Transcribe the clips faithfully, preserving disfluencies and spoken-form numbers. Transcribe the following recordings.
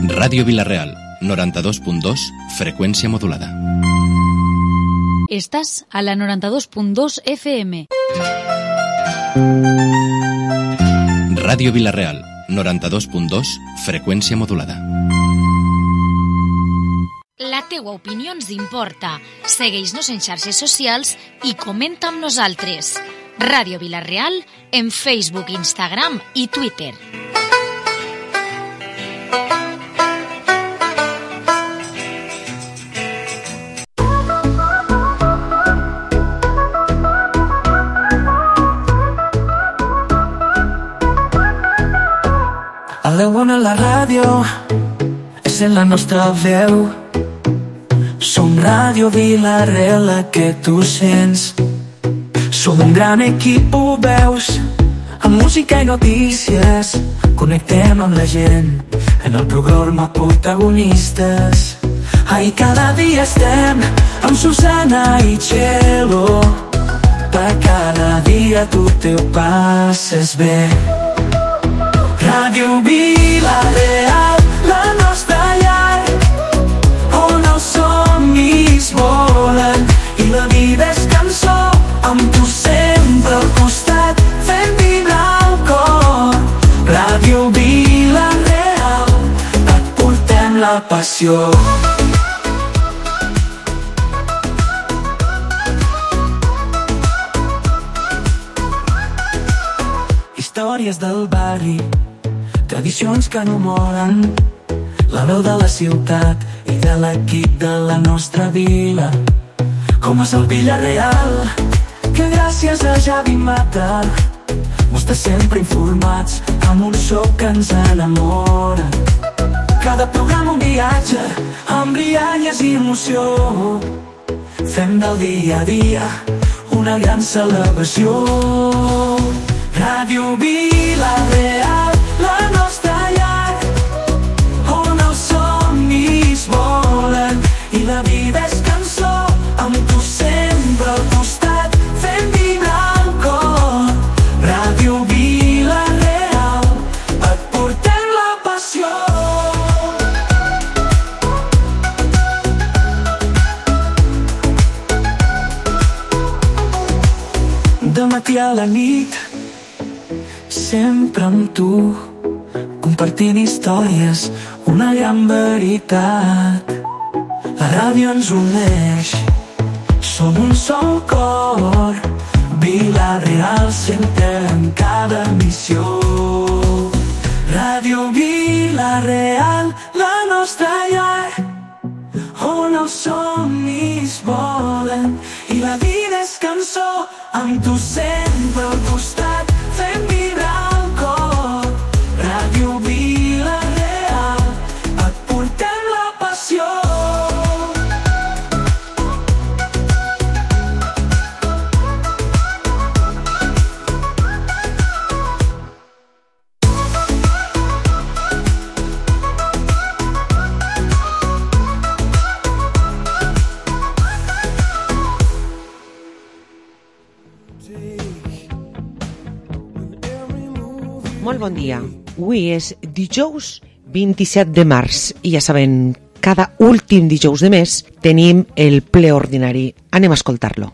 Ràdio Vila-real, noranta-dos punt dos, freqüència modulada. Estàs a la noranta-dos punt dos F M. Ràdio Vila-real, noranta-dos punt dos, freqüència modulada. La teua opinió ens importa. Segueix-nos en xarxes socials i comenta amb nosaltres. Ràdio Vila-real en Facebook, Instagram i Twitter. A la bona la ràdio és en la nostra veu. Som Ràdio Vila-real, la que tu sents. Som un gran equip, ho veus, amb música i notícies. Connectem amb la gent en el programa Protagonistes. Ai, cada dia estem amb Susana i Txelo. Per cada dia tu te ho passes bé. Ràdio Vila-real, la nostra llar, on els somnis volen i la vida és cançó, amb tu sempre al costat, fent vibrar el cor. Ràdio Vila-real, et portem la passió. Històries del barri, tradicions que no moren, la veu de la ciutat i de l'equip de la nostra vila. Com és el Vila-real, que gràcies a Javi Mata mos té sempre informats amb un so que ens enamora. Cada programa un viatge amb rialles i emoció. Fem del dia a dia una gran celebració. Ràdio Vila-real, la nostra llar, on els somnis volen i la vida és cançó, amb tu sempre al costat, fent vibrar el cor. Ràdio Vila-real, et portem la passió. De matí a la nit, sempre amb tu, compartint històries, una gran veritat. La ràdio ens uneix, som un sol cor. Vila-real sempre en cada missió. Ràdio Vila-real, la nostra llar, on els somnis volen i la vida és cançó, amb tu sempre al costat, fent vibrar el cor. Ràdio Vila-real, et portem la passió. Molt bon dia. Avui és dijous vint-i-set de març i ja saben, cada últim dijous de mes tenim el ple ordinari. Anem a escoltar-lo.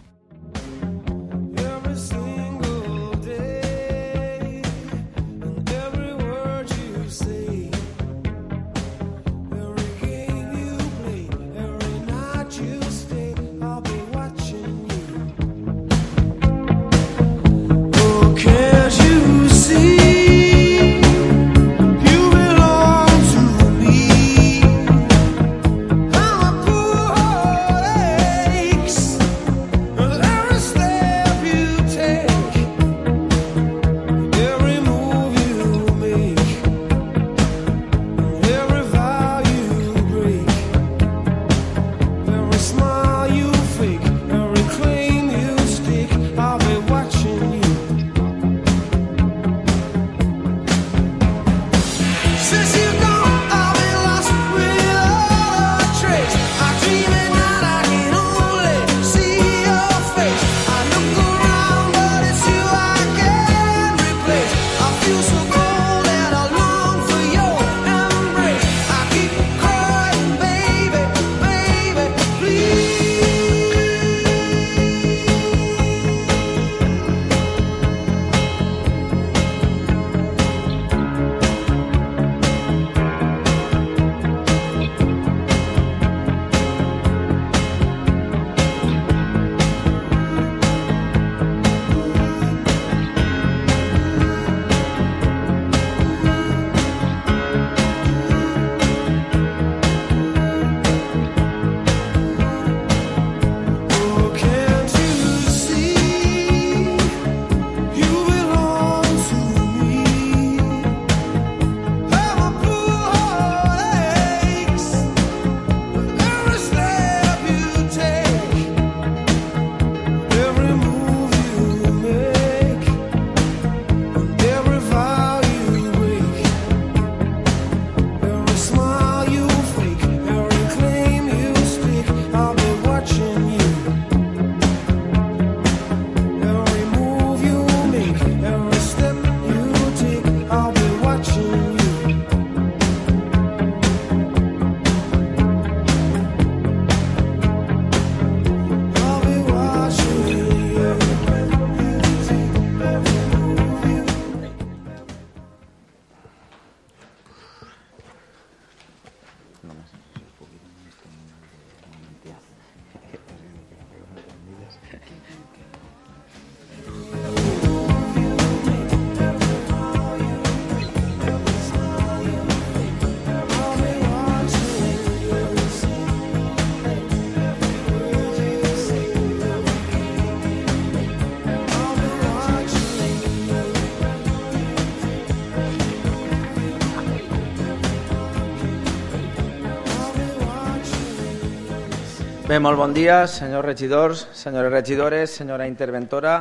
Bé, molt bon dia, senyors regidors, senyores regidores, senyora interventora,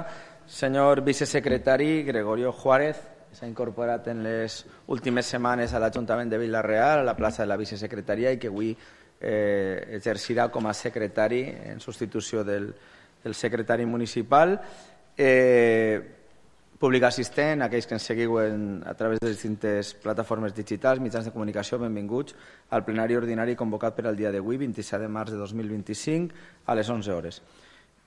senyor vicesecretari Gregorio Juárez, que s'ha incorporat en les últimes setmanes a l'Ajuntament de Vila-real, a la plaça de la vicesecretaria, i que avui eh, exercirà com a secretari en substitució del, del secretari municipal. Eh, Públic assistent, aquells que ens seguiu en, a través de les distintes plataformes digitals, mitjans de comunicació, benvinguts al plenari ordinari convocat per al dia d'avui, vint-i-set de març de dos mil vint-i-cinc, a les onze hores.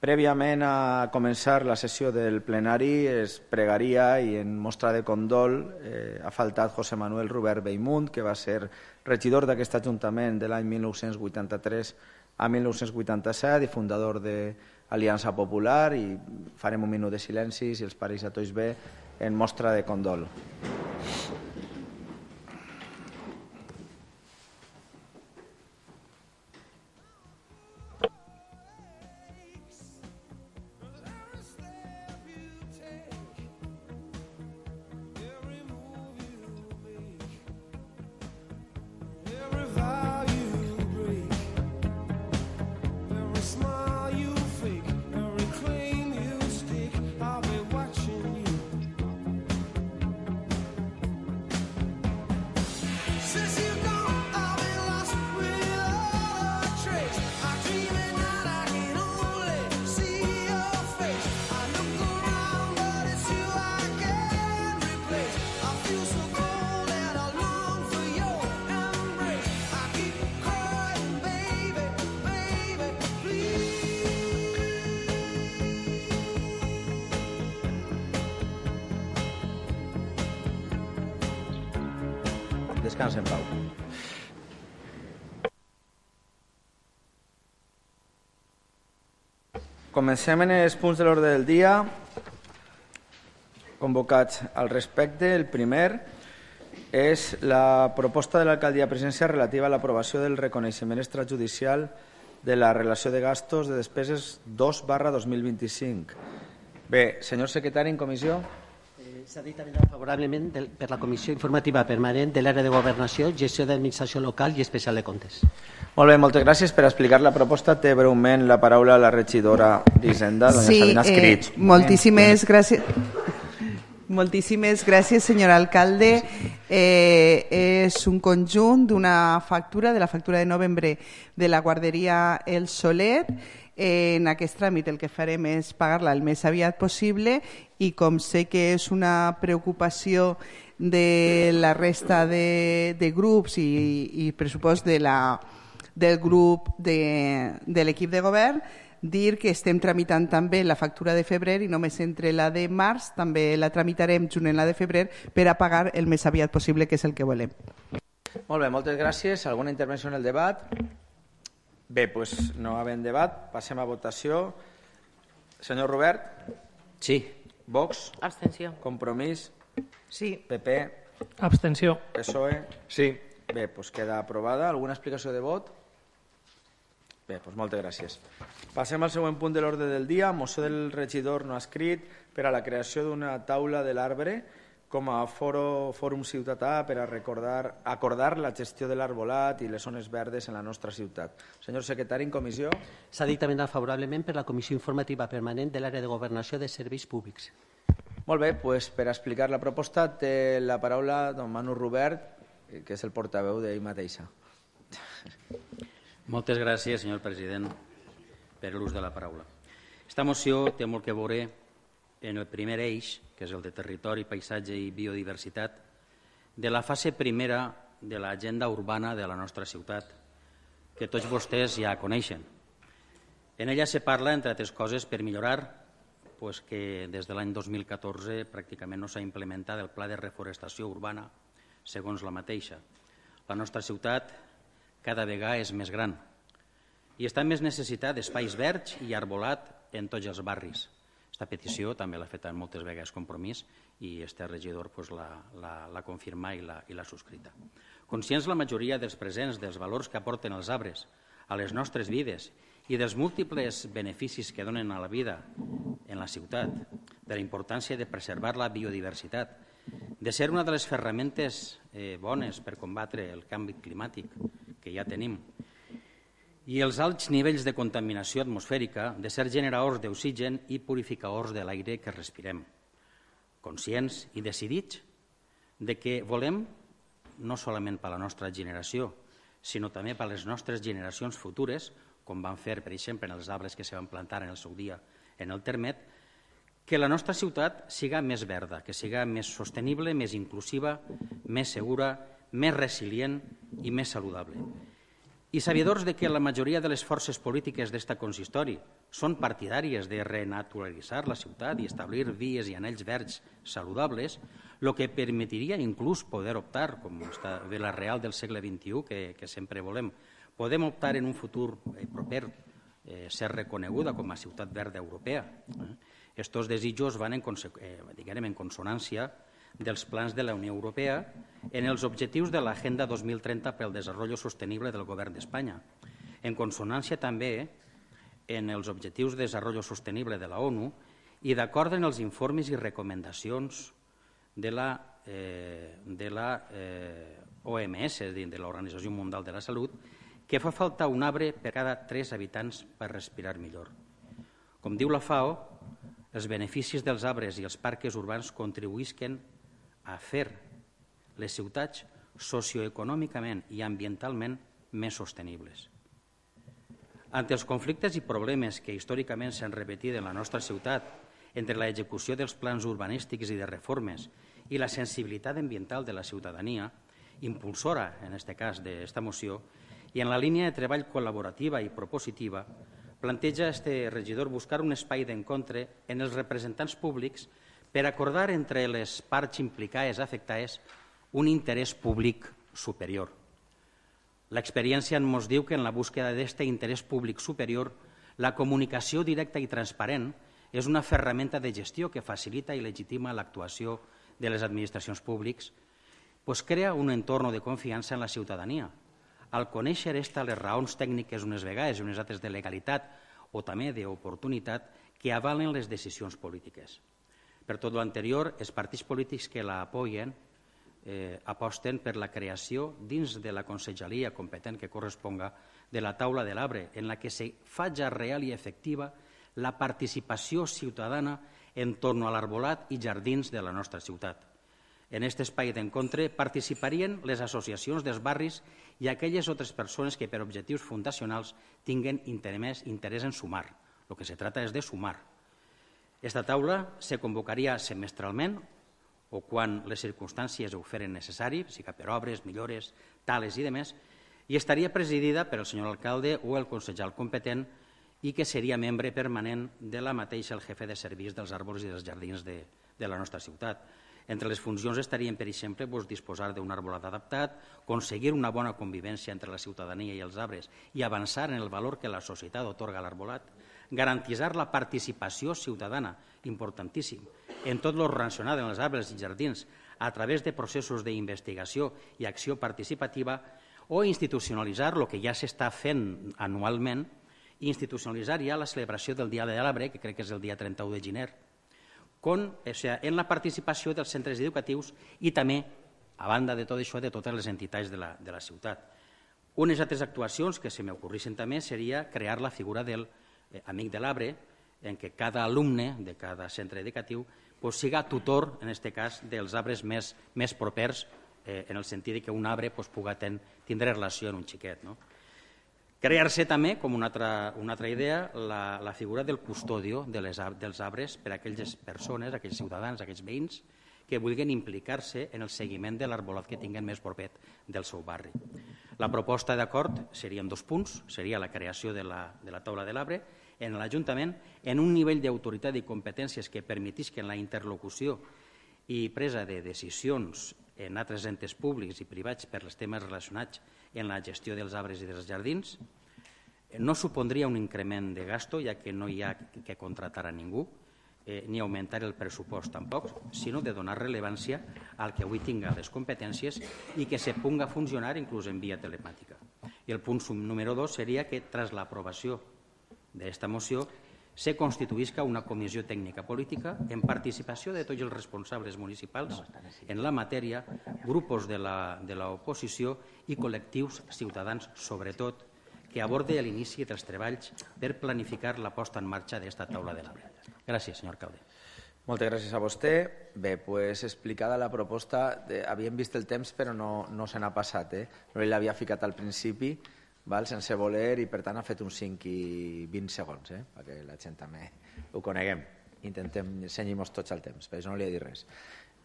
Prèviament a començar la sessió del plenari es pregaria i en mostra de condol eh, ha faltat José Manuel Rubert Bellmunt, que va ser regidor d'aquest Ajuntament de l'any mil nou-cents vuitanta-tres a mil nou-cents vuitanta-set i fundador de Aliança Popular, i farem un minut de silenci, si els pareix a tots bé, en mostra de condol. Descansa en pau. Comencem en els punts de l'ordre del dia convocats al respecte. El primer és la proposta de l'alcaldia presidencial relativa a l'aprovació del reconeixement extrajudicial de la relació de gastos de despeses dos barra dos mil vint-i-cinc. Bé, senyor secretari, en comissió. S'ha dit favorablement per la Comissió Informativa Permanent de l'Àrea de Governació, Gestió d'Administració Local i Especial de Comptes. Molt bé, moltes gràcies per explicar la proposta. Té breument la paraula la regidora d'Hisenda, doña sí, Sabina Escrit. Eh, moltíssimes gràcies. Moltíssimes gràcies, senyor alcalde. Eh, és un conjunt d'una factura, de la factura de novembre de la guarderia El Soler. En aquest tràmit el que farem és pagar-la el més aviat possible i com sé que és una preocupació de la resta de, de grups i, i pressupost de la, del grup de, de l'equip de govern, dir que estem tramitant també la factura de febrer i només entre la de març també la tramitarem junt en la de febrer per a pagar el més aviat possible, que és el que volem. Molt bé, moltes gràcies. Alguna intervenció en el debat? Bé, doncs no havent debat, passem a votació. Senyor Robert? Sí. Vox? Abstenció. Compromís? Sí. P P? Abstenció. P S O E? Sí. Bé, doncs queda aprovada. Alguna explicació de vot? Bé, doncs moltes gràcies. Passem al següent punt de l'ordre del dia. Moció del regidor no escrit per a la creació d'una taula de l'Arbre com a foro, fòrum ciutadà per a recordar, acordar la gestió de l'arbolat i les zones verdes en la nostra ciutat. Senyor secretari, en comissió. S'ha dictaminat favorablement per la Comissió Informativa Permanent de l'Àrea de Governació de Serveis Públics. Molt bé, doncs per explicar la proposta té la paraula don Manu Rubert, que és el portaveu d'ell mateixa. Moltes gràcies, senyor president, per l'ús de la paraula. Esta moció té molt que veure en el primer eix, que és el de territori, paisatge i biodiversitat, de la fase primera de l'agenda urbana de la nostra ciutat, que tots vostès ja coneixen. En ella se parla, entre altres coses, per millorar pues, que des de l'any dos mil catorze pràcticament no s'ha implementat el pla de reforestació urbana, segons la mateixa. La nostra ciutat cada vegada és més gran i està en més necessitat d'espais verds i arbolat en tots els barris. Aquesta petició també l'ha fet moltes vegades Compromís i este regidor pues, l'ha confirmat i l'ha subscrita. Conscients la majoria dels presents dels valors que aporten els arbres a les nostres vides i dels múltiples beneficis que donen a la vida en la ciutat, de la importància de preservar la biodiversitat, de ser una de les ferramentes eh, bones per combatre el canvi climàtic que ja tenim i els alts nivells de contaminació atmosfèrica de ser generadors d'oxigen i purificadors de l'aire que respirem, conscients i decidits de que volem, no solament per a la nostra generació, sinó també per a les nostres generacions futures, com van fer, per exemple, en els arbres que se van plantar en el seu dia en el Termet, que la nostra ciutat siga més verda, que siga més sostenible, més inclusiva, més segura, més resilient i més saludable. I sabedors de que la majoria de les forces polítiques d'esta consistori són partidàries de renaturalitzar la ciutat i establir vies i anells verds saludables, el que permetria inclús poder optar, com està Vila-real del segle vint-i-u, que, que sempre volem, podem optar en un futur proper eh, ser reconeguda com a ciutat verda europea. Estos desitjos van en, eh, diguem, en consonància dels plans de la Unió Europea en els objectius de l'Agenda dos mil trenta pel desenvolupament sostenible del Govern d'Espanya, en consonància també en els objectius de desenvolupament sostenible de la ONU i d'acord en els informes i recomanacions de la, eh, de la eh, O M S, és a dir, de l'Organització Mundial de la Salut, que fa falta un arbre per cada tres habitants per respirar millor. Com diu la FAO, els beneficis dels arbres i els parcs urbans contribuïsquen a fer les ciutats socioeconòmicament i ambientalment més sostenibles. Ante els conflictes i problemes que històricament s'han repetit en la nostra ciutat entre l'execució dels plans urbanístics i de reformes i la sensibilitat ambiental de la ciutadania, impulsora, en aquest cas, d'esta moció, i en la línia de treball col·laborativa i propositiva, planteja este regidor buscar un espai d'encontre en els representants públics per acordar entre les parts implicades afectades un interès públic superior. L'experiència ens diu que en la búsqueda d'aquest interès públic superior, la comunicació directa i transparent és una ferramenta de gestió que facilita i legitima l'actuació de les administracions públiques, pues crea un entorn de confiança en la ciutadania. Al conèixer esta les raons tècniques unes vegades i unes altres de legalitat o també d'oportunitat que avalen les decisions polítiques. Per tot l'anterior, els partits polítics que la apoyen eh, aposten per la creació dins de la conselleria competent que corresponga de la taula de l'arbre, en la que se faci real i efectiva la participació ciutadana en torn a l'arbolat i jardins de la nostra ciutat. En aquest espai d'encontre participarien les associacions dels barris i aquelles altres persones que per objectius fundacionals tinguen interès, interès en sumar. El que se trata és de sumar. Esta taula se convocaria semestralment o quan les circumstàncies ho feren necessari, sigui per obres, millores, tales i demés, i estaria presidida per el senyor alcalde o el consellal competent i que seria membre permanent de la mateixa el jefe de serveis dels arbres i dels jardins de, de la nostra ciutat. Entre les funcions estarien, per exemple, doncs, disposar d'un arbolat adaptat, aconseguir una bona convivència entre la ciutadania i els arbres i avançar en el valor que la societat otorga a l'arbolat, garantitzar la participació ciutadana, importantíssim, en tot lo relacionat amb els arbres i jardins a través de processos d'investigació i acció participativa o institucionalitzar el que ja s'està fent anualment, institucionalitzar ja la celebració del Dia de l'Arbre, que crec que és el dia trenta-u de gener, con, o sea, en la participació dels centres educatius i també, a banda de tot això, de totes les entitats de la, de la ciutat. Unes altres actuacions que se m'ocorrissin també seria crear la figura del eh, amic de l'arbre, en què cada alumne de cada centre educatiu pues, siga tutor, en aquest cas, dels arbres més, més propers, eh, en el sentit que un arbre pues, pugui ten, tindre relació amb un xiquet. No? Crear-se també, com una altra, una altra idea, la, la figura del custodio de les, dels arbres per a aquelles persones, aquells ciutadans, aquells veïns, que vulguin implicar-se en el seguiment de l'arbolat que tinguen més propet del seu barri. La proposta d'acord serien dos punts, seria la creació de la, de la taula de l'arbre en l'Ajuntament en un nivell d'autoritat i competències que permetisquen la interlocució i presa de decisions en altres entes públics i privats per als temes relacionats en la gestió dels arbres i dels jardins. No supondria un increment de gasto, ja que no hi ha que contratar a ningú, eh, ni augmentar el pressupost tampoc, sinó de donar rellevància al que avui tinga les competències i que se punga a funcionar inclús en via telemàtica. I el punt número dos seria que, tras l'aprovació d'esta moció, se constituïsca una comissió tècnica política en participació de tots els responsables municipals en la matèria, grupos de l'oposició i col·lectius ciutadans, sobretot, que aborde l'inici dels treballs per planificar la posta en marxa d'aquesta taula de l'arbre. Gràcies, senyor alcalde. Moltes gràcies a vostè. Bé, pues, explicada la proposta, de, havíem vist el temps però no, no se n'ha passat. Eh? No l'havia ficat al principi, val, sense voler, i per tant ha fet uns cinc i vint segons, eh? perquè la gent també ho coneguem. Intentem cenyir-nos tots al temps, per això no li he dit res.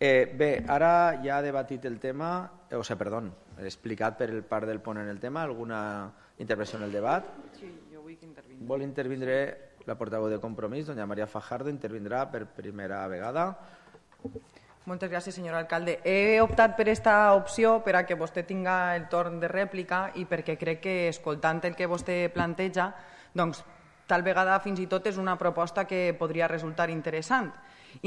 Eh, bé, ara ja ha debatit el tema, eh, o sigui, perdó, he explicat per el part del ponent el tema, alguna intervenció en el debat? Sí, jo vull que intervindre. Vol intervindre la portaveu de Compromís, doña María Fajardo, intervindrà per primera vegada. Moltes gràcies, senyor alcalde. He optat per aquesta opció per a que vostè tinga el torn de rèplica i perquè crec que, escoltant el que vostè planteja, doncs, tal vegada fins i tot és una proposta que podria resultar interessant.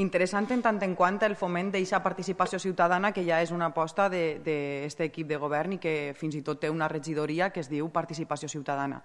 Interessant en tant en quant el foment d'aquesta participació ciutadana que ja és una aposta d'aquest equip de govern i que fins i tot té una regidoria que es diu Participació Ciutadana.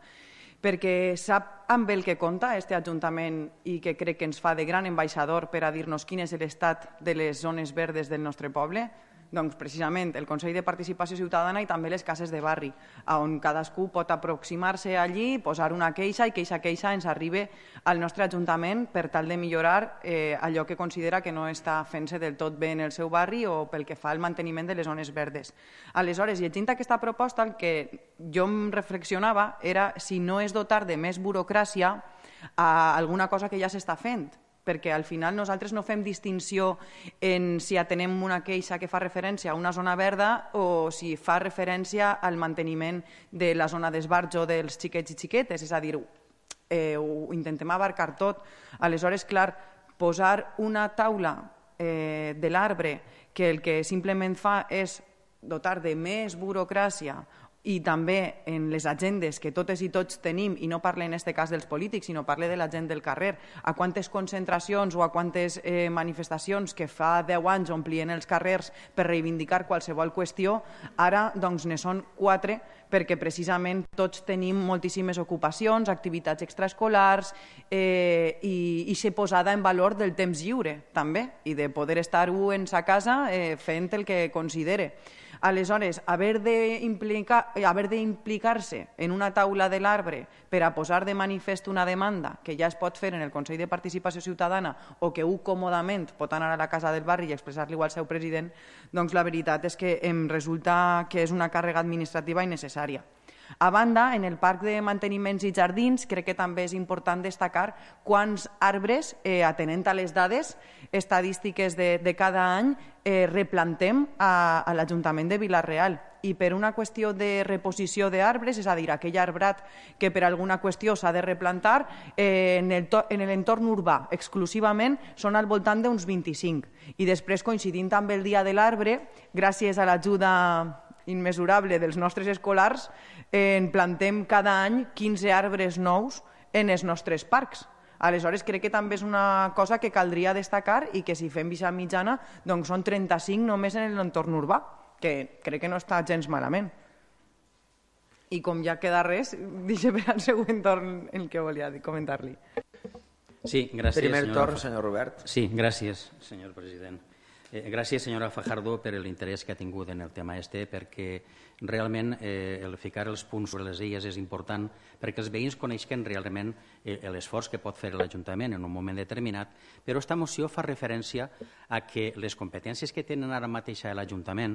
Perquè sap amb el que compta aquest Ajuntament i que crec que ens fa de gran ambaixador per a dir-nos quin és l'estat de les zones verdes del nostre poble? Doncs precisament el Consell de Participació Ciutadana i també les cases de barri, on cadascú pot aproximar-se allí, posar una queixa i que aquesta queixa ens arribi al nostre Ajuntament per tal de millorar eh, allò que considera que no està fent-se del tot bé en el seu barri o pel que fa al manteniment de les zones verdes. Aleshores, llegint aquesta proposta, el que jo em reflexionava era si no és dotar de més burocràcia a alguna cosa que ja s'està fent, perquè al final nosaltres no fem distinció en si atenem una queixa que fa referència a una zona verda o si fa referència al manteniment de la zona d'esbarjo dels xiquets i xiquetes, és a dir, eh, ho intentem abarcar tot. Aleshores, clar, posar una taula eh, de l'arbre que el que simplement fa és dotar de més burocràcia i també en les agendes que totes i tots tenim, i no parle en aquest cas dels polítics, sinó parle de la gent del carrer, a quantes concentracions o a quantes eh, manifestacions que fa deu anys omplien els carrers per reivindicar qualsevol qüestió, ara doncs ne són quatre, perquè precisament tots tenim moltíssimes ocupacions, activitats extraescolars eh, i, i ser posada en valor del temps lliure, també, i de poder estar-ho en sa casa eh, fent el que considere. Aleshores, haver d'implicar-se en una taula de l'arbre per a posar de manifest una demanda que ja es pot fer en el Consell de Participació Ciutadana o que un còmodament pot anar a la casa del barri i expressar-li al seu president, doncs la veritat és que em resulta que és una càrrega administrativa innecessària. A banda, en el Parc de Manteniments i Jardins crec que també és important destacar quants arbres, eh, atenent a les dades estadístiques de, de cada any, eh, replantem a, a l'Ajuntament de Vila-real. I per una qüestió de reposició d'arbres, és a dir, aquell arbrat que per alguna qüestió s'ha de replantar, eh, en, el to, en l'entorn urbà exclusivament són al voltant d'uns vint-i-cinc. I després, coincidint amb el Dia de l'Arbre, gràcies a l'ajuda immesurable dels nostres escolars, eh, en plantem cada any quinze arbres nous en els nostres parcs. Aleshores, crec que també és una cosa que caldria destacar i que si fem vista mitjana, doncs són trenta-cinc només en l'entorn urbà, que crec que no està gens malament. I com ja queda res, deixe per al següent torn el que volia comentar-li. Sí, gràcies. Primer senyora... torn, senyor Robert. Sí, gràcies, senyor president. Eh, gràcies, senyora Fajardo, per l'interès que ha tingut en el tema este, perquè realment eh, el ficar els punts sobre les illes és important perquè els veïns coneixen realment eh, l'esforç que pot fer l'Ajuntament en un moment determinat, però aquesta moció fa referència a que les competències que tenen ara mateix a l'Ajuntament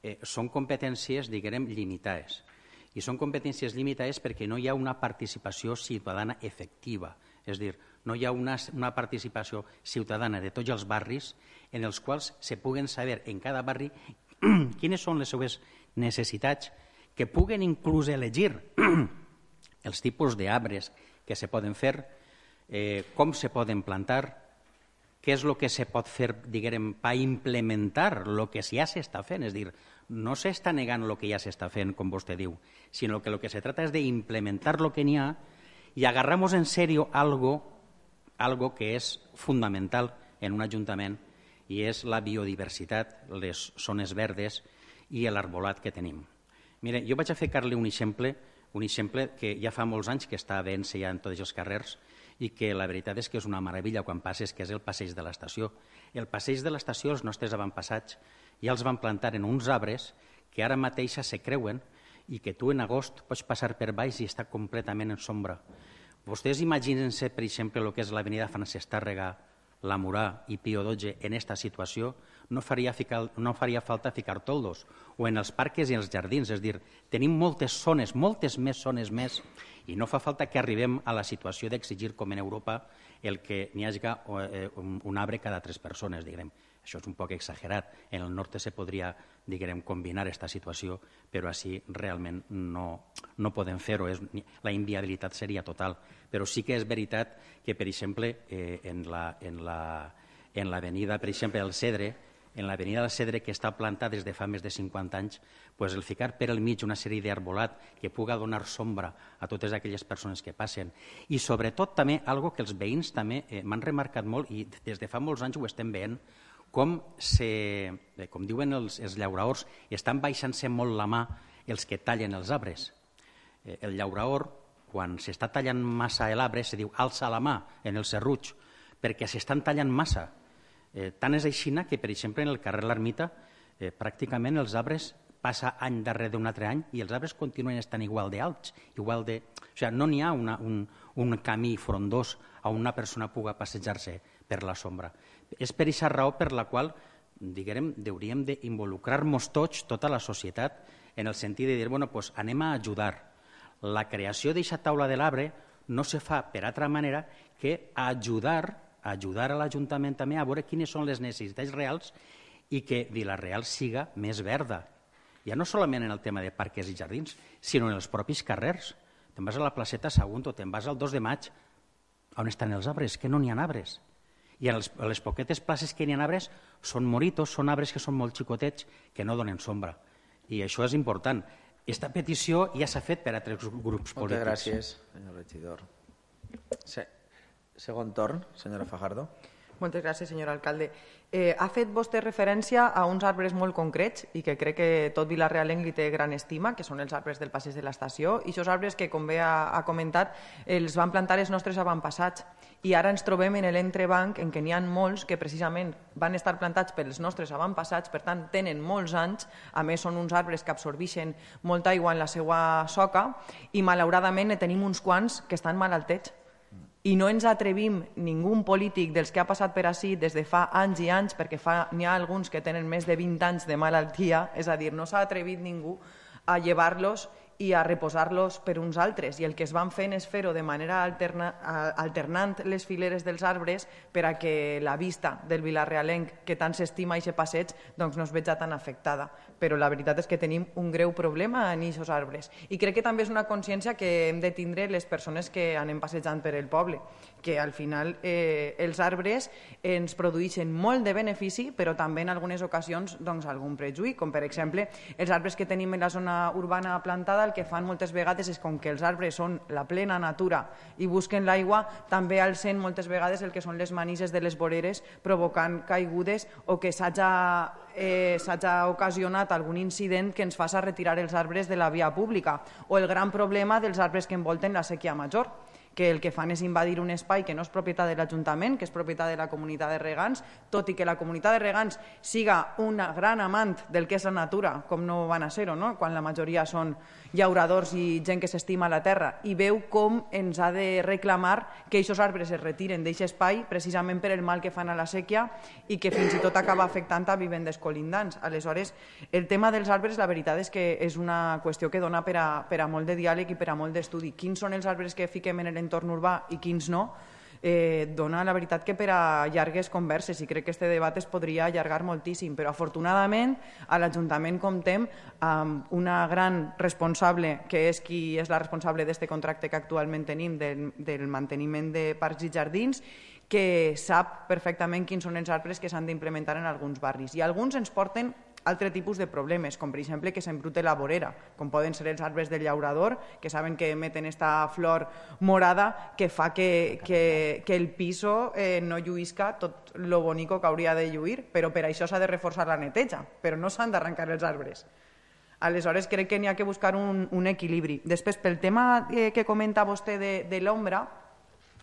eh, són competències, diguem, limitades. I són competències limitades perquè no hi ha una participació ciutadana efectiva. És a dir, no hi ha una, una participació ciutadana de tots els barris en els quals se puguen saber en cada barri quines són les seves necessitats, que puguen inclús elegir els tipus d'arbres que se poden fer, eh, com se poden plantar, què és el que se pot fer, diguem, per implementar el que ja s'està fent. És a dir, no s'està negant el que ja s'està fent, com vostè diu, sinó que el que se trata és d'implementar el que n'hi ha i agarramos en serio algo, algo que és fundamental en un ajuntament i és la biodiversitat, les zones verdes i l'arbolat que tenim. Mire, jo vaig a ficar-li un exemple, un exemple que ja fa molts anys que està veient-se ja en tots els carrers i que la veritat és que és una meravella quan passes, que és el passeig de l'estació. El passeig de l'estació, els nostres avantpassats, ja els van plantar en uns arbres que ara mateix se creuen i que tu en agost pots passar per baix i està completament en sombra. Vostès imaginen-se, per exemple, el que és l'avenida Francesc Tàrrega, la Murà i Pío dotze en aquesta situació, no faria, ficar, no faria falta ficar toldos, o en els parcs i els jardins, és a dir, tenim moltes zones, moltes més zones més, i no fa falta que arribem a la situació d'exigir, com en Europa, el que n'hi hagi un arbre cada tres persones, diguem. Això és un poc exagerat. En el nord se podria, diguem, combinar aquesta situació, però així realment no, no podem fer-ho. La inviabilitat seria total. Però sí que és veritat que, per exemple, eh, en l'avenida, per exemple, del Cedre, en l'avenida del Cedre, que està plantada des de fa més de cinquanta anys, pues el ficar per al mig una sèrie d'arbolat que puga donar sombra a totes aquelles persones que passen. I sobretot també, algo que els veïns també eh, m'han remarcat molt, i des de fa molts anys ho estem veient, com, se, eh, com diuen els, els llauraors, estan baixant-se molt la mà els que tallen els arbres. Eh, el llauraor, quan s'està tallant massa l'arbre, se diu alça la mà en el serruig, perquè s'estan tallant massa. Eh, tant és així que, per exemple, en el carrer L'Ermita, eh, pràcticament els arbres passa any darrere d'un altre any i els arbres continuen estant igual d'alts, igual de... O sigui, no n'hi ha una, un, un camí frondós on una persona puga passejar-se per la sombra. És per aquesta raó per la qual, diguem, hauríem d'involucrar-nos tots, tota la societat, en el sentit de dir, bueno, pues anem a ajudar. La creació d'aquesta taula de l'arbre no se fa per altra manera que ajudar ajudar a l'Ajuntament també a veure quines són les necessitats reals i que Vila-real siga més verda. Ja no solament en el tema de parcs i jardins, sinó en els propis carrers. Te'n vas a la placeta Sagunto, te'n vas al dos de maig, on estan els arbres? Que no n'hi ha arbres. I a les poquetes places que n'hi ha arbres són moritos, són arbres que són molt xicotets, que no donen sombra. I això és important. Aquesta petició ja s'ha fet per a tres grups polítics. Moltes gràcies, senyor regidor. Sí. Segon torn, senyora Fajardo. Moltes gràcies, senyor alcalde. Eh, ha fet vostè referència a uns arbres molt concrets i que crec que tot Vila-realenc li té gran estima, que són els arbres del passeig de l'estació, i aquests arbres que, com bé ha, ha comentat, els van plantar els nostres avantpassats. I ara ens trobem en l'entrebanc en què n'hi ha molts que precisament van estar plantats pels nostres avantpassats, per tant tenen molts anys, a més són uns arbres que absorbeixen molta aigua en la seva soca i malauradament ne tenim uns quants que estan malaltets. I no ens atrevim, ningú polític dels que ha passat per ací des de fa anys i anys, perquè n'hi ha alguns que tenen més de vint anys de malaltia, és a dir, no s'ha atrevit ningú a llevar-los i a reposar-los per uns altres. I el que es van fent és fer-ho de manera alterna, alternant les fileres dels arbres per a que la vista del Vila-realenc, que tant s'estima aquest passeig, doncs no es veja tan afectada. Però la veritat és que tenim un greu problema en aquests arbres. I crec que també és una consciència que hem de tindre les persones que anem passejant per el poble, que al final eh, els arbres ens produeixen molt de benefici, però també en algunes ocasions doncs, algun prejuí, com per exemple els arbres que tenim en la zona urbana plantada, el que fan moltes vegades és, com que els arbres són la plena natura i busquen l'aigua, també alcen moltes vegades el que són les manises de les voreres, provocant caigudes o que s'haja eh, s'haja ocasionat algun incident que ens faci retirar els arbres de la via pública, o el gran problema dels arbres que envolten la sèquia major, que el que fan és invadir un espai que no és propietat de l'Ajuntament, que és propietat de la comunitat de regants, tot i que la comunitat de regants siga una gran amant del que és la natura, com no van a ser-ho, no? Quan la majoria són llauradors i gent que s'estima la terra, i veu com ens ha de reclamar que aquests arbres es retiren d'aquest espai precisament per el mal que fan a la sèquia i que fins i tot acaba afectant a vivendes colindants. Aleshores, el tema dels arbres, la veritat és que és una qüestió que dona per a, per a molt de diàleg i per a molt d'estudi. Quins són els arbres que fiquem en l'entorn urbà i quins no, eh, dona la veritat que per a llargues converses, i crec que aquest debat es podria allargar moltíssim, però afortunadament a l'Ajuntament comptem amb una gran responsable, que és qui és la responsable d'aquest contracte que actualment tenim del, del manteniment de parcs i jardins, que sap perfectament quins són els arbres que s'han d'implementar en alguns barris, i alguns ens porten altre tipus de problemes, com per exemple que s'embrute la vorera, com poden ser els arbres del llaurador, que saben que emeten esta flor morada que fa que, que, que el piso eh, no lluïsca tot lo bonico que hauria de lluir, però per això s'ha de reforçar la neteja, però no s'han d'arrencar els arbres. Aleshores crec que n'hi ha que buscar un, un equilibri. Després, pel tema eh, que comenta vostè de, de l'ombra,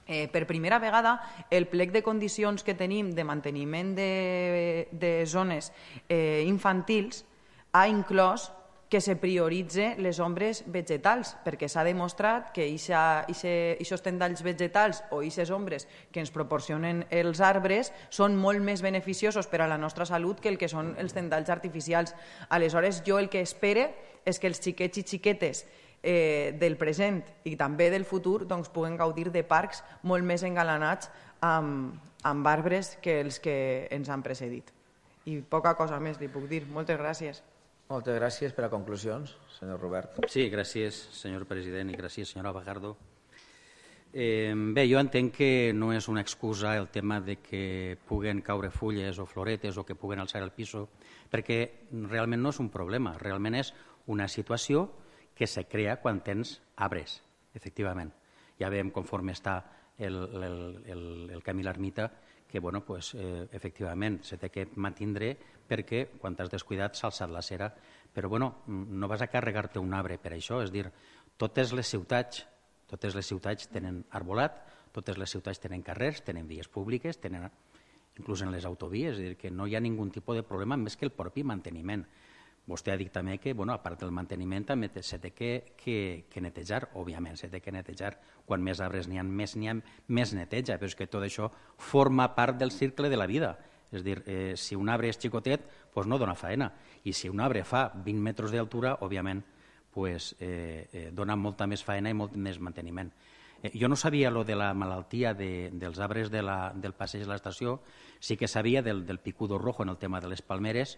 Eh, per primera vegada el plec de condicions que tenim de manteniment de, de zones eh, infantils ha inclòs que se prioritze les ombres vegetals, perquè s'ha demostrat que aquests tendalls vegetals o aquestes ombres que ens proporcionen els arbres són molt més beneficiosos per a la nostra salut que el que són els tendalls artificials. Aleshores, jo el que espere és que els xiquets i xiquetes eh, del present i també del futur doncs, puguen gaudir de parcs molt més engalanats amb, amb arbres que els que ens han precedit. I poca cosa més li puc dir. Moltes gràcies. Moltes gràcies per a conclusions, senyor Robert. Sí, gràcies, senyor president, i gràcies, senyora Bagardo. Eh, bé, jo entenc que no és una excusa el tema de que puguen caure fulles o floretes o que puguen alçar el piso, perquè realment no és un problema, realment és una situació que se crea quan tens arbres, efectivament. Ja veiem conforme està el, el, el, el camí l'ermita, que bueno, pues, eh, efectivament se té que mantindre perquè quan t'has descuidat s'ha alçat la cera, però bueno, no vas a carregar-te un arbre per això, és dir, totes les ciutats, totes les ciutats tenen arbolat, totes les ciutats tenen carrers, tenen vies públiques, tenen inclús en les autovies, és dir, que no hi ha ningú tipus de problema més que el propi manteniment. Vostè ha dit també que, bueno, a part del manteniment, també se té que, que, que netejar, òbviament, se té que netejar. Quan més arbres n'hi ha, més n'hi ha, més neteja, però és que tot això forma part del cicle de la vida. És dir, eh, si un arbre és xicotet, doncs no dona faena. I si un arbre fa vint metres d'altura, òbviament, pues, eh, eh, dona molta més faena i molt més manteniment. Eh, jo no sabia lo de la malaltia de, dels arbres de la, del passeig de l'estació, sí que sabia del, del picudo rojo en el tema de les palmeres,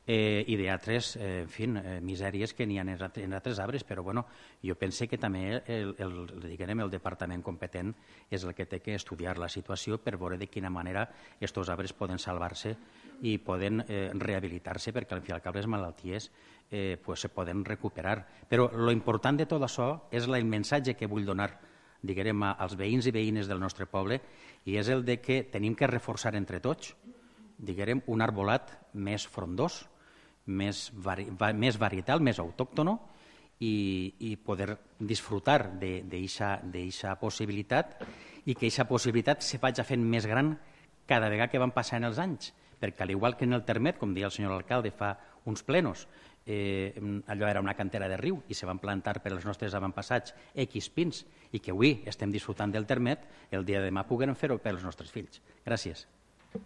Eh, i d'altres, eh, en fi, eh, misèries que n'hi ha en altres arbres, però bueno, jo pense que també el, el, diguem, el departament competent és el que té que estudiar la situació per veure de quina manera aquests arbres poden salvar-se i poden eh, rehabilitar-se, perquè al fi i al cap les malalties eh, pues, se poden recuperar. Però lo important de tot això és el missatge que vull donar, diguem, als veïns i veïnes del nostre poble, i és el de que tenim que reforçar entre tots, diguem, un arbolat més frondós, més, vari, més varietal, més autòctono, i, i poder disfrutar d'aquesta possibilitat i que aquesta possibilitat se vagi fent més gran cada vegada que van passant els anys, perquè al igual que en el Termet, com deia el senyor alcalde fa uns plenos, eh, allò era una cantera de riu i se van plantar per als nostres avantpassats X pins i que avui estem disfrutant del Termet, el dia de demà puguem fer-ho per als nostres fills. Gràcies.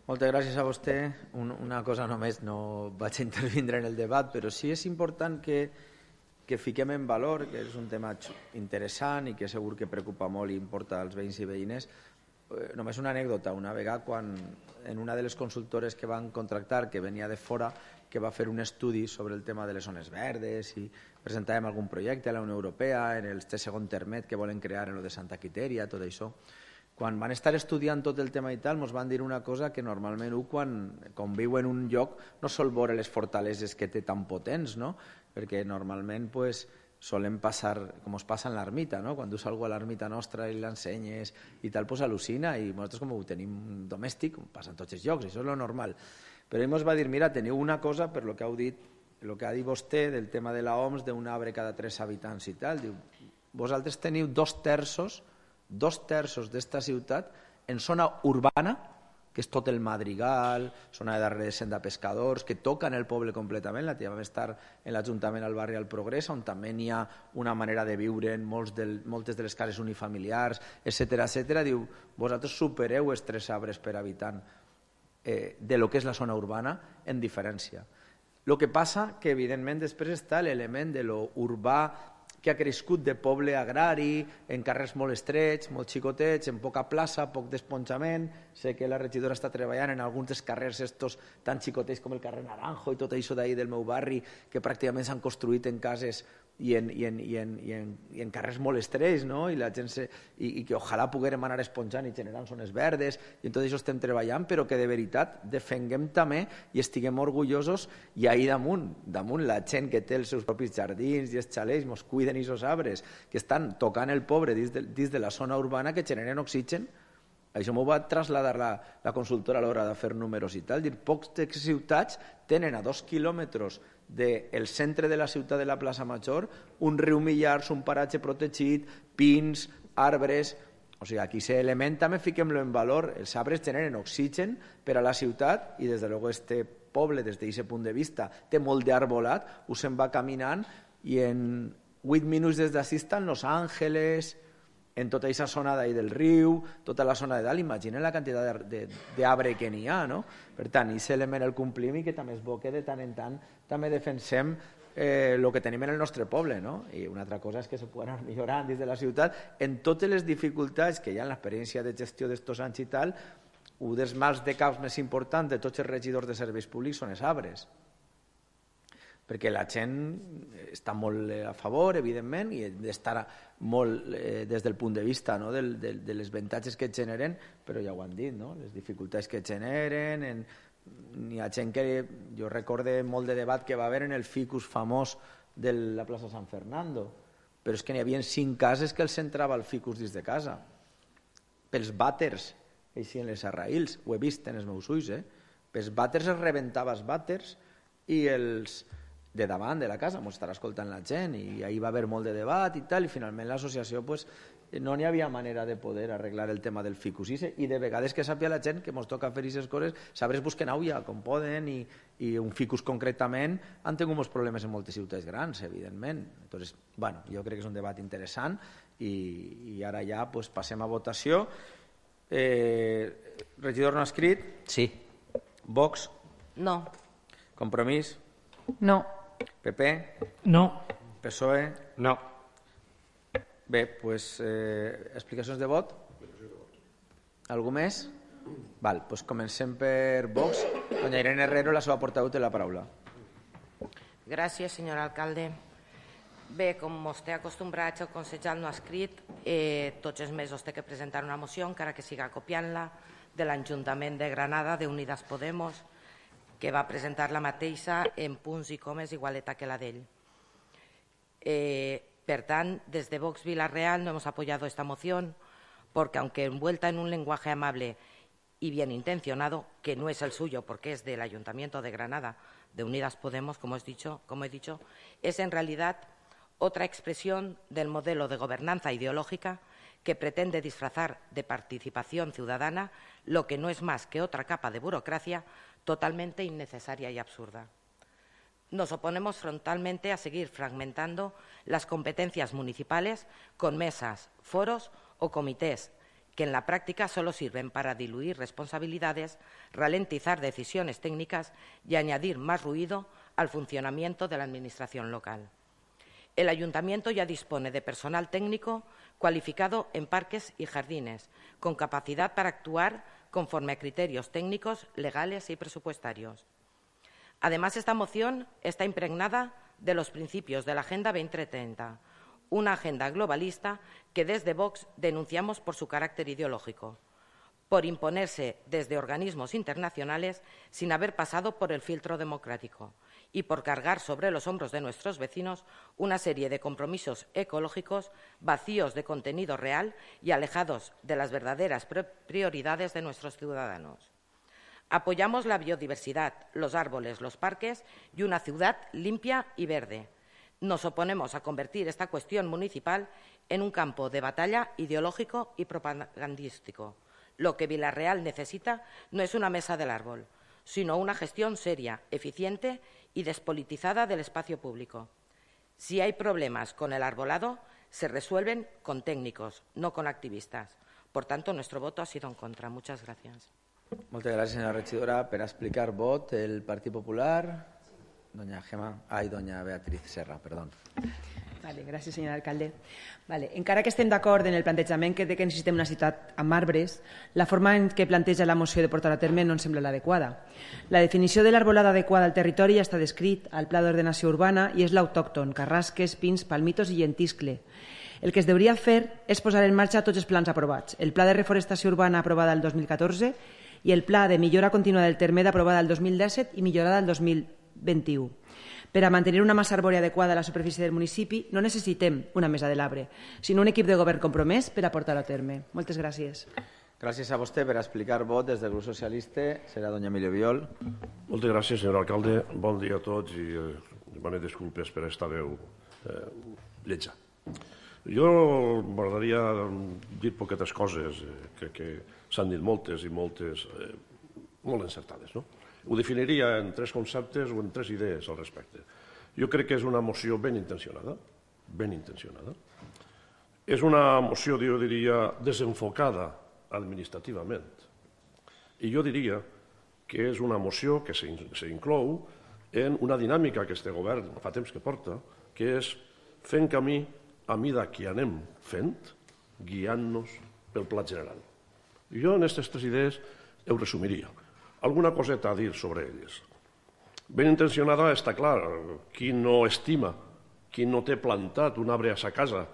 Moltes gràcies a vostè. Un, una cosa només, no vaig a intervindre en el debat, però sí és important que, que fiquem en valor, que és un tema interessant i que segur que preocupa molt i importa als veïns i veïnes. Eh, només una anècdota, una vegada quan en una de les consultores que van contractar, que venia de fora, que va fer un estudi sobre el tema de les zones verdes i presentàvem algun projecte a la Unió Europea, en el segon Termet que volen crear en el de Santa Quiteria, tot això. Quan van estar estudiant tot el tema i tal, ens van dir una cosa que normalment un, quan, quan viu en un lloc, no sol veure les fortaleses que té tan potents, no? Perquè normalment pues, solen passar, com es passa en l'ermita, no? Quan dus algú a l'ermita nostra i l'ensenyes i tal, pues al·lucina, i nosaltres com ho tenim domèstic, passa en tots els llocs, això és lo normal. Però ell ens va dir, mira, teniu una cosa, per lo que heu dit, el que ha dit vostè del tema de l'O M S, d'un arbre cada tres habitants i tal, diu, vosaltres teniu dos terços dos terços d'esta ciutat en zona urbana, que és tot el Madrigal, zona de darrere de Senda Pescadors, que toquen el poble completament. La tia vam estar en l'Ajuntament al barri al Progrés, on també n'hi ha una manera de viure en molts del, moltes de les cases unifamiliars, etcètera, etcètera. Diu, vosaltres supereu els tres arbres per habitant eh, de lo que és la zona urbana en diferència. El que passa que, evidentment, després està l'element de lo urbà que ha crescut de poble agrari, en carrers molt estrets, molt xicotets, en poca plaça, poc desponjament. Sé que la regidora està treballant en alguns dels carrers estos tan xicotets com el carrer Naranjo i tot això d'ahir del meu barri, que pràcticament s'han construït en cases i en, i en, i en, i en, i en carrers molt estrets, no? I, la gent se, i, i que ojalà poguérem anar esponjant i generant zones verdes, i en tot això estem treballant, però que de veritat defenguem també i estiguem orgullosos, i ahir damunt, damunt la gent que té els seus propis jardins i els xalets, mos cuiden aquests arbres, que estan tocant el pobre dins de, dins de la zona urbana, que generen oxigen. Això m'ho va traslladar la, la consultora a l'hora de fer números i tal. Dir, pocs ciutats tenen a dos quilòmetres del centre de la ciutat de la plaça Major un riu Millars, un paratge protegit, pins, arbres. O sigui, aquí aquest element també fiquem-lo en valor. Els arbres generen oxigen per a la ciutat i des de luego este poble des d'aquest punt de vista té molt d'arbolat, us se'n va caminant i en vuit minuts des d'ací estan Los Ángeles, en tota aquesta zona d'ahí del riu, tota la zona de dalt, imaginen la quantitat d'arbre que n'hi ha, no? Per tant, aquest element el complim i que també és bo que de tant en tant també defensem el eh, que tenim en el nostre poble, no? I una altra cosa és que se poden anar millorant des de la ciutat en totes les dificultats que hi ha en l'experiència de gestió d'estos anys i tal. Un dels mals de caps més importants de tots els regidors de serveis públics són els arbres, perquè la gent està molt a favor, evidentment, i d'estar molt eh, des del punt de vista, no? de, de, de les avantatges que generen, però ja ho han dit, no? Les dificultats que generen, en, hi ha gent que, jo recorde molt de debat que va haver en el ficus famós de la plaça San Fernando, però és que n'hi havia cinc cases que els entrava el ficus dins de casa, pels vàters, així en les arraïls, ho he vist en els meus ulls, eh? Pels vàters es rebentava els vàters i els de davant de la casa, m'ho estarà escoltant la gent, i ahir va haver molt de debat i tal, i finalment l'associació pues, no n'hi havia manera de poder arreglar el tema del ficus, i de vegades que sàpia la gent que ens toca fer aquestes coses, sabres busquen auia com poden, i, i un ficus concretament han tingut molts problemes en moltes ciutats grans, evidentment. Entonces, bueno, jo crec que és un debat interessant, i, i ara ja pues, passem a votació. Eh, regidor no escrit? Sí. Vox? No. Compromís? No. P P? No. P S O E? No. Bé, doncs, eh, explicacions de vot? Algú més? Val, doncs comencem per Vox. Doña Irene Herrero, la seva portaveu, té la paraula. Gràcies, senyor alcalde. Bé, com vostè acostumbrat al consejal no ha escrit, eh, tots els mesos té que presentar una moció, encara que siga copiant-la, de l'Ajuntament de Granada, d'Unidas Podemos, que va presentar la mateixa en punts i comes igualeta que la d'ell. Eh, Per tant, desde Vox Villarreal no hemos apoyado esta moción porque, aunque envuelta en un lenguaje amable y bien intencionado, que no es el suyo porque es del Ayuntamiento de Granada, de Unidas Podemos, como he dicho, como he dicho, es en realidad otra expresión del modelo de gobernanza ideológica que pretende disfrazar de participación ciudadana lo que no es más que otra capa de burocracia totalmente innecesaria y absurda. Nos oponemos frontalmente a seguir fragmentando las competencias municipales con mesas, foros o comités que en la práctica solo sirven para diluir responsabilidades, ralentizar decisiones técnicas y añadir más ruido al funcionamiento de la administración local. El Ayuntamiento ya dispone de personal técnico cualificado en parques y jardines, con capacidad para actuar conforme a criterios técnicos, legales y presupuestarios. Además, esta moción está impregnada de los principios de la Agenda veinte treinta, una agenda globalista que desde Vox denunciamos por su carácter ideológico, por imponerse desde organismos internacionales sin haber pasado por el filtro democrático y por cargar sobre los hombros de nuestros vecinos una serie de compromisos ecológicos vacíos de contenido real y alejados de las verdaderas prioridades de nuestros ciudadanos. Apoyamos la biodiversidad, los árboles, los parques y una ciudad limpia y verde. Nos oponemos a convertir esta cuestión municipal en un campo de batalla ideológico y propagandístico. Lo que Villarreal necesita no es una mesa del árbol, sino una gestión seria, eficiente y despolitizada del espacio público. Si hay problemas con el arbolado, se resuelven con técnicos, no con activistas. Por tanto, nuestro voto ha sido en contra. Muchas gracias. Moltes gràcies, senyora regidora. Per explicar vot, el Partit Popular, doña Gemma, ai, doña Beatriz Serra, perdó. Vale, gràcies, senyor alcalde. Vale, encara que estem d'acord en el plantejament que, que necessitem una ciutat amb arbres, la forma en què planteja la moció de portar a terme no ens sembla l'adequada. La definició de l'arbolada adequada al territori ja està descrit al Pla d'Ordenació Urbana i és l'autòcton, carrasques, pins, palmitos i llentiscle. El que es hauria de fer és posar en marxa tots els plans aprovats. El Pla de Reforestació Urbana aprovada el dos mil catorze i el Pla de Millora Contínua del Termed aprovada el dos mil disset i millorada el dos mil vint-i-u. Per a mantenir una massa arbòria adequada a la superfície del municipi no necessitem una mesa de l'arbre, sinó un equip de govern compromès per a portar-ho a terme. Moltes gràcies. Gràcies a vostè per explicar vot des del grup socialista. Serà doña Emilio Viol. Moltes gràcies, senyor alcalde. Bon dia a tots i eh, demano disculpes per esta veu eh, lletja. Jo m'agradaria dir poquetes coses, eh, crec que s'han dit moltes i moltes eh, molt encertades, no? Ho definiria en tres conceptes o en tres idees al respecte. Jo crec que és una moció ben intencionada, ben intencionada. És una moció, jo diria, desenfocada administrativament. I jo diria que és una moció que s'inclou en una dinàmica que este govern fa temps que porta, que és fent camí a mida que anem fent, guiant-nos pel pla general. Jo en aquestes tres idees ho resumiria. Alguna coseta a dir sobre elles. Ben intencionada està clar, qui no estima, qui no té plantat un arbre a sa casa,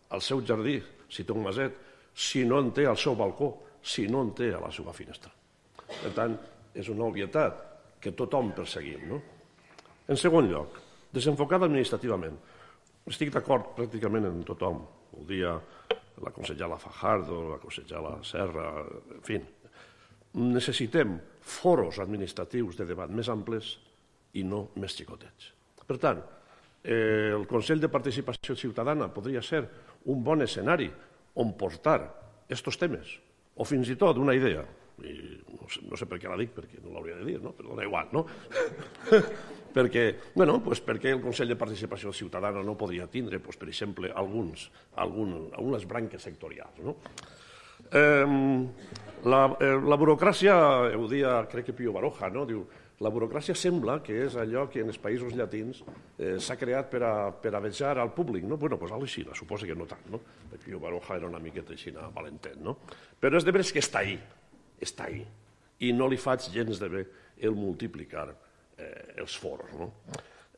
al seu jardí, si té un maset, si no en té al seu balcó, si no en té a la seva finestra. Per tant, és una obvietat que tothom perseguim. No? En segon lloc, desenfocada administrativament. Estic d'acord pràcticament en tothom. Ho dia la consellera Fajardo, la consellera Serra, en fi. Necessitem foros administratius de debat més amples i no més xicotets. Per tant, eh, el Consell de Participació Ciutadana podria ser un bon escenari on portar aquests temes, o fins i tot una idea, i no sé, no sé per què la dic, perquè no l'hauria de dir, no? Però dona igual, no? perquè, bueno, pues perquè el Consell de Participació Ciutadana no podria tindre, pues, per exemple, alguns, algun, algunes branques sectorials. No? Eh, la, eh, la burocràcia, ho dia, crec que Pío Baroja, no? Diu, la burocràcia sembla que és allò que en els països llatins eh, s'ha creat per a, per a vejar al públic. No? Bueno, pues així, suposo que no tant. No? Pío Baroja era una miqueta així, valentet. No? Però és de veres que està ahí. està ahí, i no li faig gens de bé el multiplicar eh, els foros. No?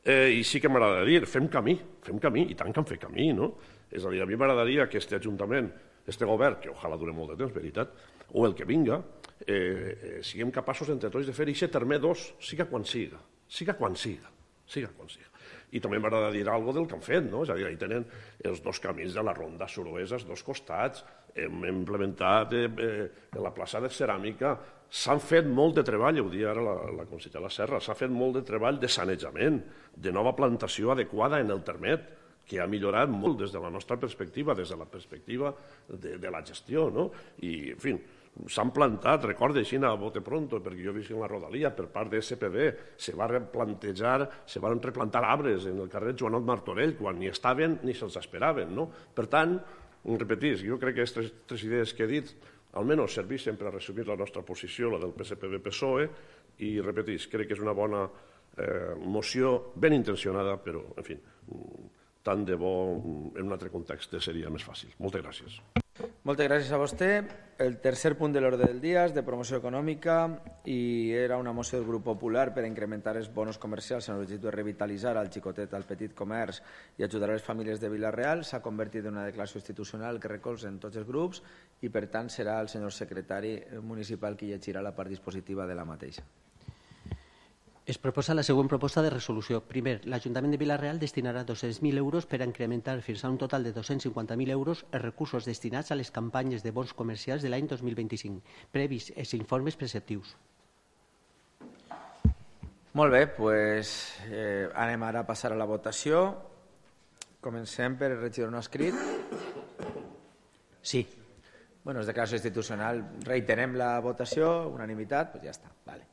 Eh, I sí que m'agrada dir, fem camí, fem camí, i tant que en fer camí, no? És a dir, a mi m'agradaria que aquest ajuntament, aquest govern, que ojalà dure molt de temps, veritat, o el que vinga, eh, eh, siguem capaços entre tots de fer aquest terme dos, siga quan siga, siga quan siga, siga quan siga. I també m'agrada dir alguna cosa del que han fet, no? És a dir, ahí tenen els dos camins de la ronda suroesa, els dos costats, hem implementat eh, eh, la plaça de ceràmica, s'han fet molt de treball, ho dia ara la, la consellera Serra, s'ha fet molt de treball de sanejament, de nova plantació adequada en el termet, que ha millorat molt des de la nostra perspectiva, des de la perspectiva de, de la gestió, no? I, en fi, s'han plantat, recorda així a bote pronto, perquè jo visc en la Rodalia, per part de S P B, se va replantejar, se van replantar arbres en el carrer Joanot Martorell, quan ni estaven ni se'ls esperaven, no? Per tant, repetís, jo crec que aquestes tres idees que he dit almenys serveixen per a resumir la nostra posició, la del P S P B P S O E, i repetís, crec que és una bona eh, moció ben intencionada, però, en fi, tant de bo en un altre context seria més fàcil. Moltes gràcies. Moltes gràcies a vostè. El tercer punt de l'ordre del dia és de promoció econòmica i era una moció del Grup Popular per incrementar els bonos comercials en l'objectiu de revitalitzar al xicotet, al petit comerç i ajudar a les famílies de Vila-real. S'ha convertit en una declaració institucional que recolzen tots els grups i, per tant, serà el senyor secretari municipal qui llegirà la part dispositiva de la mateixa. Es proposa la següent proposta de resolució. Primer, l'Ajuntament de Vila-real destinarà dos-cents mil euros per a incrementar fins a un total de dos-cents cinquanta mil euros els recursos destinats a les campanyes de bons comercials de l'any dos mil vint-i-cinc, previs els informes preceptius. Molt bé, doncs eh, anem ara a passar a la votació. Comencem per el regidor no escrit. Sí. Bueno, és declaració institucional. Reiterem la votació, unanimitat, doncs ja està. Vale.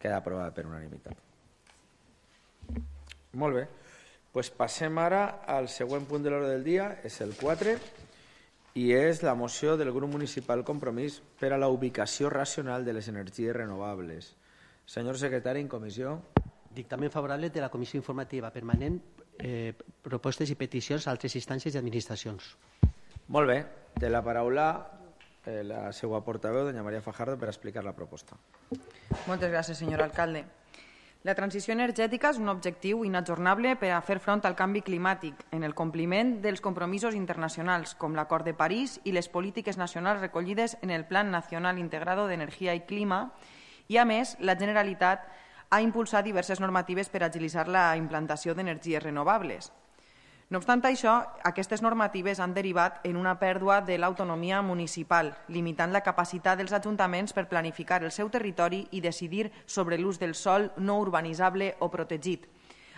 Queda aprovada per unanimitat. Molt bé. Pues passem ara al següent punt de l'ordre del dia, és el quatre, i és la moció del grup municipal Compromís per a la ubicació racional de les energies renovables. Senyor secretari, en comissió. Dictamen favorable de la Comissió Informativa Permanent, eh, propostes i peticions a altres instàncies i administracions. Molt bé. Té la paraula Eh, la seva portaveu, doña María Fajardo, per explicar la proposta. Moltes gràcies, senyor alcalde. La transició energètica és un objectiu inajornable per a fer front al canvi climàtic en el compliment dels compromisos internacionals, com l'Acord de París i les polítiques nacionals recollides en el Plan Nacional Integrado d'Energia i Clima, i, a més, la Generalitat ha impulsat diverses normatives per agilitzar la implantació d'energies renovables. No obstant això, aquestes normatives han derivat en una pèrdua de l'autonomia municipal, limitant la capacitat dels ajuntaments per planificar el seu territori i decidir sobre l'ús del sòl no urbanitzable o protegit.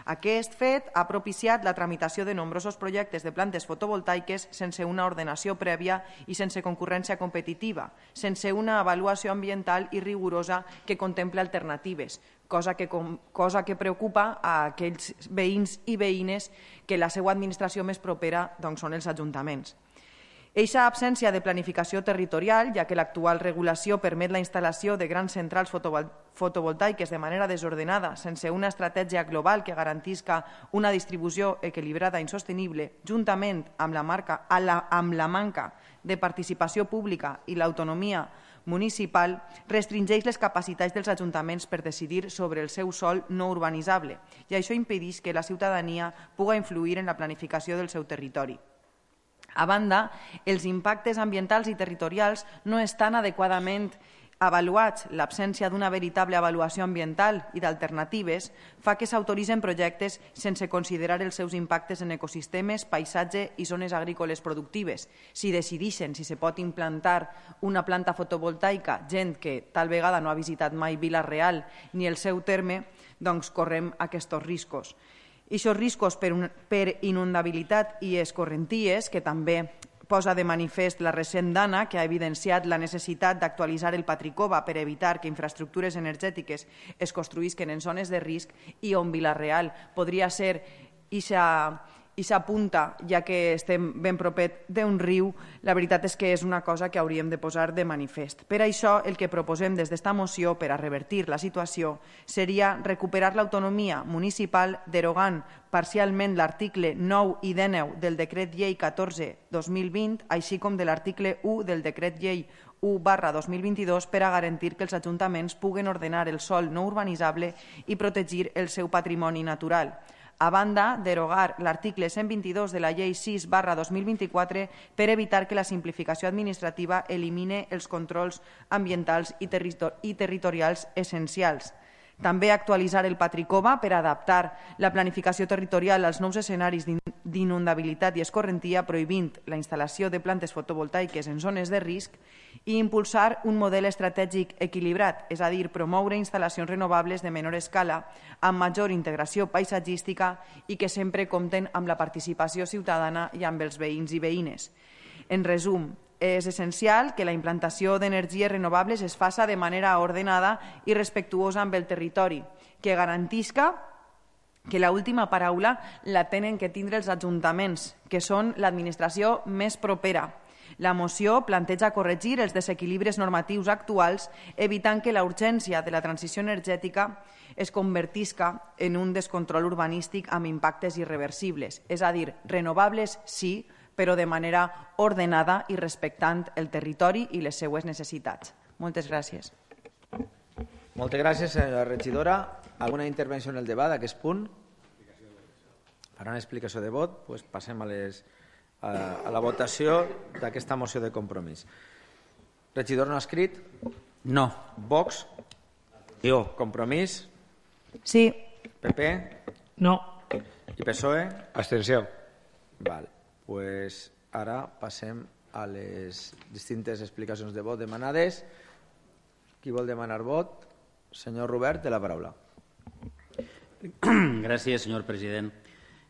Aquest fet ha propiciat la tramitació de nombrosos projectes de plantes fotovoltaiques sense una ordenació prèvia i sense concurrència competitiva, sense una avaluació ambiental i rigorosa que contempla alternatives, cosa que, cosa que preocupa a aquells veïns i veïnes que la seva administració més propera doncs, són els ajuntaments. Eixa absència de planificació territorial, ja que l'actual regulació permet la instal·lació de grans centrals fotovoltaiques de manera desordenada, sense una estratègia global que garantisca una distribució equilibrada i insostenible, juntament amb la, marca, amb la manca de participació pública i l'autonomia municipal, restringeix les capacitats dels ajuntaments per decidir sobre el seu sòl no urbanitzable i això impedeix que la ciutadania pugui influir en la planificació del seu territori. A banda, els impactes ambientals i territorials no estan adequadament avaluats. L'absència d'una veritable avaluació ambiental i d'alternatives fa que s'autoritzen projectes sense considerar els seus impactes en ecosistemes, paisatge i zones agrícoles productives. Si decideixen si se pot implantar una planta fotovoltaica, gent que tal vegada no ha visitat mai Vila-real ni el seu terme, doncs correm aquests riscos. I aquests riscos per, un, per inundabilitat i escorrenties, que també posa de manifest la recent dana, que ha evidenciat la necessitat d'actualitzar el Patricova per evitar que infraestructures energètiques es construïsquen en zones de risc i on Vila-real podria ser ixa i s'apunta, ja que estem ben propet d'un riu, la veritat és que és una cosa que hauríem de posar de manifest. Per això, el que proposem des d'esta moció per a revertir la situació seria recuperar l'autonomia municipal derogant parcialment l'article nou i dinou del Decret Llei catorze dos mil vint, així com de l'article u del Decret Llei u barra dos mil vint-i-dos per a garantir que els ajuntaments puguen ordenar el sòl no urbanitzable i protegir el seu patrimoni natural. A banda, derogar l'article cent vint-i-dos de la Llei sis barra dos mil vint-i-quatre per evitar que la simplificació administrativa elimine els controls ambientals i, territor i territorials essencials. També actualitzar el Patricova per adaptar la planificació territorial als nous escenaris d'inundabilitat i escorrentia, prohibint la instal·lació de plantes fotovoltaiques en zones de risc, i impulsar un model estratègic equilibrat, és a dir, promoure instal·lacions renovables de menor escala, amb major integració paisatgística i que sempre compten amb la participació ciutadana i amb els veïns i veïnes. En resum, és essencial que la implantació d'energies renovables es faça de manera ordenada i respectuosa amb el territori, que garantisca que l'última paraula la tenen que tindre els ajuntaments, que són l'administració més propera. La moció planteja corregir els desequilibris normatius actuals, evitant que la urgència de la transició energètica es convertisca en un descontrol urbanístic amb impactes irreversibles. És a dir, renovables sí, però de manera ordenada i respectant el territori i les seues necessitats. Moltes gràcies. Moltes gràcies, senyora regidora. Alguna intervenció en el debat d'aquest punt? Per una explicació de vot, doncs passem a, les, a, a la votació d'aquesta moció de compromís. Regidor no ha escrit? No. Vox? Jo. Compromís? Sí. P P? No. I P S O E? Abstenció. Val. Pues ara passem a les distintes explicacions de vot demanades. Qui vol demanar vot? Senyor Robert, té la paraula. Gràcies, senyor president.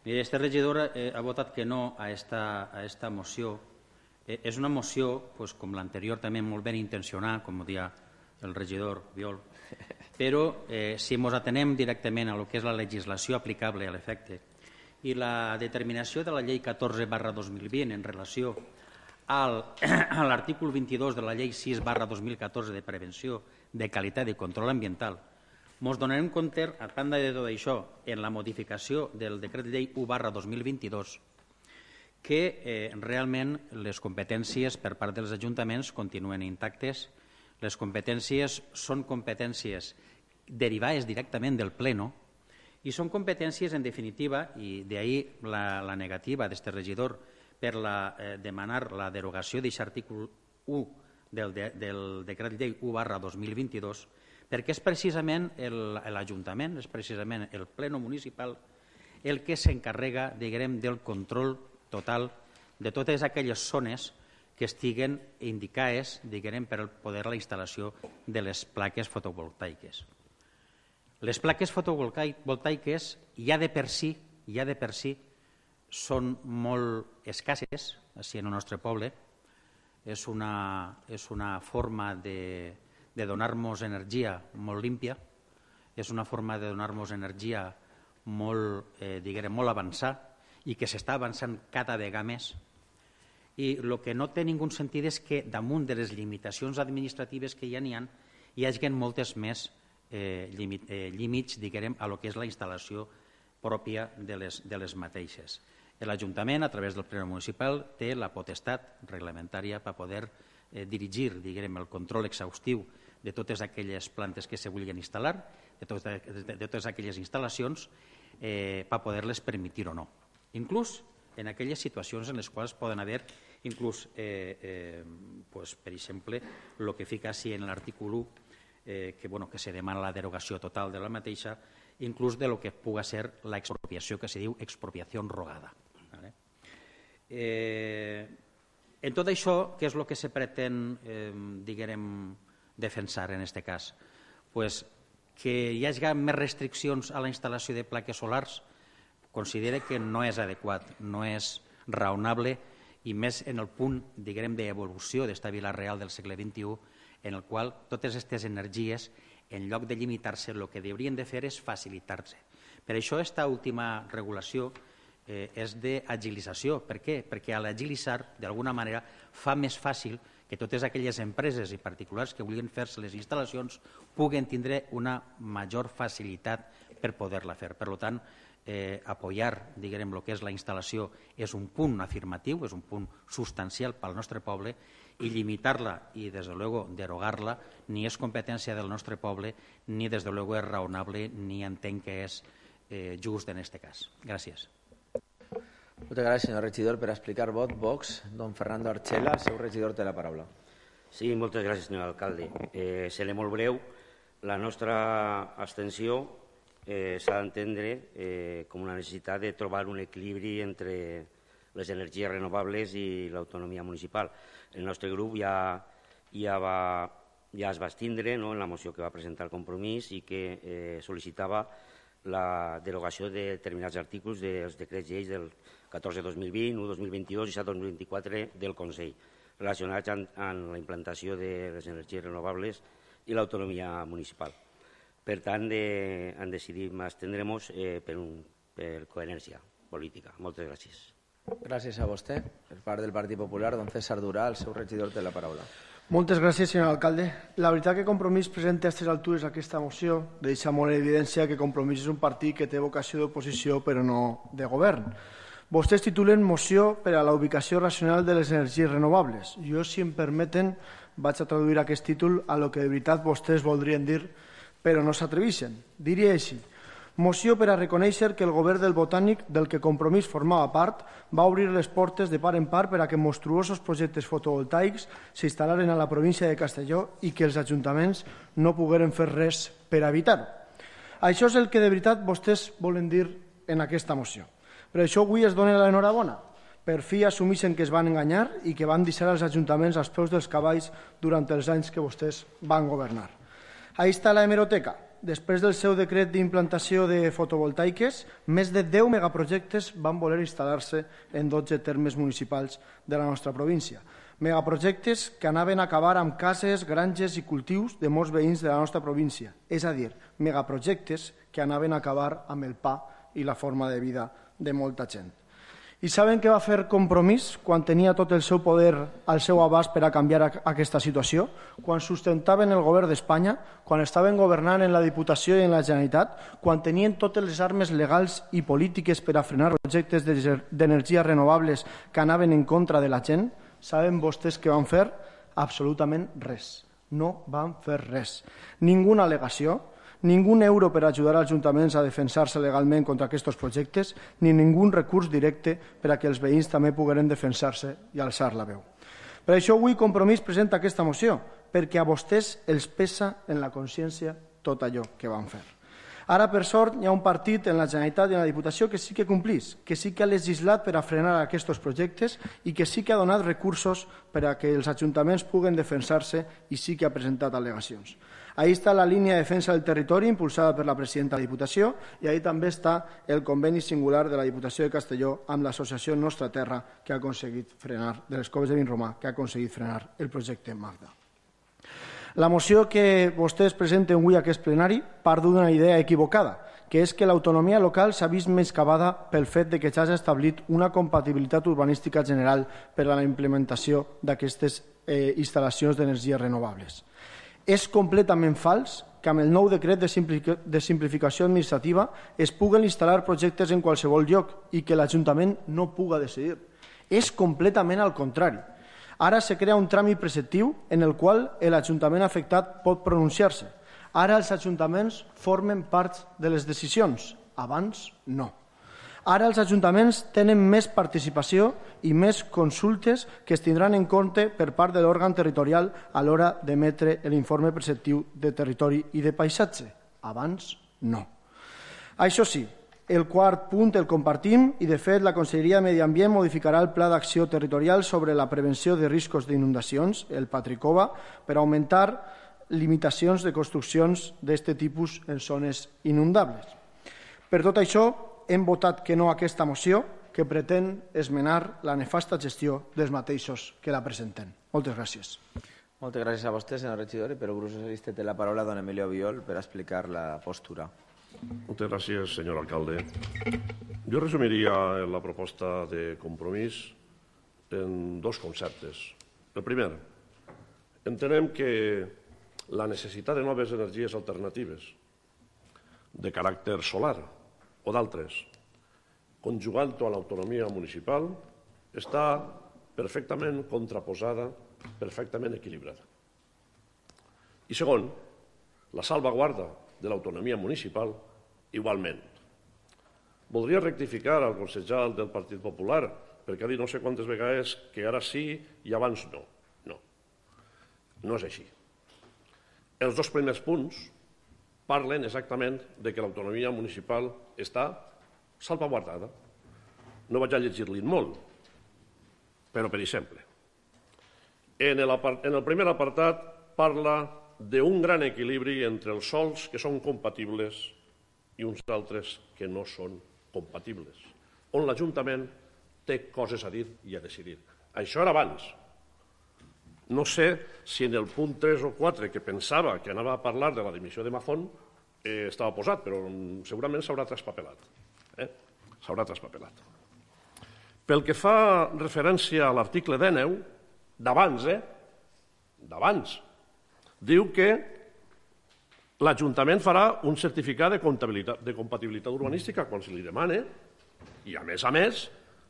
Mire, este regidor eh, ha votat que no a esta, a esta moció. Eh, és una moció, pues, com l'anterior, també molt ben intencionada, com deia el regidor Viol, però eh, si ens atenem directament a lo que és la legislació aplicable a l'efecte i la determinació de la llei catorze barra dos mil vint en relació al, a l'article vint-i-dos de la llei sis barra dos mil catorze de prevenció de qualitat i control ambiental, ens donarem compte, a banda de tot això, en la modificació del decret llei u barra dos mil vint-i-dos, que eh, realment les competències per part dels ajuntaments continuen intactes. Les competències són competències derivades directament del Pleno i són competències, en definitiva, i d'ahir la, la negativa d'este regidor per la, eh, demanar la derogació d'aquest article u del, de, del decret llei u barra dos mil vint-i-dos, perquè és precisament l'Ajuntament, és precisament el Pleno Municipal el que s'encarrega, diguem, del control total de totes aquelles zones que estiguen indicades, diguem, per poder la instal·lació de les plaques fotovoltaiques. Les plaques fotovoltaiques ja de per si, ja de per si són molt escasses, així en el nostre poble. És una, és una forma de, de donar-nos energia molt límpia, és una forma de donar-nos energia molt, eh, diguem, molt avançada i que s'està avançant cada vegada més. I el que no té ningú sentit és que damunt de les limitacions administratives que ja n'hi ha, hi hagi moltes més eh, límit, eh, límits, diguem, a lo que és la instal·lació pròpia de les, de les mateixes. L'Ajuntament, a través del Ple Municipal, té la potestat reglamentària per poder eh, dirigir, diguem, el control exhaustiu de totes aquelles plantes que se vulguin instal·lar, de totes, de, de totes aquelles instal·lacions, eh, per poder-les permitir o no. Inclús en aquelles situacions en les quals poden haver, inclús, eh, eh, pues, per exemple, el que fica així en l'article u, eh, que, bueno, que se demana la derogació total de la mateixa, inclús de lo que puga ser l'expropiació, que se diu expropiació rogada. Vale? Eh, en tot això, què és el que se pretén, eh, diguem, defensar en aquest cas? Pues que hi hagi més restriccions a la instal·lació de plaques solars, considera que no és adequat, no és raonable, i més en el punt, diguem, d'evolució d'esta Vila Real del segle vint-i-u, en el qual totes aquestes energies, en lloc de limitar-se, el que haurien de fer és facilitar-se. Per això, aquesta última regulació eh, és d'agilització. Per què? Perquè a l'agilitzar, d'alguna manera, fa més fàcil que totes aquelles empreses i particulars que vulguin fer-se les instal·lacions puguen tindre una major facilitat per poder-la fer. Per tant, eh, apoyar, diguem, el que és la instal·lació és un punt afirmatiu, és un punt substancial pel nostre poble, i limitar-la i, des de luego, derogar-la ni és competència del nostre poble, ni, des de luego, és raonable, ni entenc que és eh, just en aquest cas. Gràcies. Moltes gràcies, senyor regidor. Per explicar vot, Vox, don Fernando Archela, el seu regidor té la paraula. Sí, moltes gràcies, senyor alcalde. Eh, seré molt breu. La nostra abstenció eh, s'ha d'entendre eh, com una necessitat de trobar un equilibri entre les energies renovables i l'autonomia municipal. El nostre grup ja, ja, va, ja es va estindre, no?, en la moció que va presentar el Compromís i que eh, sol·licitava la derogació de determinats artículos dels decrets lleis del catorze dos mil vint, u dos mil vint-i-dos i set dos mil vint-i-quatre del Consell, relacionats amb, amb la implantació de les energies renovables i l'autonomia municipal. Per tant, de, han decidit abstendre'ns eh, per, un, per coherència política. Moltes gràcies. Gràcies a vostè. Per part del Partit Popular, don César Durà, el seu regidor té la paraula. Moltes gràcies, senyor alcalde. La veritat que Compromís presenta a aquestes altures aquesta moció deixa molt en evidència que Compromís és un partit que té vocació d'oposició però no de govern. Vostès titulen moció per a la ubicació racional de les energies renovables. Jo, si em permeten, vaig a traduir aquest títol a lo que de veritat vostès voldrien dir però no s'atreveixen. Diria així: moció per a reconèixer que el govern del Botànic, del que Compromís formava part, va obrir les portes de part en part per a que monstruosos projectes fotovoltaics s'instal·laren a la província de Castelló i que els ajuntaments no pogueren fer res per evitar-ho. Això és el que de veritat vostès volen dir en aquesta moció. Per això avui es dona l'enhorabona. Per fi assumeixen que es van enganyar i que van deixar els ajuntaments als peus dels cavalls durant els anys que vostès van governar. Ahí està la hemeroteca. Després del seu decret d'implantació de fotovoltaiques, més de deu megaprojectes van voler instal·lar-se en dotze termes municipals de la nostra província. Megaprojectes que anaven a acabar amb cases, granges i cultius de molts veïns de la nostra província. És a dir, megaprojectes que anaven a acabar amb el pa i la forma de vida de molta gent. I saben què va fer Compromís quan tenia tot el seu poder al seu abast per a canviar aquesta situació? Quan sustentaven el govern d'Espanya, quan estaven governant en la Diputació i en la Generalitat, quan tenien totes les armes legals i polítiques per a frenar projectes d'energies renovables que anaven en contra de la gent, saben vostès què van fer? Absolutament res. No van fer res. Ninguna al·legació, ningú euro per ajudar als ajuntaments a defensar-se legalment contra aquests projectes, ni ningú recurs directe per a que els veïns també pogueren defensar-se i alçar la veu. Per això avui Compromís presenta aquesta moció, perquè a vostès els pesa en la consciència tot allò que van fer. Ara, per sort, hi ha un partit en la Generalitat i en la Diputació que sí que complís, que sí que ha legislat per a frenar aquests projectes i que sí que ha donat recursos per a que els ajuntaments puguen defensar-se i sí que ha presentat al·legacions. Ahí està la línia de defensa del territori impulsada per la presidenta de la Diputació i ahí també està el conveni singular de la Diputació de Castelló amb l'associació Nostra Terra que ha aconseguit frenar, de les Coves de Vinromà, que ha aconseguit frenar el projecte Magda. La moció que vostès presenten avui a aquest plenari part d'una idea equivocada, que és que l'autonomia local s'ha vist menyscabada pel fet de que s'hagi establit una compatibilitat urbanística general per a la implementació d'aquestes eh, instal·lacions d'energies renovables. És completament fals que amb el nou decret de, simplific de simplificació administrativa es puguen instal·lar projectes en qualsevol lloc i que l'Ajuntament no puga decidir. És completament al contrari. Ara se crea un tràmit preceptiu en el qual l'Ajuntament afectat pot pronunciar-se. Ara els ajuntaments formen part de les decisions, abans no. Ara els ajuntaments tenen més participació i més consultes que es tindran en compte per part de l'òrgan territorial a l'hora d'emetre l'informe preceptiu de territori i de paisatge. Abans no. Això sí, el quart punt el compartim i, de fet, la Conselleria de Medi Ambient modificarà el Pla d'Acció Territorial sobre la prevenció de riscos d'inundacions, el Patricova, per augmentar limitacions de construccions d'aquest tipus en zones inundables. Per tot això, hem votat que no a aquesta moció que pretén esmenar la nefasta gestió dels mateixos que la presenten. Moltes gràcies. Moltes gràcies a vostè, senyor regidor, i per el grup socialista té la paraula don Emilio Biol per explicar la postura. Moltes gràcies, senyor alcalde. Jo resumiria la proposta de compromís en dos conceptes. El primer, entenem que la necessitat de noves energies alternatives de caràcter solar o d'altres, conjugant-ho a l'autonomia municipal, està perfectament contraposada, perfectament equilibrada. I segon, la salvaguarda de l'autonomia municipal igualment. Voldria rectificar al concejal del Partit Popular, perquè ha dit no sé quantes vegades que ara sí i abans no. No, no és així. Els dos primers punts parlen exactament de que l'autonomia municipal està salvaguardada. No vaig a llegir-li molt, però per exemple, en el, en el primer apartat parla d'un gran equilibri entre els sòls que són compatibles i uns altres que no són compatibles, on l'Ajuntament té coses a dir i a decidir. Això era abans. No sé si en el punt tres o quatre, que pensava que anava a parlar de la dimissió de Mazón, eh, estava posat, però segurament s'haurà traspapelat. Eh? S'haurà traspapelat. Pel que fa referència a l'article dinou, d'abans, eh? d'abans, diu que l'Ajuntament farà un certificat de compatibilitat, de compatibilitat urbanística quan se li demane i, a més a més,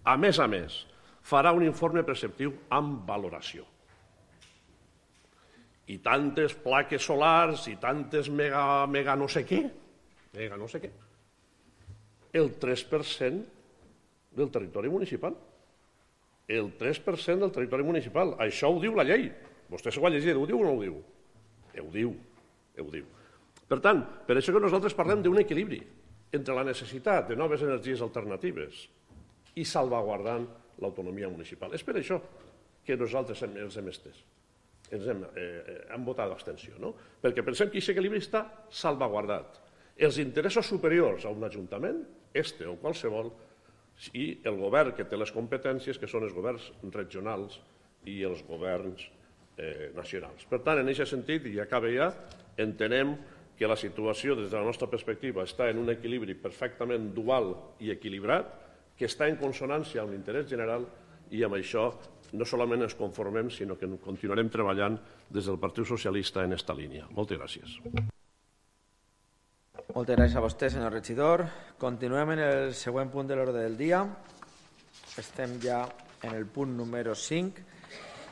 a més a més, farà un informe preceptiu amb valoració. I tantes plaques solars i tantes mega, mega no sé què, mega no sé què, el tres per cent del territori municipal. El tres per cent del territori municipal. Això ho diu la llei. Vostè s'ho ha llegit, ho diu o no ho diu? Ho diu, ho diu. Per tant, per això que nosaltres parlem d'un equilibri entre la necessitat de noves energies alternatives i salvaguardant l'autonomia municipal. És per això que nosaltres els hem estès. Ens hem, eh, hem votat l'abstenció, no? Perquè pensem que aquest equilibri està salvaguardat. Els interessos superiors a un ajuntament, este o qualsevol, i el govern que té les competències, que són els governs regionals i els governs eh, nacionals. Per tant, en aquest sentit, i acaba ja, entenem que la situació des de la nostra perspectiva està en un equilibri perfectament dual i equilibrat, que està en consonància amb l'interès general, i amb això no solament ens conformem, sinó que continuarem treballant des del Partit Socialista en aquesta línia. Moltes gràcies. Moltes gràcies a vostè, senyor regidor. Continuem en el següent punt de l'ordre del dia. Estem ja en el punt número cinc,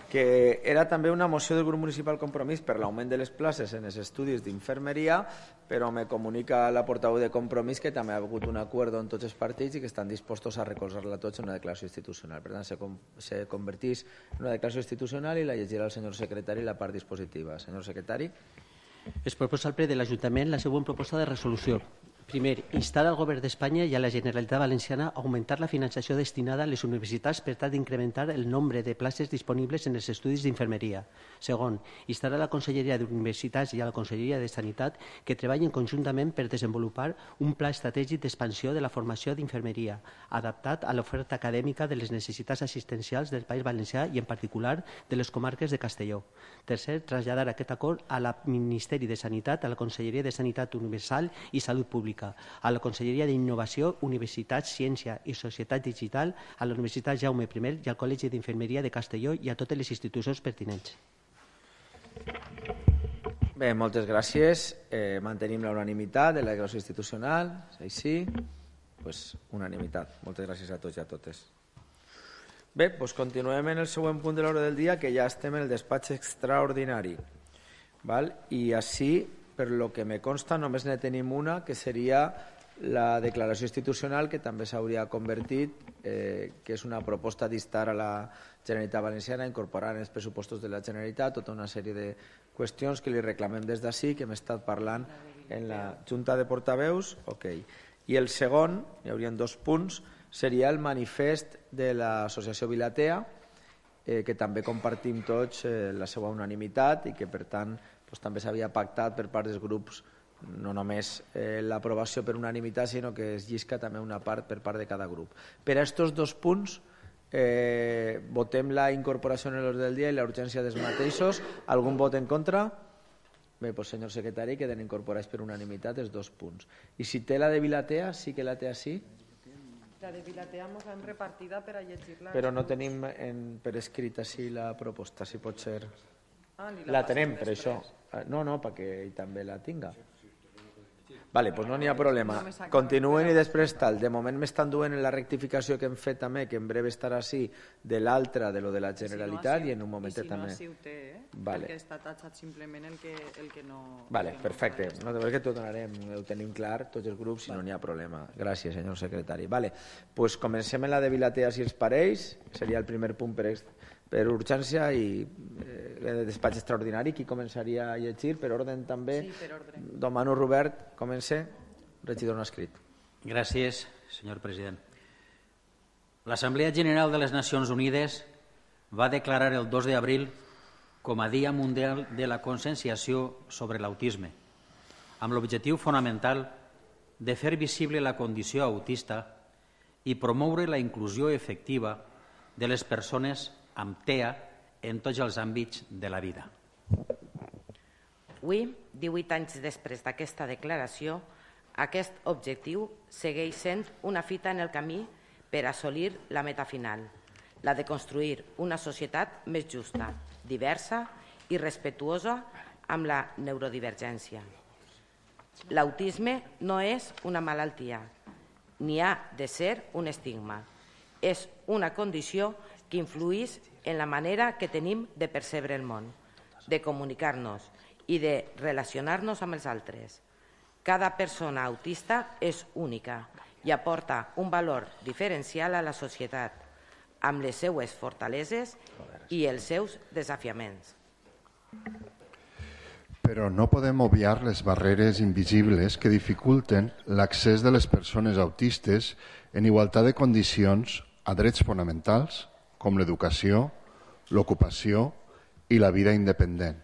que era també una moció del grup municipal Compromís per l'augment de les places en els estudis d'infermeria, però me comunica la portaveu de Compromís que també ha hagut un acord en tots els partits i que estan dispostos a recolzar-la tots en una declaració institucional. Per tant, se, com, se convertís en una declaració institucional i la llegirà el senyor secretari la part dispositiva. Senyor secretari. Es proposa al ple de l'Ajuntament la següent proposta de resolució. Primer, instar al Govern d'Espanya i a la Generalitat Valenciana a augmentar la finançació destinada a les universitats per tal d'incrementar el nombre de places disponibles en els estudis d'infermeria. Segon, instar a la Conselleria d'Universitats i a la Conselleria de Sanitat que treballin conjuntament per desenvolupar un pla estratègic d'expansió de la formació d'infermeria, adaptat a l'oferta acadèmica de les necessitats assistencials del País Valencià i, en particular, de les comarques de Castelló. Tercer, traslladar aquest acord al Ministeri de Sanitat, a la Conselleria de Sanitat Universal i Salut Pública, a la Conselleria d'Innovació, Universitats, Ciència i Societat Digital, a la Universitat Jaume I i al Col·legi d'Infermeria de Castelló i a totes les institucions pertinents. Bé, moltes gràcies. Eh, mantenim la unanimitat de la declaració institucional. És així? Pues unanimitat. Moltes gràcies a tots i a totes. Bé, doncs continuem en el següent punt de l'ordre del dia, que ja estem en el despatx extraordinari. Val? I així, per lo que me consta, només ne tenim una, que seria la declaració institucional, que també s'hauria convertit, eh, que és una proposta d'instar a la Generalitat Valenciana a incorporar en els pressupostos de la Generalitat tota una sèrie de qüestions que li reclamem des d'ací, que hem estat parlant en la Junta de Portaveus. Okay. I el segon, hi haurien dos punts, seria el manifest de l'associació Vilatea, eh, que també compartim tots eh, la seva unanimitat i que, per tant, doncs, també s'havia pactat per part dels grups no només eh, l'aprovació per unanimitat, sinó que es llisca també una part per part de cada grup. Per a aquests dos punts eh, votem la incorporació en l'ordre del dia i la urgència dels mateixos. Algun vot en contra? Bé, doncs, senyor secretari, queden incorporats per unanimitat els dos punts. I si té la de Vilatea, sí que la té així? La de Vilatea mos l'hem repartida per a llegir-la. Però no tenim en, per escrit així la proposta, si pot ser... Ah, la, la tenem, per això. No, no, perquè ell també la tinga. Vale, doncs no n'hi ha problema. Continuen i després tal. De moment m'estan duent en la rectificació que hem fet també, que en breu estarà així, de l'altra, de lo de la Generalitat, i en un moment també... I si no, així ho té, eh? Vale. Perquè està tatxat simplement el que, el que no... Vale, perfecte. No, de veritat que t'ho donarem, ho tenim clar, tots els grups, si no n'hi ha problema. Gràcies, senyor secretari. Vale, doncs comencem en la de Vilatea, si els pareix. Seria el primer punt per, per urgència i eh, de despatx extraordinari. Qui començaria a llegir? Per ordre també? Sí, per ordre. Demano Robert, comença. Regidor no escrit. Gràcies, senyor president. L'Assemblea General de les Nacions Unides va declarar el dos d'abril com a Dia Mundial de la Conscienciació sobre l'Autisme, amb l'objectiu fonamental de fer visible la condició autista i promoure la inclusió efectiva de les persones amb T E A en tots els àmbits de la vida. Avui, divuit anys després d'aquesta declaració, aquest objectiu segueix sent una fita en el camí per assolir la meta final, la de construir una societat més justa, diversa i respectuosa amb la neurodivergència. L'autisme no és una malaltia, ni ha de ser un estigma. És una condició que influeix en la manera que tenim de percebre el món, de comunicar-nos i de relacionar-nos amb els altres. Cada persona autista és única i aporta un valor diferencial a la societat, amb les seues fortaleses i els seus desafiaments. Però no podem obviar les barreres invisibles que dificulten l'accés de les persones autistes en igualtat de condicions a drets fonamentals com l'educació, l'ocupació i la vida independent.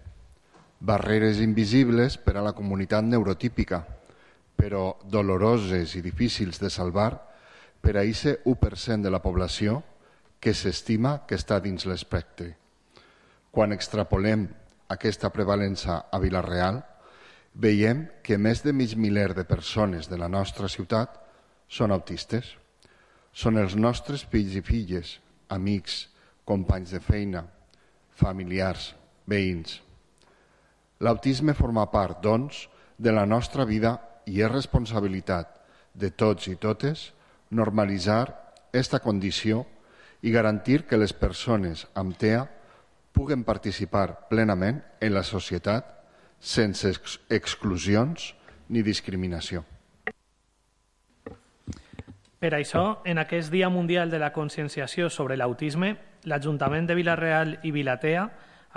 Barreres invisibles per a la comunitat neurotípica, però doloroses i difícils de salvar per a aquest u per cent de la població que s'estima que està dins l'espectre. Quan extrapolem aquesta prevalença a Vila-real, veiem que més de mig miler de persones de la nostra ciutat són autistes. Són els nostres fills i filles, amics, companys de feina, familiars, veïns. L'autisme forma part, doncs, de la nostra vida i és responsabilitat de tots i totes normalitzar aquesta condició i garantir que les persones amb T E A puguen participar plenament en la societat sense ex exclusions ni discriminació. Per això, en aquest Dia Mundial de la Conscienciació sobre l'Autisme, l'Ajuntament de Vila-real i Vilatea,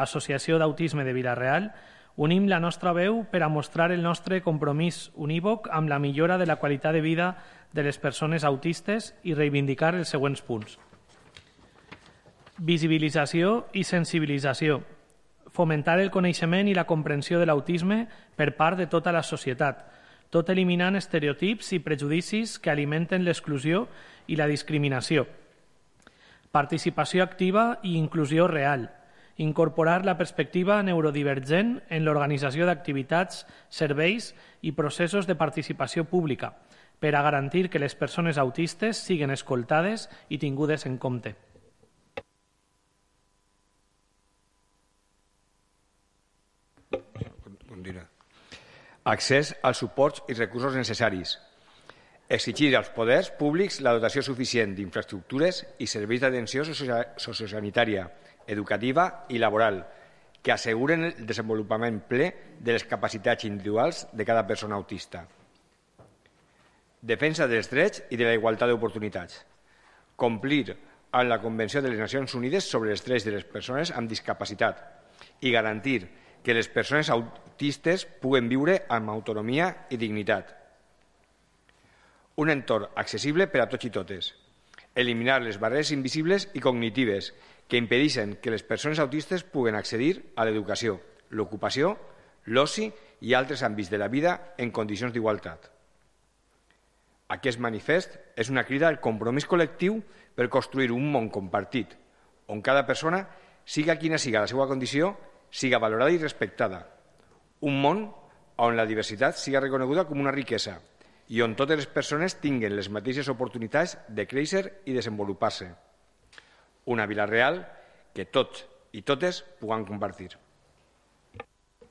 Associació d'Autisme de Vila-real, Unim la nostra veu per a mostrar el nostre compromís unívoc amb la millora de la qualitat de vida de les persones autistes i reivindicar els següents punts. Visibilització i sensibilització. Fomentar el coneixement i la comprensió de l'autisme per part de tota la societat, tot eliminant estereotips i prejudicis que alimenten l'exclusió i la discriminació. Participació activa i inclusió real. Incorporar la perspectiva neurodivergent en l'organització d'activitats, serveis i processos de participació pública per a garantir que les persones autistes siguin escoltades i tingudes en compte. Accés als suports i recursos necessaris. Exigir als poders públics la dotació suficient d'infraestructures i serveis d'atenció sociosanitària, educativa i laboral que asseguren el desenvolupament ple de les capacitats individuals de cada persona autista. Defensa dels drets i de la igualtat d'oportunitats. Complir amb la Convenció de les Nacions Unides sobre els drets de les persones amb discapacitat i garantir que les persones autistes puguen viure amb autonomia i dignitat. Un entorn accessible per a tots i totes. Eliminar les barreres invisibles i cognitives que impedeixen que les persones autistes puguen accedir a l'educació, l'ocupació, l'oci i altres àmbits de la vida en condicions d'igualtat. Aquest manifest és una crida al compromís col·lectiu per construir un món compartit, on cada persona, siga quina siga la seva condició, siga valorada i respectada. Un món on la diversitat siga reconeguda com una riquesa i on totes les persones tinguen les mateixes oportunitats de créixer i desenvolupar-se. Una Vila Real que tots i totes puguem compartir.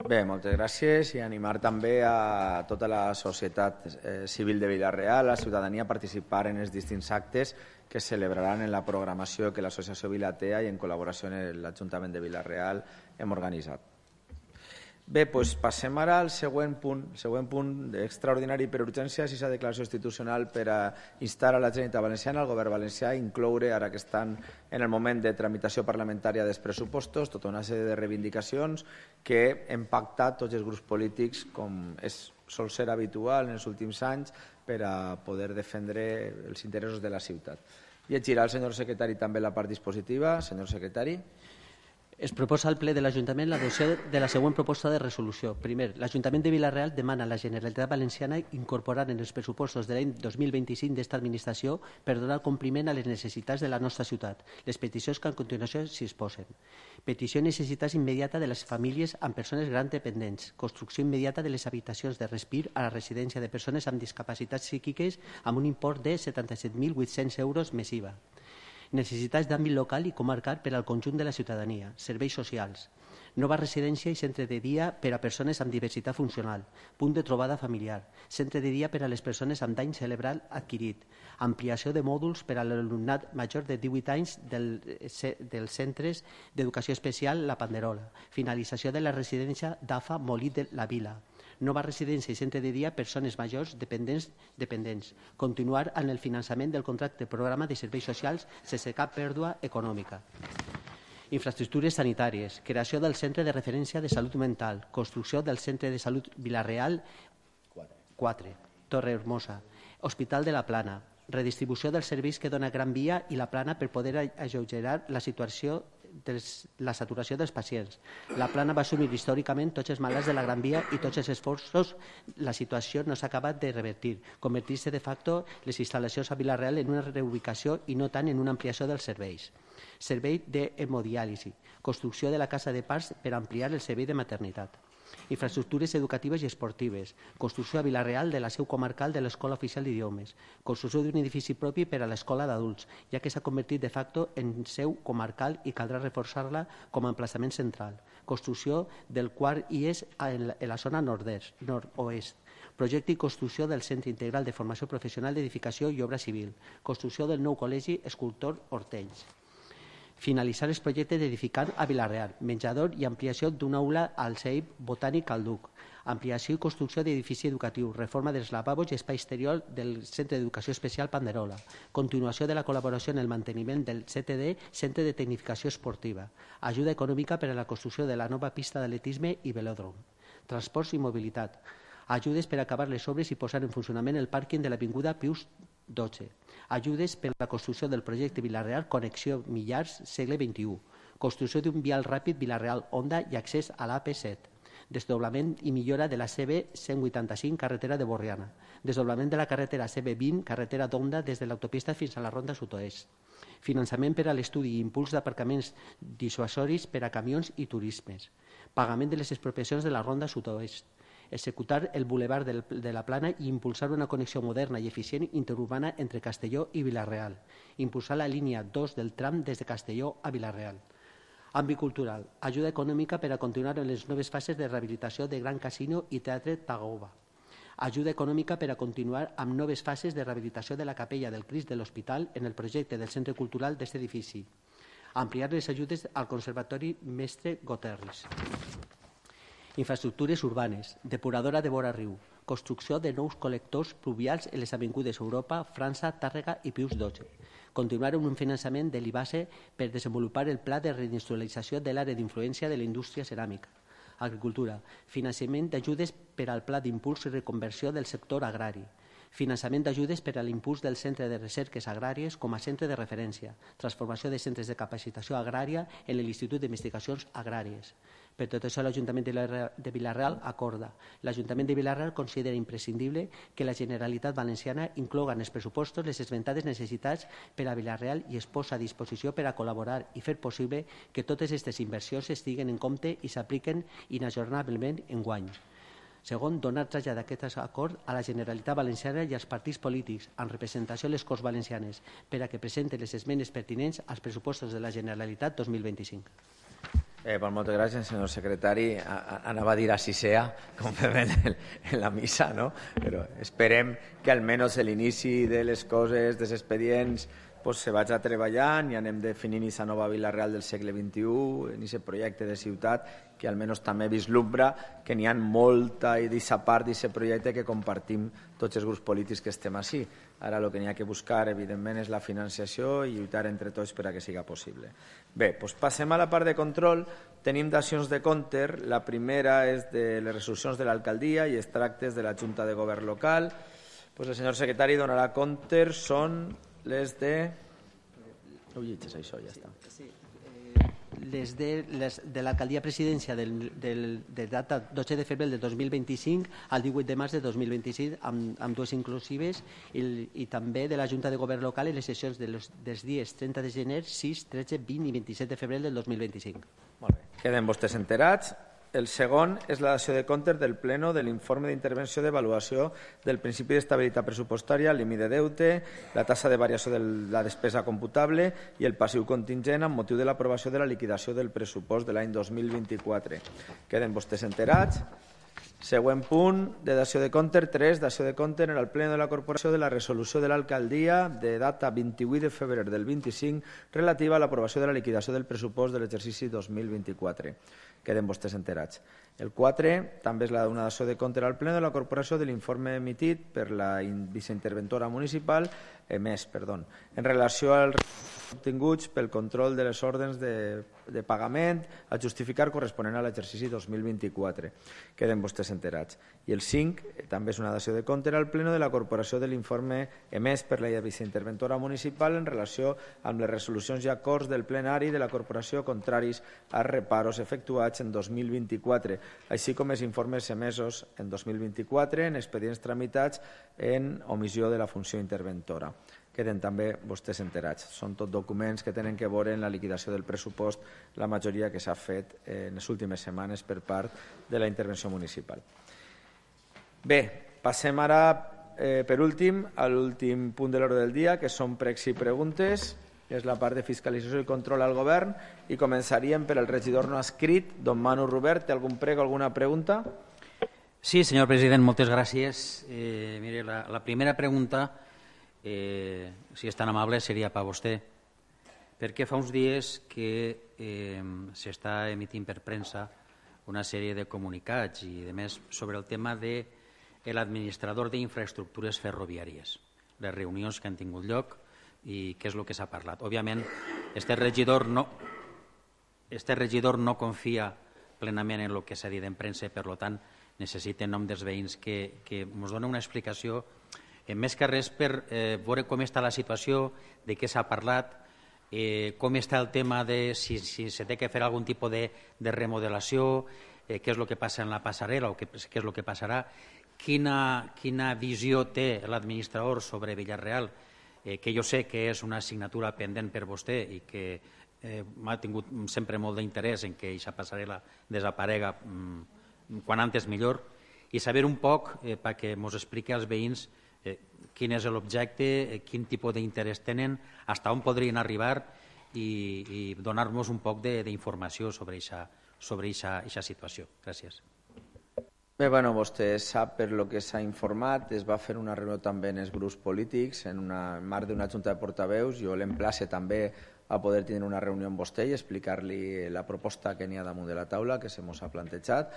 Bé, moltes gràcies i animar també a tota la societat eh, civil de Vila-real, a la ciutadania, a participar en els distints actes que es celebraran en la programació que l'Associació Vilatea i en col·laboració amb l'Ajuntament de Vila-real hem organitzat. Bé, doncs passem ara al següent punt, el següent punt extraordinari per urgència, si s'ha declaració institucional per a instar a la Generalitat Valenciana, al Govern valencià, a incloure, ara que estan en el moment de tramitació parlamentària dels pressupostos, tota una sèrie de reivindicacions que hem pactat tots els grups polítics, com és, sol ser habitual en els últims anys, per a poder defendre els interessos de la ciutat. Llegirà el senyor secretari també la part dispositiva. Senyor secretari. Es proposa al ple de l'Ajuntament l'adopció de la següent proposta de resolució. Primer, l'Ajuntament de Vila-real demana a la Generalitat Valenciana incorporar en els pressupostos de l'any dos mil vint-i-cinc d'esta administració per donar compliment a les necessitats de la nostra ciutat. Les peticions que a continuació s'hi exposen. Petició i necessitats immediata de les famílies amb persones grans dependents. Construcció immediata de les habitacions de respir a la residència de persones amb discapacitats psíquiques amb un import de setanta-set mil vuit-cents euros més I V A. Necessitats d'àmbit local i comarcal per al conjunt de la ciutadania, serveis socials, nova residència i centre de dia per a persones amb diversitat funcional, punt de trobada familiar, centre de dia per a les persones amb dany cerebral adquirit, ampliació de mòduls per a l'alumnat major de divuit anys del, dels centres d'educació especial La Panderola, finalització de la residència d'A F A Molí de la Vila, nova residència i centre de dia persones majors dependents, dependents. Continuar en el finançament del contracte programa de serveis socials sense cap pèrdua econòmica. Infraestructures sanitàries, creació del Centre de Referència de Salut Mental, construcció del Centre de Salut Vila-real quatre, Torre Hermosa, Hospital de la Plana, redistribució dels serveis que dona Gran Via i la Plana per poder alleugerar la situació dels, la saturació dels pacients. La Plana va assumir històricament tots els malalts de la Gran Via i tots els esforços. La situació no s'ha acabat de revertir, convertir-se de facto les instal·lacions a Vila-real en una reubicació i no tant en una ampliació dels serveis. Servei d'hemodiàlisi, construcció de la casa de parts per ampliar el servei de maternitat. Infraestructures educatives i esportives, construcció a Vila-real de la seu comarcal de l'Escola Oficial d'Idiomes, construcció d'un edifici propi per a l'Escola d'Adults, ja que s'ha convertit de facto en seu comarcal i caldrà reforçar-la com a emplaçament central, construcció del quart I E S en la zona nord-est, nord-oest, projecte i construcció del Centre Integral de Formació Professional d'Edificació i Obra Civil, construcció del nou Col·legi Escultor Hortells. Finalitzar els projectes d'edificar a Vila-real, menjador i ampliació d'una aula al C E I P Botànic al Duc, ampliació i construcció d'edifici educatiu, reforma dels lavabos i espai exterior del Centre d'Educació Especial Panderola, continuació de la col·laboració en el manteniment del C T D, Centre de Tecnificació Esportiva, ajuda econòmica per a la construcció de la nova pista d'atletisme i velòdrom. transports i mobilitat, ajudes per acabar les obres i posar en funcionament el pàrquing de l'Avinguda Pius dotze, ajudes per a la construcció del projecte Vila-real Connexió Millars segle vint-i-u, construcció d'un vial ràpid Vila-real-Onda i accés a l'A P set, desdoblament i millora de la C B cent vuitanta-cinc carretera de Borriana, desdoblament de la carretera C B vint carretera d'Onda des de l'autopista fins a la ronda sud-oest, finançament per a l'estudi i impuls d'aparcaments dissuasoris per a camions i turismes, pagament de les expropiacions de la ronda sud-oest, executar el bulevard de la Plana i impulsar una connexió moderna i eficient interurbana entre Castelló i Vila-real, impulsar la línia dos del tram des de Castelló a Vila-real. Àmbit cultural, ajuda econòmica per a continuar en les noves fases de rehabilitació de Gran Casino i Teatre Tagoba. Ajuda econòmica per a continuar amb noves fases de rehabilitació de la capella del Crist de l'Hospital en el projecte del Centre Cultural d'aquest edifici. Ampliar les ajudes al Conservatori Mestre Goterris. Infraestructures urbanes, depuradora de vora riu, construcció de nous col·lectors pluvials en les avingudes Europa, França, Tàrrega i Pius dotze. Continuar amb un finançament de l'I B A S E per desenvolupar el pla de reindustrialització de l'àrea d'influència de la indústria ceràmica. Agricultura, finançament d'ajudes per al pla d'impuls i reconversió del sector agrari. Finançament d'ajudes per a l'impuls del Centre de Recerques Agràries com a centre de referència, transformació de centres de capacitació agrària en l'Institut d'Investigacions Agràries. Per tot això, l'Ajuntament de Vila-real acorda. L'Ajuntament de Vila-real considera imprescindible que la Generalitat Valenciana incloga en els pressupostos les esmentades necessitats per a Vila-real i es posa a disposició per a col·laborar i fer possible que totes aquestes inversions es tinguen en compte i s'apliquen inajornablement enguany. Segon, donar trasllat d'aquest acord a la Generalitat Valenciana i als partits polítics, amb representació a les Corts Valencianes, per a que presenten les esmenes pertinents als pressupostos de la Generalitat dos mil vint-i-cinc. Eh, pues moltes gràcies, senyor secretari. Anava a dir a sisea, com fem en, en la missa, no? Però esperem que almenys l'inici de les coses, dels expedients, pues, se vaig a treballant i anem definint aquesta nova Vila-real del segle vint-i-u, en aquest projecte de ciutat, que almenys també vislumbra que n'hi ha molta i d'aquesta part d'aquest projecte que compartim tots els grups polítics que estem així. Ara el que n'hi ha que buscar, evidentment, és la financiació i lluitar entre tots per a que siga possible. Bé, doncs passem a la part de control. Tenim d'accions de compte. La primera és de les resolucions de l'alcaldia i els tractes de la Junta de Govern local. Pues el senyor secretari donarà compte. Són les de... No ho llegeixes, això, ja està. Sí, les de, les de l'alcaldia presidència del, del, de data dotze de febrer del dos mil vint-i-cinc al divuit de març de dos mil vint-i-cinc amb, amb dues inclusives i, i també de la Junta de Govern local en les sessions de los, dels dies trenta de gener, sis, tretze, vint i vint-i-set de febrer del dos mil vint-i-cinc. Molt bé. Queden vostès enterats. El segon és la dació de comptes del Pleno de l'informe d'intervenció d'avaluació del principi d'estabilitat pressupostària, el límit de deute, la tassa de variació de la despesa computable i el passiu contingent amb motiu de l'aprovació de la liquidació del pressupost de l'any dos mil vint-i-quatre. Queden vostès enterats. Següent punt de dació de compte, tres, dació de compte en el Pleno de la Corporació de la resolució de l'alcaldia de data vint-i-vuit de febrer del vint-i-cinc relativa a l'aprovació de la liquidació del pressupost de l'exercici dos mil vint-i-quatre. Queden vostès enterats. El quatre també és la una dació de compte al Pleno de la Corporació de l'informe emitit per la viceinterventora municipal, emès, perdó, en relació als obtinguts pel control de les ordres de, de pagament a justificar corresponent a l'exercici dos mil vint-i-quatre. Queden vostès enterats. I el cinc també és una dació de compte al Pleno de la Corporació de l'informe emès per la viceinterventora municipal en relació amb les resolucions i acords del plenari de la Corporació contraris als reparos efectuats en dos mil vint-i-quatre, així com els informes emesos en dos mil vint-i-quatre en expedients tramitats en omissió de la funció interventora. Queden també vostès enterats. Són tot documents que tenen que veure en la liquidació del pressupost, la majoria que s'ha fet en les últimes setmanes per part de la intervenció municipal. Bé, passem ara, eh, per últim, a l'últim punt de l'ordre del dia, que són pregs i preguntes. És la part de fiscalització i control al govern i començaríem per el regidor no escrit, don Manu Robert. Té algun prec o alguna pregunta? Sí, senyor president, moltes gràcies. Eh, mire, la, la primera pregunta, eh, si és tan amable, seria per a vostè, perquè fa uns dies que eh, s'està emitint per premsa una sèrie de comunicats i, a més, sobre el tema de l'administrador d'infraestructures ferroviàries, les reunions que han tingut lloc i què és el que s'ha parlat. Òbviament, este regidor no, este regidor no confia plenament en el que s'ha dit en premsa, per tant, necessite en nom dels veïns que, que ens doni una explicació, eh, més que res per eh, veure com està la situació, de què s'ha parlat, eh, com està el tema de si, si se té que fer algun tipus de, de remodelació, eh, què és el que passa en la passarel·la o què, què és el que passarà, quina, quina visió té l'administrador sobre Vila-real, eh, que jo sé que és una assignatura pendent per vostè i que eh, m'ha tingut sempre molt d'interès en que aquesta passarel·la desaparega mm, quan antes millor, i saber un poc, eh, perquè ens expliqui als veïns eh, quin és l'objecte, eh, quin tipus d'interès tenen, fins on podrien arribar i, i donar-nos un poc d'informació sobre aquesta sobre aquesta situació. Gràcies. Bé, bueno, vostè sap per lo que s'ha informat, es va fer una reunió també en els grups polítics, en una en marc d'una junta de portaveus. Jo l'emplace també a poder tenir una reunió amb vostè i explicar-li la proposta que n'hi ha damunt de la taula, que se mos ha plantejat.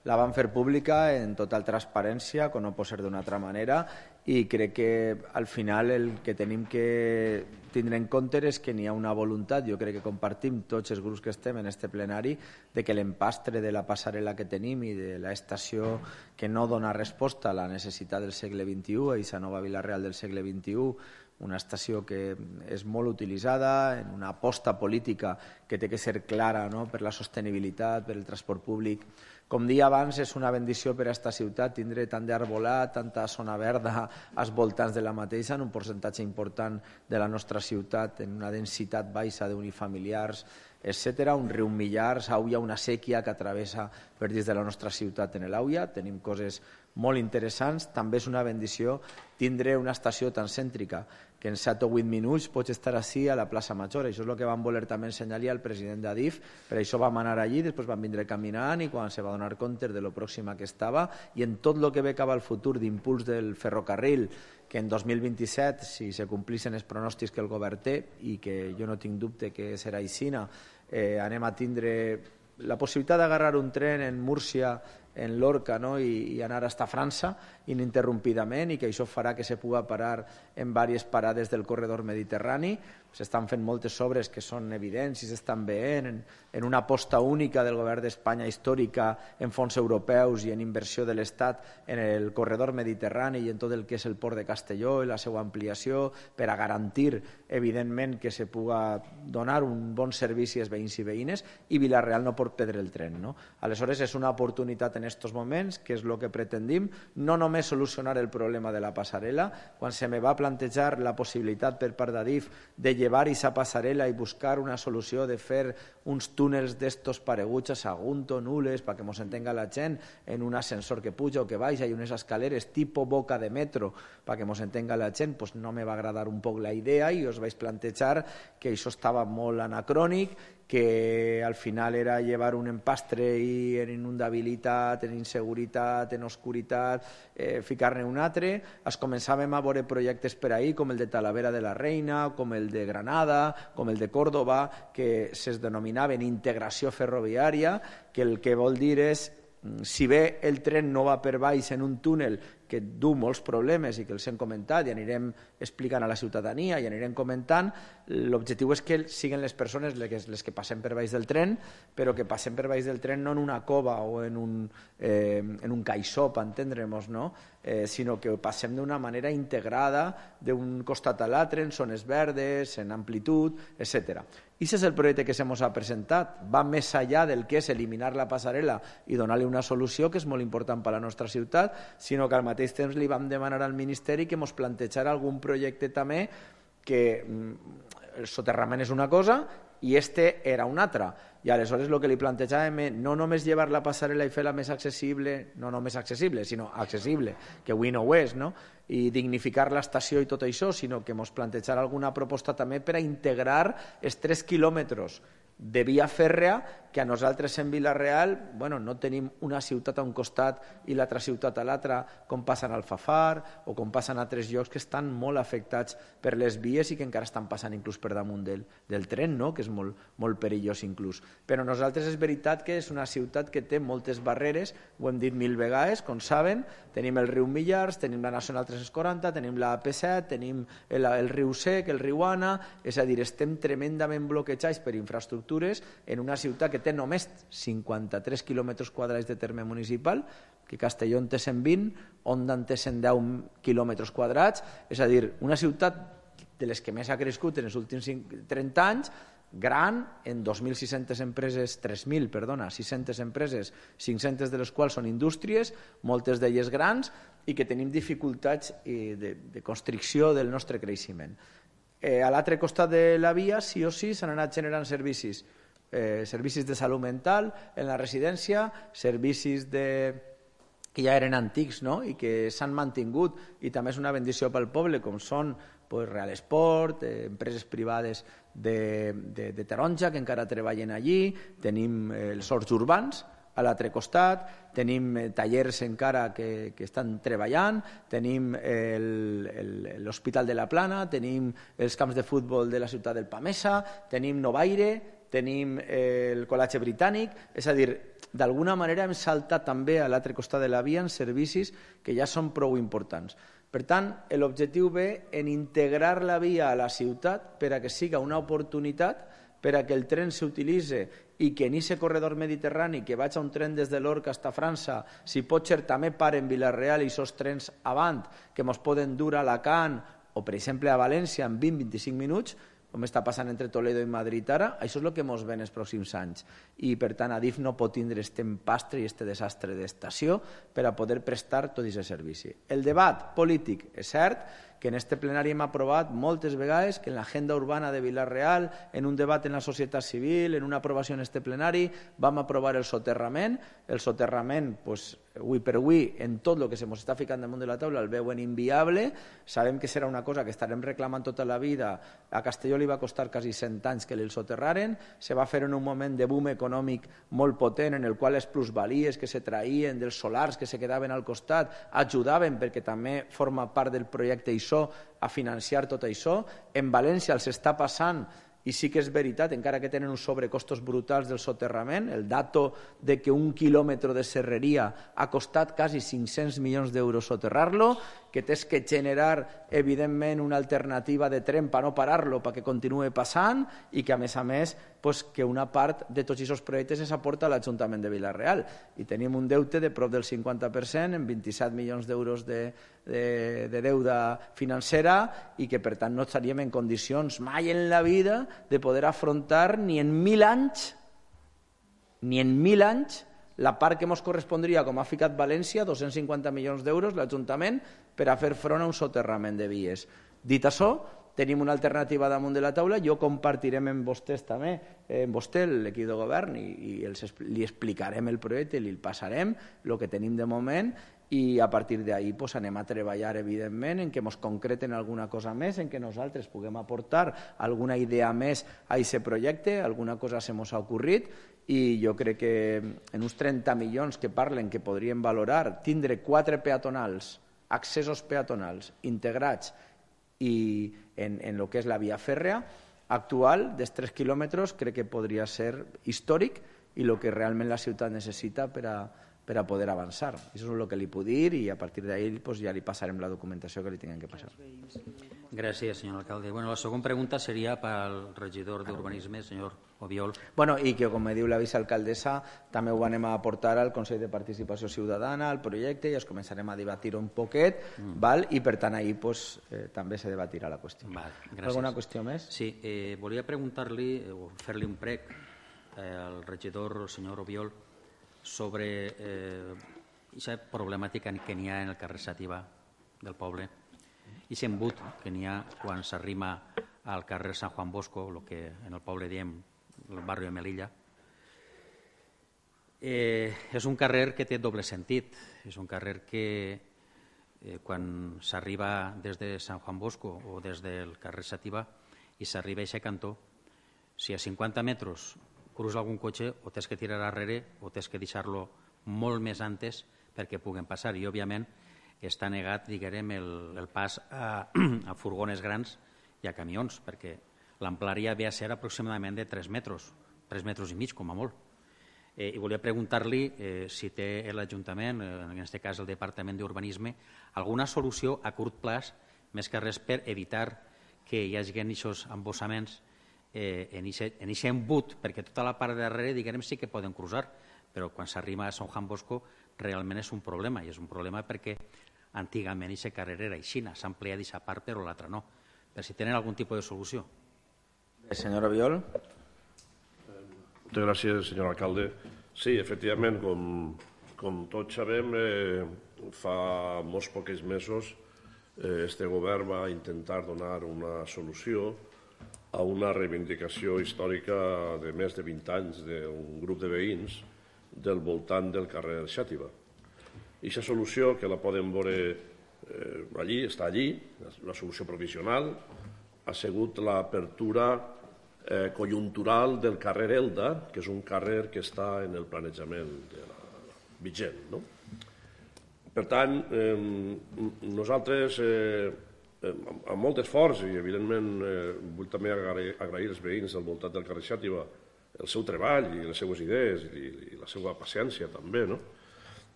La vam fer pública en total transparència, com no pot ser d'una altra manera, i crec que al final el que tenim que tindre en compte és que n'hi ha una voluntat, jo crec que compartim tots els grups que estem en este plenari, de que l'empastre de la passarel·la que tenim i de l'estació que no dona resposta a la necessitat del segle vint-i-u, a aquesta nova Vila-real del segle vint-i-u, una estació que és molt utilitzada, en una aposta política que té que ser clara, no?, per la sostenibilitat, per el transport públic. Com dia abans, és una bendició per a aquesta ciutat tindre tant d'arbolat, tanta zona verda als voltants de la mateixa, en un percentatge important de la nostra ciutat, en una densitat baixa d'unifamiliars, etcètera. Un riu Millars, Àuia, una sèquia que travessa per dins de la nostra ciutat en l'Àuia. Tenim coses molt interessants. També és una bendició tindre una estació tan cèntrica que en set o vuit minuts pots estar així a la plaça Major. Això és el que vam voler també ensenyar-li al president d'Adif, per això vam anar allí, després vam vindre caminant i quan se va donar compte de lo pròxima que estava, i en tot el que ve cap al futur d'impuls del ferrocarril, que en dos mil vint-i-set, si se complissin els pronòstics que el govern té, i que jo no tinc dubte que serà així, eh, anem a tindre la possibilitat d'agarrar un tren en Múrcia, en Lorca, no?, i, i anar fins a França ininterrompidament, i que això farà que se pugui parar en diverses parades del corredor mediterrani. S'estan fent moltes obres que són evidents i s'estan veient en, en una aposta única del govern d'Espanya històrica en fons europeus i en inversió de l'Estat en el corredor mediterrani i en tot el que és el port de Castelló i la seva ampliació per a garantir, evidentment, que se pugui donar un bon servici als veïns i veïnes, i Vila-real no pot perdre el tren, no? Aleshores, és una oportunitat en aquests moments, que és el que pretendim, no només solucionar el problema de la passarel·la. Quan se me va plantejar la possibilitat per part d'Adif de llevar aquesta passarel·la i buscar una solució de fer uns túnels d'estos pareguts a Sagunto, Nules, perquè ens entenga la gent, en un ascensor que puja o que baixa i unes escaleres tipus boca de metro, perquè ens entenga la gent, pues no me va agradar un poc la idea i us vaig plantejar que això estava molt anacrònic, que al final era llevar un empastre i en inundabilitat, en inseguretat, en oscuritat, eh, ficar-ne un altre. Es començàvem a veure projectes per ahí, com el de Talavera de la Reina, com el de Granada, com el de Córdoba, que es denominaven integració ferroviària, que el que vol dir és, si bé el tren no va per baix en un túnel que du molts problemes i que els hem comentat i anirem explicant a la ciutadania i anirem comentant, l'objectiu és que siguin les persones les que passen per baix del tren, però que passen per baix del tren no en una cova o en un, eh, en un caixó, per entendre'ns, no? eh, sinó que passem d'una manera integrada d'un costat a l'altre, en zones verdes, en amplitud, etcètera. I aquest és el projecte que se mos ha presentat. Va més enllà del que és eliminar la passarel·la i donar-li una solució que és molt important per a la nostra ciutat, sinó que al mateix temps li vam demanar al Ministeri que ens plantejara algun projecte també que el soterrament és una cosa i este era una altra. I aleshores el que li plantejàvem no només llevar la passarel·la i fer-la més accessible, no només accessible, sinó accessible, que avui no ho és, no? I dignificar l'estació i tot això, sinó que ens plantejar alguna proposta també per a integrar els tres quilòmetres de via fèrrea que a nosaltres en Vila-real, bueno, no tenim una ciutat a un costat i l'altra ciutat a l'altra, com passen al Fafar o com passen a altres llocs que estan molt afectats per les vies i que encara estan passant inclús per damunt del, del tren, no? Que és molt, molt perillós inclús. Però nosaltres és veritat que és una ciutat que té moltes barreres, ho hem dit mil vegades, com saben, tenim el riu Millars, tenim la Nacional tres-cents quaranta, tenim la A P set, tenim el, el riu Sec, el riu Ana, és a dir, estem tremendament bloquejats per infraestructura infraestructures en una ciutat que té només cinquanta-tres quilòmetres quadrats de terme municipal, que Castelló en té cent vint, Onda en té cent deu quilòmetres quadrats, és a dir, una ciutat de les que més ha crescut en els últims trenta anys, gran, en dos mil sis-centes empreses, tres mil, perdona, sis-centes empreses, cinc-centes de les quals són indústries, moltes d'elles grans, i que tenim dificultats de, de constricció del nostre creixement. Eh, a l'altre costat de la via, sí o sí, s'han anat generant servicis, eh, servicis de salut mental en la residència, servicis de que ja eren antics, no?, i que s'han mantingut, i també és una bendició pel poble, com són pues, Real Esport, eh, empreses privades de, de, de Taronja que encara treballen allí, tenim eh, els horts urbans a l'altre costat, tenim eh, tallers encara que, que estan treballant, tenim eh, l'Hospital de la Plana, tenim els camps de futbol de la ciutat del Pamesa, tenim Novaire, tenim eh, el Col·legi Britànic, és a dir, d'alguna manera hem saltat també a l'altre costat de la via en servicis que ja són prou importants. Per tant, l'objectiu ve en integrar la via a la ciutat per a que siga una oportunitat, per a que el tren s'utilitzi i que en aquest corredor mediterrani que vaig a un tren des de Lorca fins a França, si pot ser també paren en Vila-real i aquests trens avant que ens poden dur a Alacant o, per exemple, a València en vint a vint-i-cinc minuts, com està passant entre Toledo i Madrid ara, això és el que ens ve en els pròxims anys. I, per tant, Adif no pot tindre aquest empastre i aquest desastre d'estació per a poder prestar tot aquest servici. El debat polític és cert que en este plenari hem aprovat moltes vegades que en l'agenda urbana de Vila-real, en un debat en la societat civil, en una aprovació en este plenari, vam aprovar el soterrament. El soterrament, pues, avui per avui, en tot el que se ens està ficant damunt de la taula, el veuen inviable. Sabem que serà una cosa que estarem reclamant tota la vida. A Castelló li va costar quasi cent anys que el soterraren. Se va fer en un moment de boom econòmic molt potent, en el qual les plusvalies que se traïen dels solars que se quedaven al costat ajudaven, perquè també forma part del projecte I S O, a financiar tot això. En València els està passant, i sí que és veritat, encara que tenen uns sobrecostos brutals del soterrament, el dato de que un quilòmetre de serreria ha costat quasi cinc-cents milions d'euros soterrar-lo, que tens que generar, evidentment, una alternativa de tren per no parar-lo, perquè continuï passant, i que, a més a més, pues, que una part de tots aquests projectes s'aporta a l'Ajuntament de Vila-real. I tenim un deute de prop del cinquanta per cent, en vint-i-set milions d'euros de, de, de deuda financera, i que, per tant, no estaríem en condicions mai en la vida de poder afrontar ni en mil anys, ni en mil anys, la part que ens correspondria, com ha ficat València, dos-cents cinquanta milions d'euros, l'Ajuntament, per a fer front a un soterrament de vies. Dit això, tenim una alternativa damunt de la taula, jo compartirem amb vostès també, amb vostè, l'equip de govern, i, i els, li explicarem el projecte, li passarem el que tenim de moment, i a partir d'ahir pues, anem a treballar, evidentment, en què ens concreten alguna cosa més, en què nosaltres puguem aportar alguna idea més a aquest projecte, alguna cosa se mos ha ocorrit, i jo crec que en uns trenta milions que parlen que podríem valorar, tindre quatre peatonals, accessos peatonals integrats i en, en el que és la via fèrrea actual, dels tres quilòmetres, crec que podria ser històric i el que realment la ciutat necessita per a per a poder avançar. Això és el que li puc dir i a partir d'ahir pues, ja li passarem la documentació que li tinguem que passar. Gràcies, senyor alcalde. Bueno, la segona pregunta seria pel regidor d'Urbanisme, senyor Obiol. Bueno, i que, com me diu la vicealcaldessa, també ho anem a aportar al Consell de Participació Ciutadana, al projecte, i es començarem a debatir un poquet, mm. val? I per tant ahir pues, eh, també se debatirà la qüestió. Val, alguna qüestió més? Sí, eh, volia preguntar-li o fer-li un prec eh, al regidor, el senyor Obiol, sobre aquesta eh, problemàtica que n'hi ha en el carrer Xàtiva del poble i aquest embut que n'hi ha quan s'arrima al carrer Sant Juan Bosco, el que en el poble diem el barri de Melilla. Eh, és un carrer que té doble sentit. És un carrer que eh, quan s'arriba des de Sant Juan Bosco o des del carrer Xàtiva i s'arriba a aquest cantó, si a cinquanta metres cruza algun cotxe, o tens que tirar darrere o tens que deixar-lo molt més antes perquè puguen passar. I, òbviament, està negat, diguem, el, el pas a, a furgones grans i a camions, perquè l'amplària ve a ser aproximadament de tres metres, tres metres i mig, com a molt. Eh, I volia preguntar-li eh, si té l'Ajuntament, eh, en aquest cas el Departament d'Urbanisme, alguna solució a curt plaç, més que res per evitar que hi hagi aquests embossaments en aquest embut, perquè tota la part de darrere, diguem, sí que poden cruzar, però quan s'arriba a Sant Juan Bosco realment és un problema, i és un problema perquè antigament aquesta carrera era aixina, s'ha ampliat aquesta part però l'altra no. Per si tenen algun tipus de solució. Senyor Obiol. Moltes gràcies, senyor alcalde. Sí, efectivament, com, com tots sabem, eh, fa molts pocs mesos eh, este govern va intentar donar una solució a una reivindicació històrica de més de vint anys d'un grup de veïns del voltant del carrer Xàtiva. I aquesta solució, que la poden veure eh, allí, està allí, la solució provisional, ha sigut l'apertura eh, conjuntural del carrer Elda, que és un carrer que està en el planejament de la vigent. No? Per tant, eh, nosaltres, eh, amb molt esforç, i evidentment eh, vull també agrair, agrair als veïns del voltant del carrer Xàtiva el seu treball i les seues idees i, i la seva paciència també, no?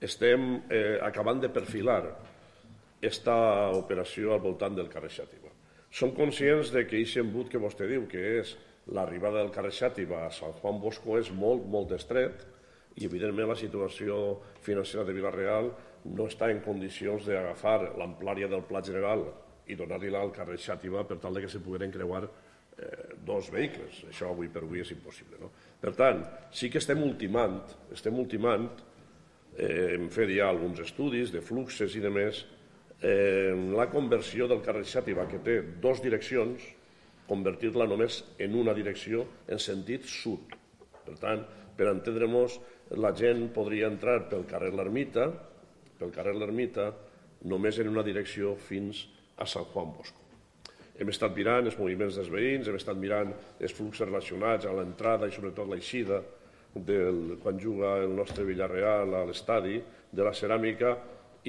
Estem eh, acabant de perfilar aquesta operació al voltant del carrer Xàtiva. Som conscients de que aquest embut que vostè diu, que és l'arribada del carrer Xàtiva a Sant Juan Bosco, és molt, molt estret i, evidentment, la situació financera de Vila-real no està en condicions d'agafar l'amplària del pla general i donar-li-la al carrer Xàtiva per tal que se pogueren creuar eh, dos vehicles. Això avui per avui és impossible. No? Per tant, sí que estem ultimant, estem ultimant eh, hem fet ja alguns estudis de fluxes i de més, eh, la conversió del carrer Xàtiva, que té dues direccions, convertir-la només en una direcció en sentit sud. Per tant, per entendre-nos, la gent podria entrar pel carrer L'Ermita, pel carrer L'Ermita, només en una direcció fins a Sant Juan Bosco. Hem estat mirant els moviments dels veïns, hem estat mirant els fluxos relacionats a l'entrada i sobretot l'eixida del, quan juga el nostre Villarreal a l'estadi de la ceràmica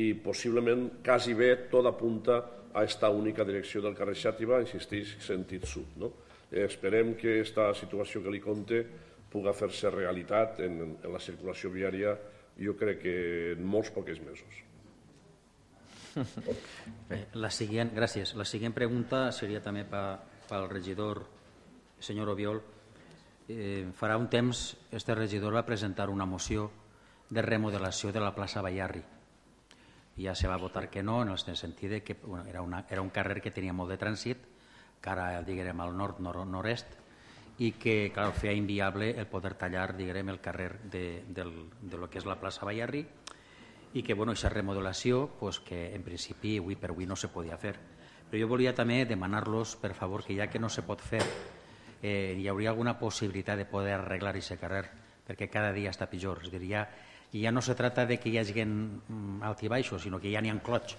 i possiblement quasi bé tot apunta a aquesta única direcció del carrer Xàtiva, insisteix, sentit sud. No? Eh, esperem que aquesta situació que li conte pugui fer-se realitat en, en la circulació viària, jo crec que en molts pocs mesos. Bé, la següent, gràcies. La següent pregunta seria també pel regidor senyor Obiol. Eh, farà un temps este regidor va presentar una moció de remodelació de la plaça Bayarri. Ja se va votar que no, en el sentit de que bueno, era, una, era un carrer que tenia molt de trànsit, cara diguem, al nord, nord, nord-est, i que clar, feia inviable el poder tallar diguem, el carrer de, del, de lo que és la plaça Bayarri, i que bueno, aquesta remodelació pues, que en principi avui per avui no se podia fer. Però jo volia també demanar-los, per favor, que ja que no se pot fer, eh, hi hauria alguna possibilitat de poder arreglar aquest carrer, perquè cada dia està pitjor. És a dir, ja, ja no se trata de que hi hagi alt i baixos, sinó que ja n'hi ha clots.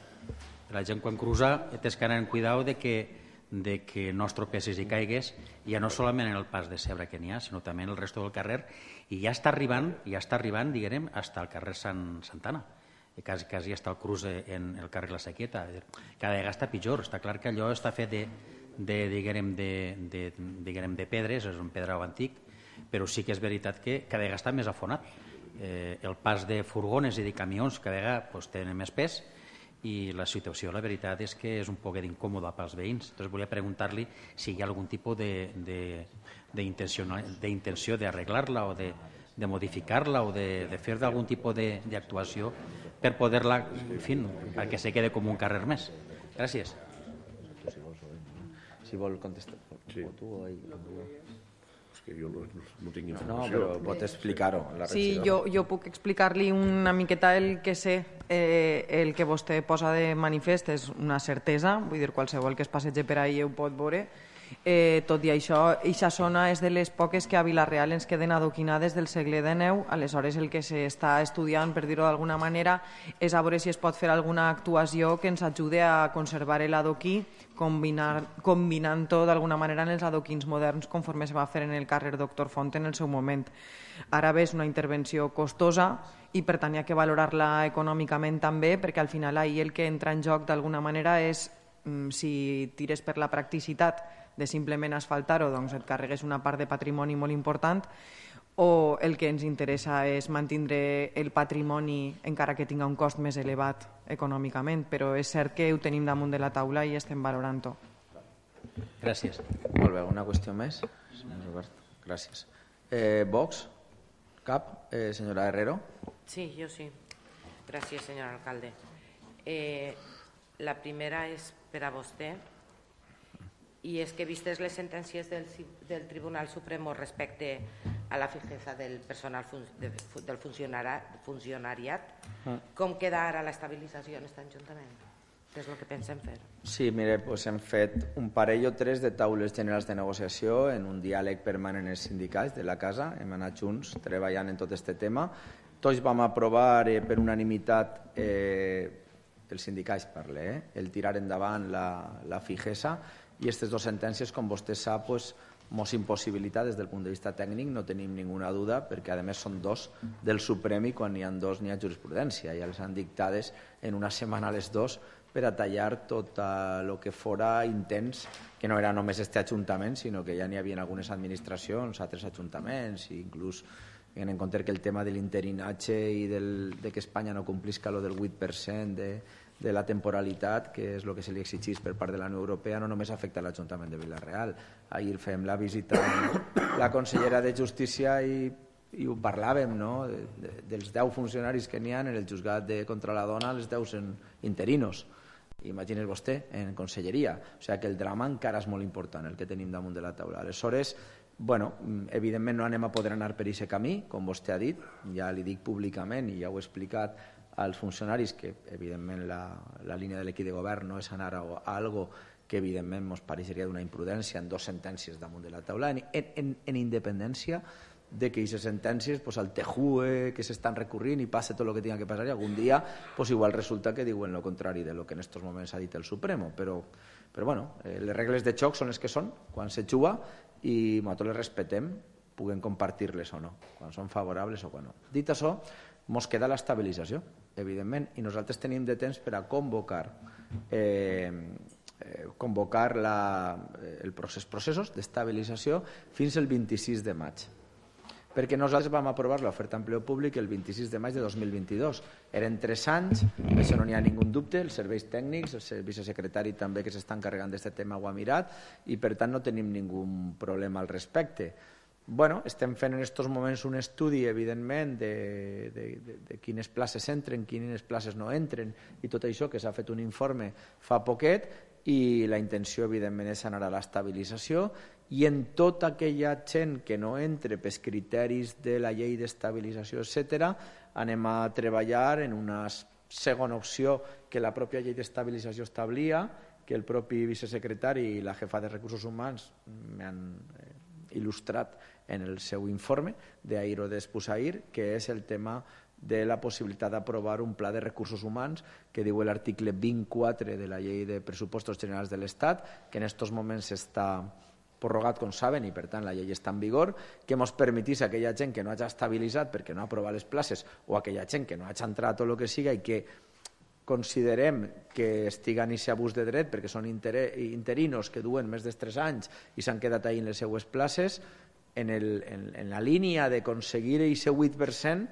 La gent quan cruza tens que anar en cuidado de que, de que no es tropessis i caigues, ja no solament en el pas de Cebre que n'hi ha, sinó també en el resto del carrer, i ja està arribant, ja està arribant, diguem, fins al carrer Sant, Santana. Quasi, quasi està el cruç en el carrer La Sequeta. Cada vegada està pitjor. Està clar que allò està fet de, de, diguem, de, de, diguem, de pedres, és un pedrau antic, però sí que és veritat que cada vegada està més afonat. Eh, el pas de furgones i de camions cada vegada pues, tenen més pes i la situació, la veritat, és que és un poc incòmoda pels veïns. Entonces, volia preguntar-li si hi ha algun tipus d'intenció d'arreglar-la o de, de modificar-la o de, de fer algun tipus d'actuació per poder-la, en fi, perquè se quede com un carrer més. Gràcies. Si vol contestar. Sí. És que jo no, no tinc informació. No, però pot explicar-ho. Sí, jo, jo puc explicar-li una miqueta el que sé. Eh, el que vostè posa de manifest és una certesa, vull dir, qualsevol que es passegi per ahí ho pot veure. Eh, tot i això, eixa zona és de les poques que a Vila-real ens queden adoquinades del segle dinou, aleshores el que s'està estudiant, per dir-ho d'alguna manera, és a veure si es pot fer alguna actuació que ens ajude a conservar l'adoquí, combinant-ho d'alguna manera en els adoquins moderns conforme se va fer en el carrer Doctor Font en el seu moment. Ara bé, és una intervenció costosa i per tant hi ha que valorar-la econòmicament també, perquè al final ahir el que entra en joc d'alguna manera és si tires per la practicitat de simplement asfaltar-ho, doncs et carregues una part de patrimoni molt important, o el que ens interessa és mantindre el patrimoni encara que tinga un cost més elevat econòmicament, però és cert que ho tenim damunt de la taula i estem valorant-ho. Gràcies. Molt bé, una qüestió més? Senyor Robert, gràcies. Eh, Vox? Cap? Eh, senyora Herrero? Sí, yo sí. Gracias, señor alcalde. Eh, la primera es per a vostè, i és que vistes les sentències del, del Tribunal Supremo respecte a la fijeza del personal fun, de, del funcionari, funcionariat, mm. com queda ara l'estabilització en aquest Ajuntament? Què és el que pensem fer? Sí, mire, pues hem fet un parell o tres de taules generals de negociació en un diàleg permanent amb els sindicats de la casa. Hem anat junts treballant en tot aquest tema. Tots vam aprovar eh, per unanimitat, eh, els sindicats parle, eh, el tirar endavant la, la fijesa, i aquestes dues sentències, com vostè sap, pues, mos impossibilita des del punt de vista tècnic, no tenim ninguna duda, perquè a més són dos del Suprem i quan n'hi ha dos n'hi ha jurisprudència, ja les han dictades en una setmana les dos per a tallar tot el que fora intents, que no era només este Ajuntament, sinó que ja n'hi havia algunes administracions, altres ajuntaments, i inclús tenint en compte que el tema de l'interinatge i del, de que Espanya no complisca lo del vuit per cent de, de la temporalitat, que és el que se li exigís per part de la Unió Europea, no només afecta l'Ajuntament de Vila-real. Ahir fem la visita amb la consellera de Justícia i, i ho parlàvem, no? de, de, dels deu funcionaris que n'hi ha en el juzgat de contra la dona, els deu són interinos. Imagines vostè, en conselleria. O sigui que el drama encara és molt important, el que tenim damunt de la taula. Aleshores, bueno, evidentment no anem a poder anar per aquest camí, com vostè ha dit, ja li dic públicament i ja ho he explicat als funcionaris que evidentment la, la línia de l'equip de govern no és anar a, a algo que evidentment ens pareixeria d'una imprudència en dues sentències damunt de la taula, en, en, en independència de que aquestes sentències pues, al tejue que s'estan recurrint i passa tot el que tinga que passar i algun dia pues, igual resulta que diuen el contrari de lo que en aquests moments ha dit el Supremo, però, però bueno, eh, les regles de xoc són les que són quan se juga i nosaltres les respetem, puguem compartir-les o no, quan són favorables o quan no. Dit això, ens queda l'estabilització, evidentment, i nosaltres tenim de temps per a convocar eh, eh, convocar la, el procés, processos d'estabilització fins el vint-i-sis de maig. Perquè nosaltres vam aprovar l'oferta d'empleo públic el vint-i-sis de maig de dos mil vint-i-dos. Eren tres anys, això no n'hi ha ningú dubte, els serveis tècnics, el vicesecretari també que s'està encarregant d'aquest tema ho ha mirat i per tant no tenim ningú problema al respecte. Bueno, estem fent en aquests moments un estudi, evidentment, de, de, de, de quines places entren, quines places no entren i tot això, que s'ha fet un informe fa poquet i la intenció, evidentment, és anar a l'estabilització i en tota aquella gent que no entre pels criteris de la llei d'estabilització, etcètera, anem a treballar en una segona opció que la pròpia llei d'estabilització establia, que el propi vicesecretari i la jefa de recursos humans m'han eh, il·lustrat en el seu informe d'ahir o d'espusahir, que és el tema de la possibilitat d'aprovar un pla de recursos humans que diu l'article vint-quatre de la llei de pressupostos generals de l'Estat, que en aquests moments està prorrogat, com saben, i per tant la llei està en vigor, que ens permetís a aquella gent que no hagi estabilitzat perquè no ha aprovat les places o aquella gent que no hagi entrat o el que siga i que considerem que estiga en aquest abús de dret perquè són interinos que duen més de tres anys i s'han quedat ahí en les seues places, en, el, en, en la línia d'aconseguir aquest vuit per cent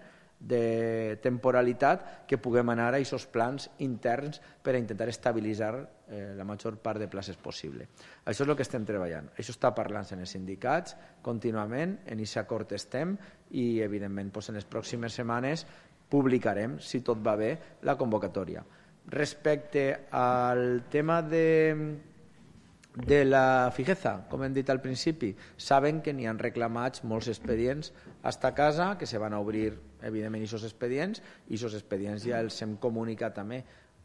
de temporalitat que puguem anar a aquests plans interns per a intentar estabilitzar eh, la major part de places possible. Això és el que estem treballant. Això està parlant en els sindicats contínuament, en aquest acord estem i evidentment doncs, en les pròximes setmanes publicarem, si tot va bé, la convocatòria. Respecte al tema de, de la fijeza, com hem dit al principi, saben que n'hi han reclamats molts expedients a esta casa, que se van a obrir, evidentment, aquests expedients, i aquests expedients ja els hem comunicat també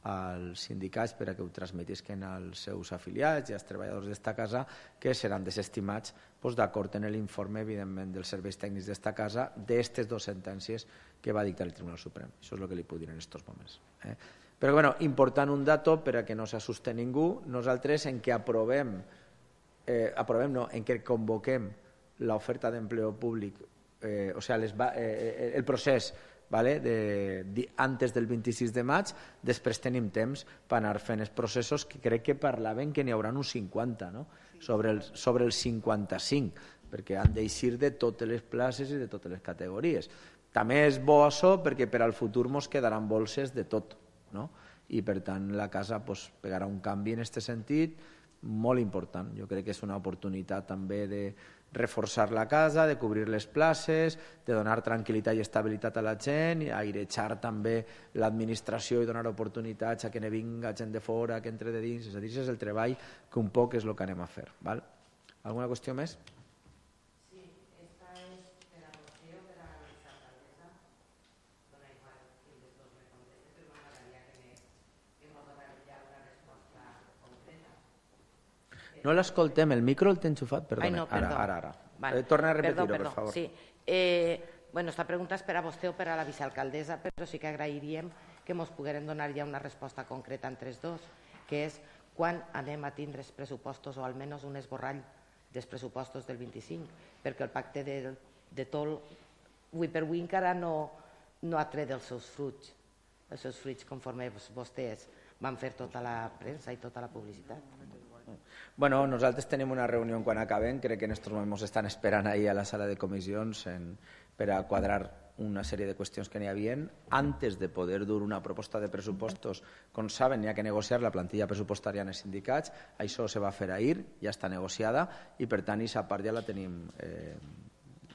als sindicats per a que ho transmetisquen als seus afiliats i als treballadors d'esta casa, que seran desestimats doncs, d'acord en l'informe, evidentment, dels serveis tècnics d'esta casa d'aquestes dues sentències que va dictar el Tribunal Suprem. Això és el que li puc dir en aquests moments. Eh? Però, bueno, important un dato per a que no s'assuste ningú, nosaltres en què aprovem, eh, aprovem no, en què convoquem l'oferta d'empleo públic, eh, o sigui, les, eh, el procés vale, de, de, antes del vint-i-sis de maig, després tenim temps per anar fent els processos que crec que parlaven que n'hi haurà uns cinquanta, no? sobre, el, sobre els cinquanta-cinc, perquè han d'eixir de totes les places i de totes les categories. També és bo això perquè per al futur ens quedaran bolses de tot, no? I per tant la casa pues, pegarà un canvi en aquest sentit molt important. Jo crec que és una oportunitat també de reforçar la casa, de cobrir les places, de donar tranquil·litat i estabilitat a la gent, i airejar també l'administració i donar oportunitats a que ne vinga gent de fora, que entre de dins. És a dir, és el treball que un poc és el que anem a fer. Val? Alguna qüestió més? Sí, esta és per a vostè o per a l'alcaldessa. Dona igual qui de tots me conteste, però m'agradaria que mos donés ja una resposta concreta. No l'escoltem, el micro el té enxufat, perdona. Ai, no, perdó. Ara, ara, ara. Vale. Eh, torna a repetir-ho, Perdó, perdó. per favor. Sí. Eh, bueno, esta pregunta és per a vostè o per a la vicealcaldessa, però sí que agrairíem que ens poguérem donar ja una resposta concreta entre els dos, que és quan anem a tindre els pressupostos o almenys un esborrall dels pressupostos del vint-i-cinc, perquè el pacte de, de Tol, avui per avui encara no, no ha tret els seus fruits, els seus fruits conforme vostès van fer tota la premsa i tota la publicitat. Bueno, nosaltres tenim una reunió quan acabem, crec que en aquests moments estan esperant ahir a la sala de comissions en, per a quadrar una sèrie de qüestions que n'hi havia antes de poder dur una proposta de pressupostos. Com saben, n'hi ha que negociar la plantilla pressupostària en els sindicats, això se va fer ahir, ja està negociada i per tant aquesta part ja la tenim eh,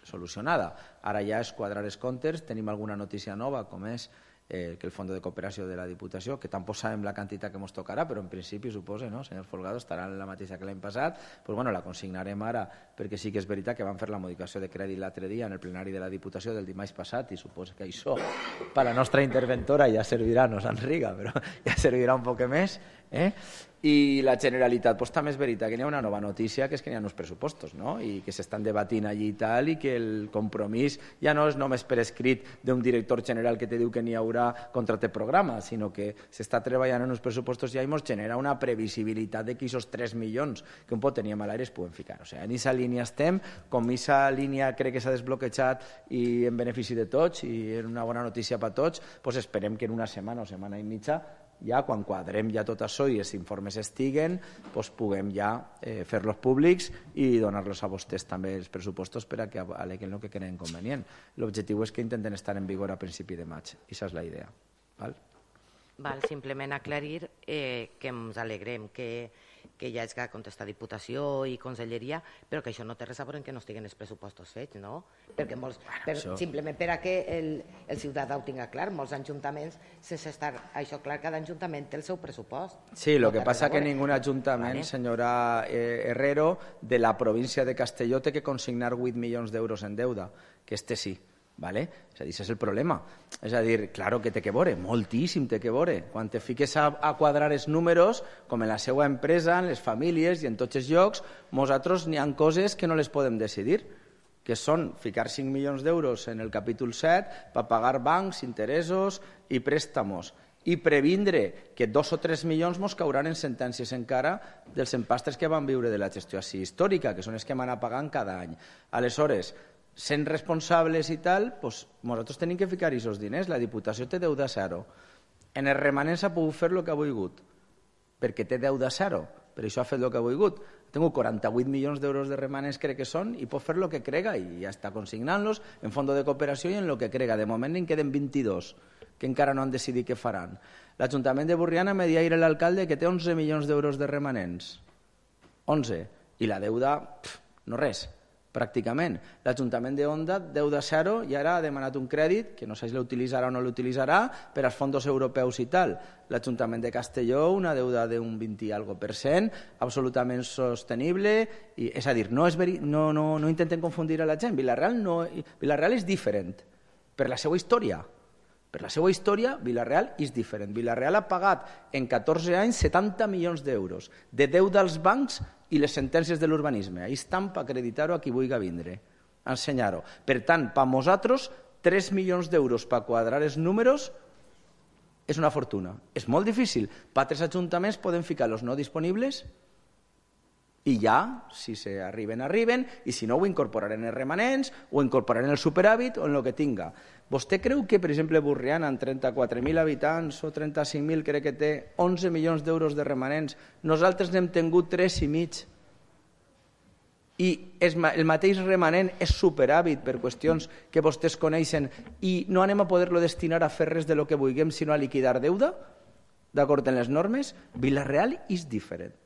solucionada. Ara ja és quadrar els comptes, tenim alguna notícia nova com és Eh, que el Fons de Cooperació de la Diputació, que tampoc sabem la quantitat que ens tocarà, però en principi suposa, no, senyor Folgado, estarà la mateixa que l'any passat, pues, bueno, la consignarem ara, perquè sí que és veritat que van fer la modificació de crèdit l'altre dia en el plenari de la Diputació del dimarts passat i suposa que això per a la nostra interventora ja servirà, no s'enriga, però ja servirà un poc més. Eh? I la Generalitat, pues, també és veritat que hi ha una nova notícia, que és que hi ha uns pressupostos, no? I que s'estan debatint allí i tal, i que el compromís ja no és només per escrit d'un director general que te diu que n'hi haurà contracte programa, sinó que s'està treballant en uns pressupostos i ja ens genera una previsibilitat de que aquests tres milions que un pot tenir a l'aire es puguen ficar. O sigui, en aquesta línia estem, com aquesta línia crec que s'ha desbloquejat i en benefici de tots i és una bona notícia per a tots, pues esperem que en una setmana o setmana i mitja ja quan quadrem ja tot això i els informes estiguen, doncs puguem ja eh, fer-los públics i donar-los a vostès també els pressupostos per a que aleguen el que creen convenient. L'objectiu és que intenten estar en vigor a principi de maig. Aquesta és la idea. Val? Val, simplement aclarir eh, que ens alegrem que, que ja és que contesta Diputació i Conselleria, però que això no té res a veure que no estiguen els pressupostos fets, no? Perquè molts, per, això... simplement per a que el, el ciutadà ho tinga clar, molts ajuntaments, sense estar això clar, cada ajuntament té el seu pressupost. Sí, el no que passa que ningú ajuntament, vale. Senyora eh, Herrero, de la província de Castelló té que consignar vuit milions d'euros en deuda, que este sí. Vale? És a dir, és el problema. És a dir, claro que té que veure, moltíssim té que veure. Quan te fiques a, a quadrar els números, com en la seva empresa, en les famílies i en tots els llocs, nosaltres n'hi ha coses que no les podem decidir, que són ficar cinc milions d'euros en el capítol set per pagar bancs, interessos i préstamos, i previndre que dos o tres milions mos cauran en sentències encara dels empastres que van viure de la gestió així històrica, que són els que van a pagant cada any. Aleshores, sent responsables i tal, doncs nosaltres tenim que ficar aquests diners. La Diputació té deuda zero. En els remanents ha pogut fer el que ha volgut, perquè té deuda zero. Per això ha fet el que ha volgut. Tengo quaranta-vuit milions d'euros de remanents, crec que són, i pot fer el que crega, i ja està consignant-los en fons de cooperació i en el que crega. De moment en queden vint-i-dos, que encara no han decidit què faran. L'Ajuntament de Borriana me deia ahir l'alcalde que té onze milions d'euros de remanents. onze. I la deuda, pff, no res. Pràcticament. L'Ajuntament de Onda, deuda zero, i ara ha demanat un crèdit, que no sé si l'utilitzarà o no l'utilitzarà, per als fons europeus i tal. L'Ajuntament de Castelló, una deuda d'un vint i algo per cent, absolutament sostenible, i, és a dir, no, és veri, no, no, no intenten confundir a la gent. Vila-real, no, Vila-real és diferent, per la seva història. Per la seva història, Vila-real és diferent. Vila-real ha pagat en catorze anys setanta milions d'euros de deuda als bancs i les sentències de l'urbanisme. Ahí estan per acreditar-ho a qui vulgui vindre, ensenyar-ho. Per tant, per nosaltres, tres milions d'euros per quadrar els números és una fortuna. És molt difícil. Per altres ajuntaments poden ficar els no disponibles i ja, si s'arriben, arriben, i si no ho incorporaren en els remanents, o incorporaren el superàvit, o en el que tinga. Vostè creu que, per exemple, Borriana, amb trenta-quatre mil habitants o trenta-cinc mil, crec que té onze milions d'euros de remanents, nosaltres n'hem tingut tres i mig, i el mateix remanent és superàvit per qüestions que vostès coneixen, i no anem a poder-lo destinar a fer res de lo que vulguem, sinó a liquidar deuda, d'acord amb les normes? Vila-real és diferent.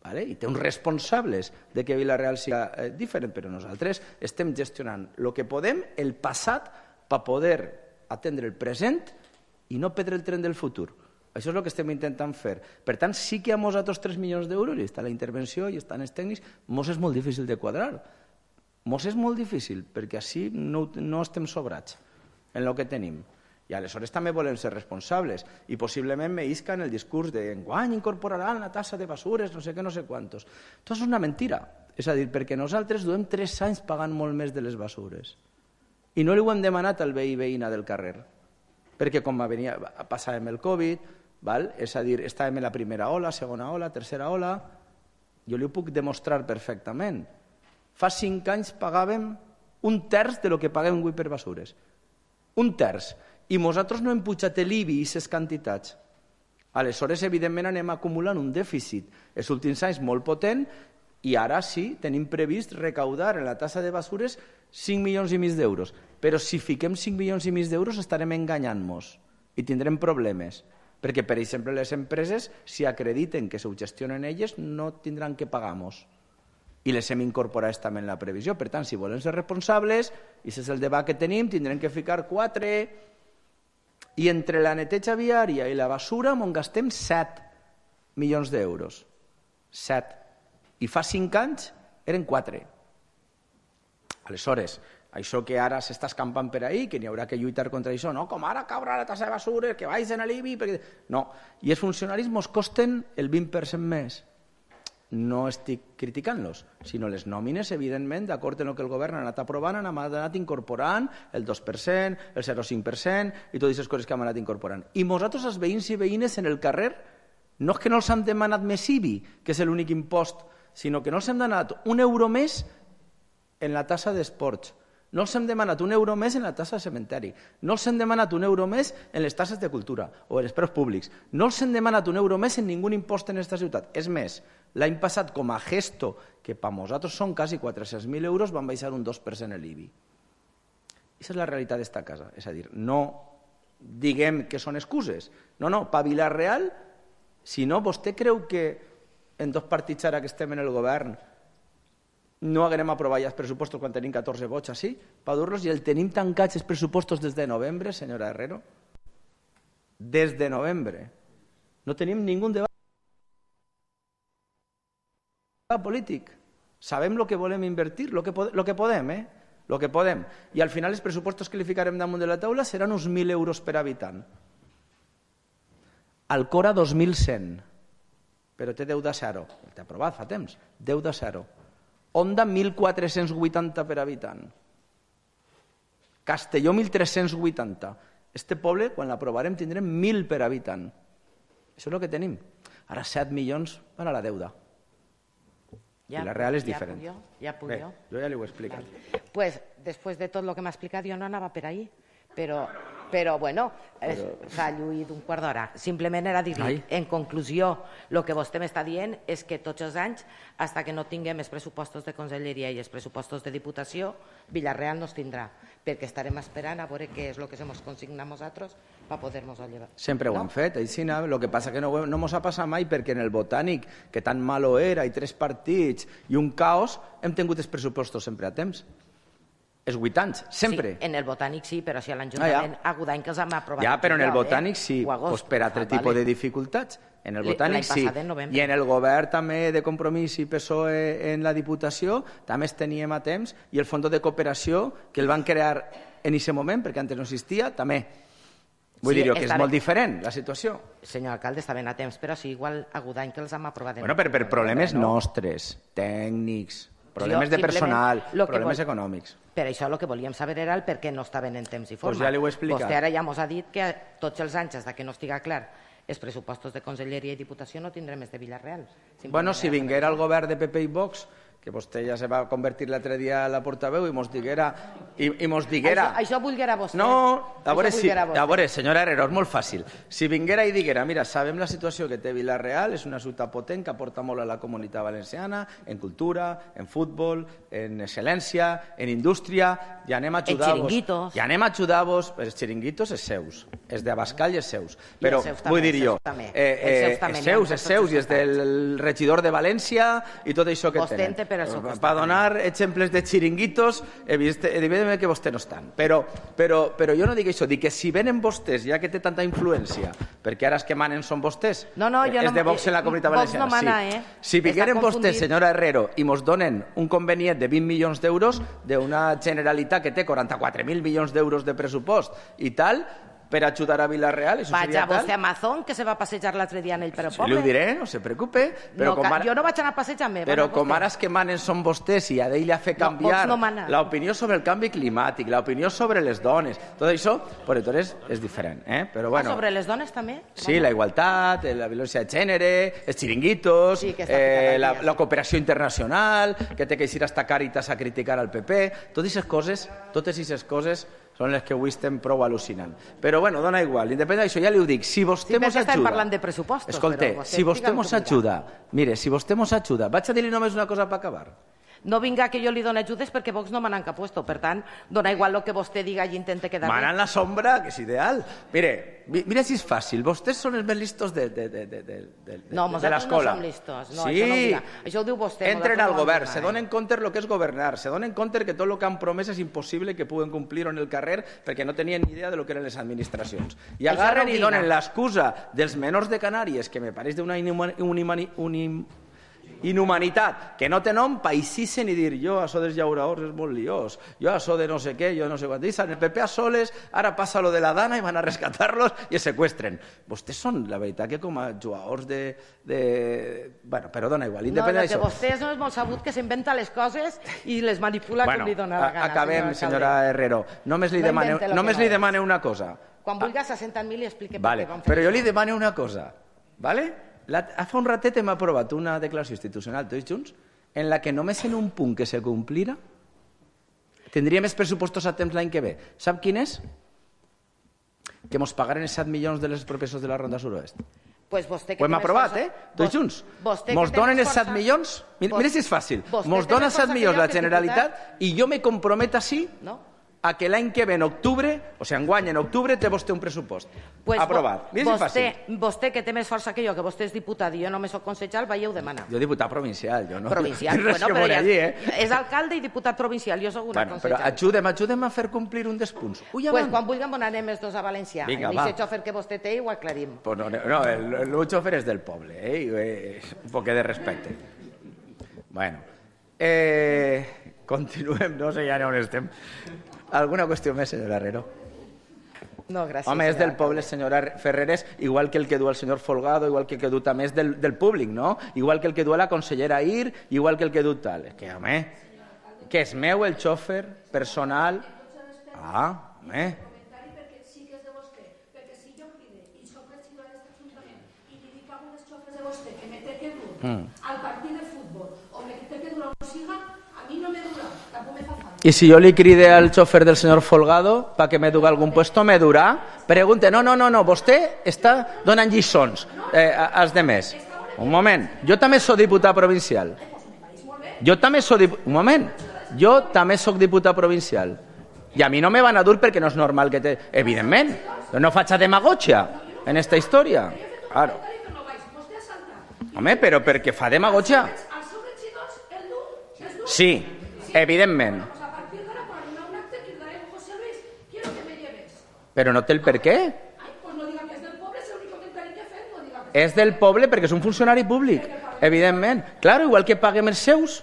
vale? I té uns responsables de que Vila-real siga eh, diferent, però nosaltres estem gestionant el que podem, el passat, per poder atendre el present i no perdre el tren del futur. Això és el que estem intentant fer. Per tant, sí que a nosaltres tres milions d'euros, i està la intervenció i estan els tècnics, mos és molt difícil de quadrar. Mos és molt difícil, perquè així no, no estem sobrats en el que tenim. I aleshores també volem ser responsables i possiblement me isca en el discurs de enguany incorporaran la tassa de basures, no sé què, no sé quantos. Tot és una mentira. És a dir, perquè nosaltres duem tres anys pagant molt més de les basures. I no li ho hem demanat al veí i veïna del carrer. Perquè com venia, passàvem el Covid, val? És a dir, estàvem en la primera ola, segona ola, tercera ola, jo li ho puc demostrar perfectament. Fa cinc anys pagàvem un terç de lo que paguem avui per basures. Un terç. I nosaltres no hem pujat l'I B I i aquestes quantitats. Aleshores, evidentment, anem acumulant un dèficit els últims anys molt potent i ara sí, tenim previst recaudar en la tassa de basures cinc milions i mig d'euros. Però si fiquem cinc milions i mig d'euros estarem enganyant-nos i tindrem problemes. Perquè, per exemple, les empreses, si acrediten que s'ho gestionen elles, no tindran que pagar-nos. I les hem incorporat també en la previsió. Per tant, si volen ser responsables, i aquest és el debat que tenim, tindrem que ficar quatre... I entre la neteja viària i la basura m'on gastem set milions d'euros. set. I fa cinc anys eren quatre. Aleshores, això que ara s'està escampant per ahí, que n'hi haurà que lluitar contra això, no, com ara caurà la tassa de basura, que vagin a l'I B I... Perquè... No, i els funcionaris mos costen el vint per cent més. No estic criticant-los, sinó les nòmines, evidentment, d'acord amb el que el govern ha anat aprovant, han anat incorporant el dos per cent, el zero coma cinc per cent i totes aquestes coses que hem anat incorporant. I nosaltres, els veïns i veïnes en el carrer, no és que no els hem demanat més I B I, que és l'únic impost, sinó que no els hem demanat un euro més en la tassa d'esports, no els hem demanat un euro més en la tassa de cementeri, no els hem demanat un euro més en les tasses de cultura o en els preus públics, no els hem demanat un euro més en ningú impost en aquesta ciutat. És més, l'any passat, com a gesto, que per nosaltres són quasi quatre-cents mil euros, van baixar un dos per cent l'I B I. Aquesta és la realitat d'esta casa. És a dir, no diguem que són excuses. No, no, per Vila-real, si no, vostè creu que en dos partits ara que estem en el govern no haguem aprovat ja els pressupostos quan tenim catorze vots així, per dur-los, i el tenim tancats els pressupostos des de novembre, senyora Herrero? Des de novembre. No tenim ningú debat polític. Sabem el que volem invertir, el que, lo que podem, eh? Lo que podem. I al final els pressupostos que li ficarem damunt de la taula seran uns mil euros per habitant. Alcora dos mil cent, però té deu de zero. Té aprovat fa temps, deu de zero. Onda mil quatre-cents vuitanta per habitant. Castelló mil tres-cents vuitanta. Este poble, quan l'aprovarem, tindrem mil per habitant. Això és el que tenim. Ara set milions van a la deuda. Ja, I la real és ja diferent. Puc jo? Ja puc Bé, jo? jo ja li ho he explicat. Vale. Pues, després de tot el que m'ha explicat, jo no anava per ahí. Però, però bueno, però... s'ha lluït un quart d'hora. Simplement era dir, en conclusió, el que vostè m'està dient és que tots els anys, fins que no tinguem els pressupostos de conselleria i els pressupostos de diputació, Vila-real no els tindrà, perquè estarem esperant a veure què és el que ens consigna nosaltres per poder-nos llevar. Sempre ho no? han fet, així, el que passa que no, no mos ha passat mai perquè en el Botànic, que tan malo era, i tres partits i un caos, hem tingut els pressupostos sempre a temps. És vuit anys, sempre. Sí, en el Botànic sí, però si a l'Ajuntament ah, ja. agut any que els hem aprovat. Ja, però en el Botànic eh? sí, pues per altre ah, tipus vale. de dificultats. En el Botànic sí. I en el govern també de Compromís i P S O E en la Diputació també es teníem a temps, i el Fons de Cooperació, que el van crear en aquest moment, perquè antes no existia, també. Vull sí, dir que és molt ben. diferent la situació. Senyor alcalde, està ben a temps, però sí, igual agut any que els hem aprovat. Bueno, per, per problemes no? nostres, tècnics, problemes de personal, problemes vol... econòmics. Per això el que volíem saber era el per què no estaven en temps i forma. Pues ja li ho he explicat. Vostè ara ja ens ha dit que tots els anys, des que no estiga clar, els pressupostos de Conselleria i Diputació no tindrem més de Vila-real. Bueno, si vinguera el govern de P P i Vox, que vostè ja se va convertir l'altre dia a la portaveu i mos diguera... I, i mos diguera... Això, això vulguera vostè. No, a veure, si, vostè. a veure, senyora Herrero, és molt fàcil. Si vinguera i diguera, mira, sabem la situació que té Vila-real, és una ciutat potent que aporta molt a la comunitat valenciana, en cultura, en futbol, en excel·lència, en indústria, i anem a ajudar-vos. En xiringuitos. I anem a ajudar-vos, els xiringuitos és seus, és d'Abascal i és seus. Però, vull dir jo, eh, eh, és seus, és seus, i és del regidor de València i tot això que tenen. Per donar exemples de xiringuitos, evidentment que vostè no estan. Però, però, però jo no dic això, dic que si venen vostès, ja que té tanta influència, perquè ara els que manen són vostès, no, no, jo és no, de Vox en la comunitat Vox valenciana. No mana, sí. eh? Si vingueren vostès, senyora Herrero, i mos donen un convenient de vint milions d'euros d'una Generalitat que té quaranta-quatre mil milions d'euros de pressupost i tal, per ajudar a Vila-real, això Vaja seria tal. vostè a Amazon, que se va passejar l'altre dia en el Pere Poble. Sí, li ho diré, no se preocupe. Però no, com ara... Jo no vaig anar a passejar-me. Però com ara els que manen són vostès i a d'ell ha fet canviar no, no l'opinió sobre el canvi climàtic, l'opinió sobre les dones, tot això, per aleshores és diferent. Eh? Però, bueno, ah, sobre les dones també? Sí, la igualtat, la violència de gènere, els xiringuitos, sí, eh, la, la cooperació internacional, que té que ir hasta Càritas a criticar al P P, totes aquestes coses, totes aquestes coses són les que avui estem prou al·lucinant. Però, bueno, dona igual. Independent d'això, ja li ho dic, si vostè sí, mos ajuda... Sí, estem parlant de pressupostos. Escolta, si vostè mos ajuda, mire, si vostè mos ajuda, vaig a dir-li només una cosa per acabar. No vinga que jo li doni ajudes perquè Vox no m'han encapuesto. Per tant, dona igual el que vostè diga i intente quedar bé. Mana en la sombra, que és ideal. Mire, mira si és fàcil. Vostès són els més listos de, de, de, de, de, de, no, de l'escola. No, nosaltres no som listos. No, sí. Això, no diga. Això ho diu vostè. Entren al govern, se donen compte el que és governar, se donen compte que tot el que han promès és impossible que puguen complir en el carrer perquè no tenien ni idea de lo que eren les administracions. I agarren i donen l'excusa dels menors de Canàries, que me pareix d'una inhumanitat, inhumanitat, que no té nom, païssissen i dir jo això dels llauraors és molt liós, jo això de no sé què, jo no sé quant, dicen el P P a soles, ara passa lo de la Dana i van a rescatar-los i es seqüestren. Vostès són, la veritat, que com a jugadors de... de... Bueno, però dona igual, independent d'això. No, que vostès no és molt sabut que s'inventa les coses i les manipula bueno, com li dona la gana. Acabem, senyora Herrero. Només li, no demane, només li demane una cosa. Quan vulguis assenta-me i explique vale, per què vam fer però això. jo li demane una cosa, vale? La, fa un ratet hem aprovat una declaració institucional tots junts en la que només en un punt que se complira tindria més pressupostos a temps l'any que ve. Sap quin és? Que mos pagaren els set milions de les professors de la Ronda Suroest. Pues vostè que ho hem aprovat, eh? Tots junts. Mos donen els set milions... Mira, mira si és fàcil. Mos donen set milions la Generalitat i jo me comprometo així... No? a que l'any que ve en octubre, o sigui, enguany en octubre, té vostè un pressupost. Pues aprovat. Mira vostè, vostè, que té més força que jo, que vostè és diputat i jo només soc concejal, veieu demanar. Jo diputat provincial, jo no... Provincial, bueno, però ja, allí, eh? És alcalde i diputat provincial, jo soc una bueno, concejal. Però ajudem, ajudem a fer complir un dels punts. Ui, pues quan vulguem anem els dos a València. Vinga, va. El xòfer que vostè té ho aclarim. Pues no, no, el, el xòfer és del poble, eh? Un poc de respecte. Bueno, eh, continuem, no sé ja on estem. ¿Alguna qüestió més, senyora Herrero? No, gràcies. Home, és del poble, senyora Ferreres, igual que el que du el senyor Folgado, igual que el que du també és del, del públic, no? Igual que el que du la consellera Ir, igual que el que du tal. És que, home, que és meu el xòfer personal... Ah, home... al partit de futbol o me té que durar un siga, a mi no me dura, tampoc me fa falta. I si jo li cride al xòfer del senyor Folgado para que me duga algun puesto, me durà? Pregunte, no, no, no, no, vostè està donant lliçons eh, als demés. Un moment, jo també soc diputat provincial. Jo també soc diputat... Un moment, jo també soc diputat provincial. I a mi no me van a dur perquè no és normal que té... Evidentment, no faig demagogia en esta història. Claro. Home, però perquè fa demagogia. Sí, evidentment. Però no té el per què. És del poble perquè és un funcionari públic, evidentment. Claro, igual que paguem els seus.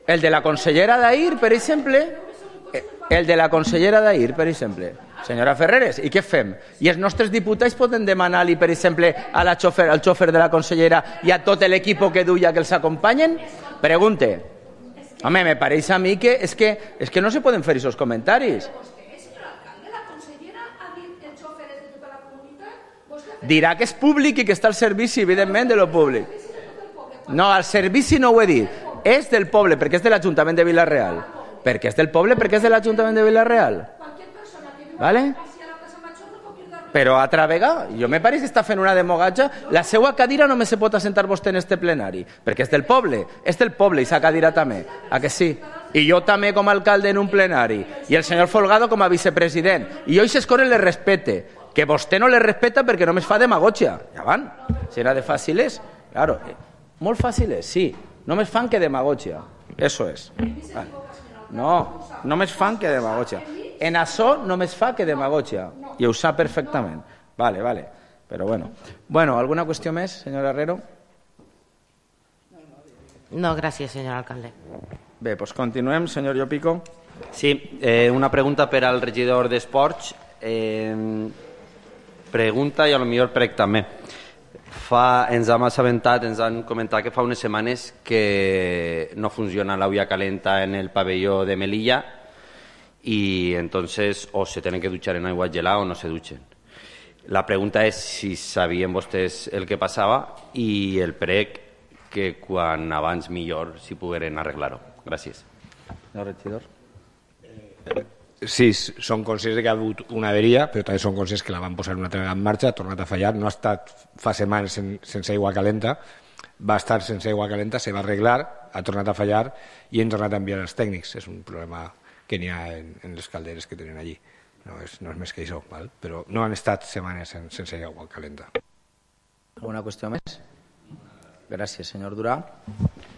El de la consellera d'Ahir, per exemple. El de la consellera d'Ahir, per exemple. Senyora Ferreres, i què fem? I els nostres diputats poden demanar-li, per exemple, a la xofer, al xòfer de la consellera i a tot l'equip que duia que els acompanyen? Pregunte. Home, me pareix a mi que és que, és que no se poden fer aquests comentaris. Dirà que és públic i que està al servici, evidentment, de lo públic. No, al servici no ho he dit. és del poble, perquè és de l'Ajuntament de Vila-real. Perquè és del poble, perquè és de l'Ajuntament de Vila-real. Vale? Però altra vegada, jo me pareix que està fent una demogatge. La seva cadira només se pot assentar vostè en este plenari, perquè és del poble, és del poble i sa cadira també, a que sí? I jo també com a alcalde en un plenari, i el senyor Folgado com a vicepresident, i jo i ses coses les respete, que vostè no les respeta perquè només fa demagògia. Ja van, si era de fàciles, claro, molt fàciles, sí, només fan que demagògia, eso és. No, només fan que demagògia. En això només fa que demagògia, i ho sap perfectament. Vale, vale, però bueno. Bueno, ¿alguna qüestió més, senyor Herrero? No, gràcies, senyor alcalde. Bé, doncs continuem, senyor Llopico. Sí, eh, una pregunta per al regidor d'Esports. Eh, pregunta i a lo millor prec també. Fa, ens hem assabentat, ens han comentat que fa unes setmanes que no funciona la olla calenta en el pabelló de Melilla y entonces o se tienen que duchar en agua gelada o no se duchen. La pregunta és si sabien vostès el que passava i el prec que quan abans millor si pogueren arreglar-ho. Gràcies. Senyor regidor. Sí, són conscients que ha hagut una averia, però també són conscients que la van posar una altra vegada en marxa, ha tornat a fallar, no ha estat fa setmanes sen, sense aigua calenta, va estar sense aigua calenta, se va arreglar, ha tornat a fallar i hem tornat a enviar els tècnics. És un problema que n'hi ha en, en les calderes que tenen allí. No és, no és més que això, val? Però no han estat setmanes sen, sense aigua calenta. Alguna qüestió més? Gràcies, senyor Durà.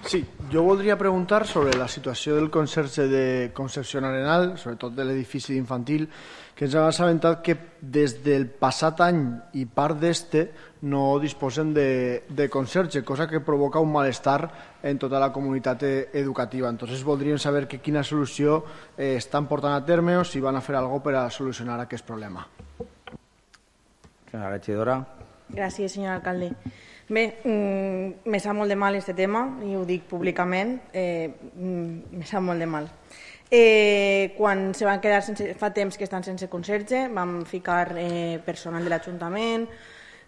Sí, jo voldria preguntar sobre la situació del conserge de Concepción Arenal, sobretot de l'edifici infantil, que ens han assabentat que des del passat any i part d'este no disposen de, de conserge, cosa que provoca un malestar en tota la comunitat educativa. Entonces voldríem saber que quina solució eh, estan portant a terme o si van a fer alguna cosa per a solucionar aquest problema. Senyora regidora. Gràcies, senyor alcalde. Bé, mm, me sap molt de mal aquest tema i ho dic públicament, eh, mm, me sap molt de mal. Eh, quan se van quedar sense, fa temps que estan sense conserge, vam ficar eh, personal de l'Ajuntament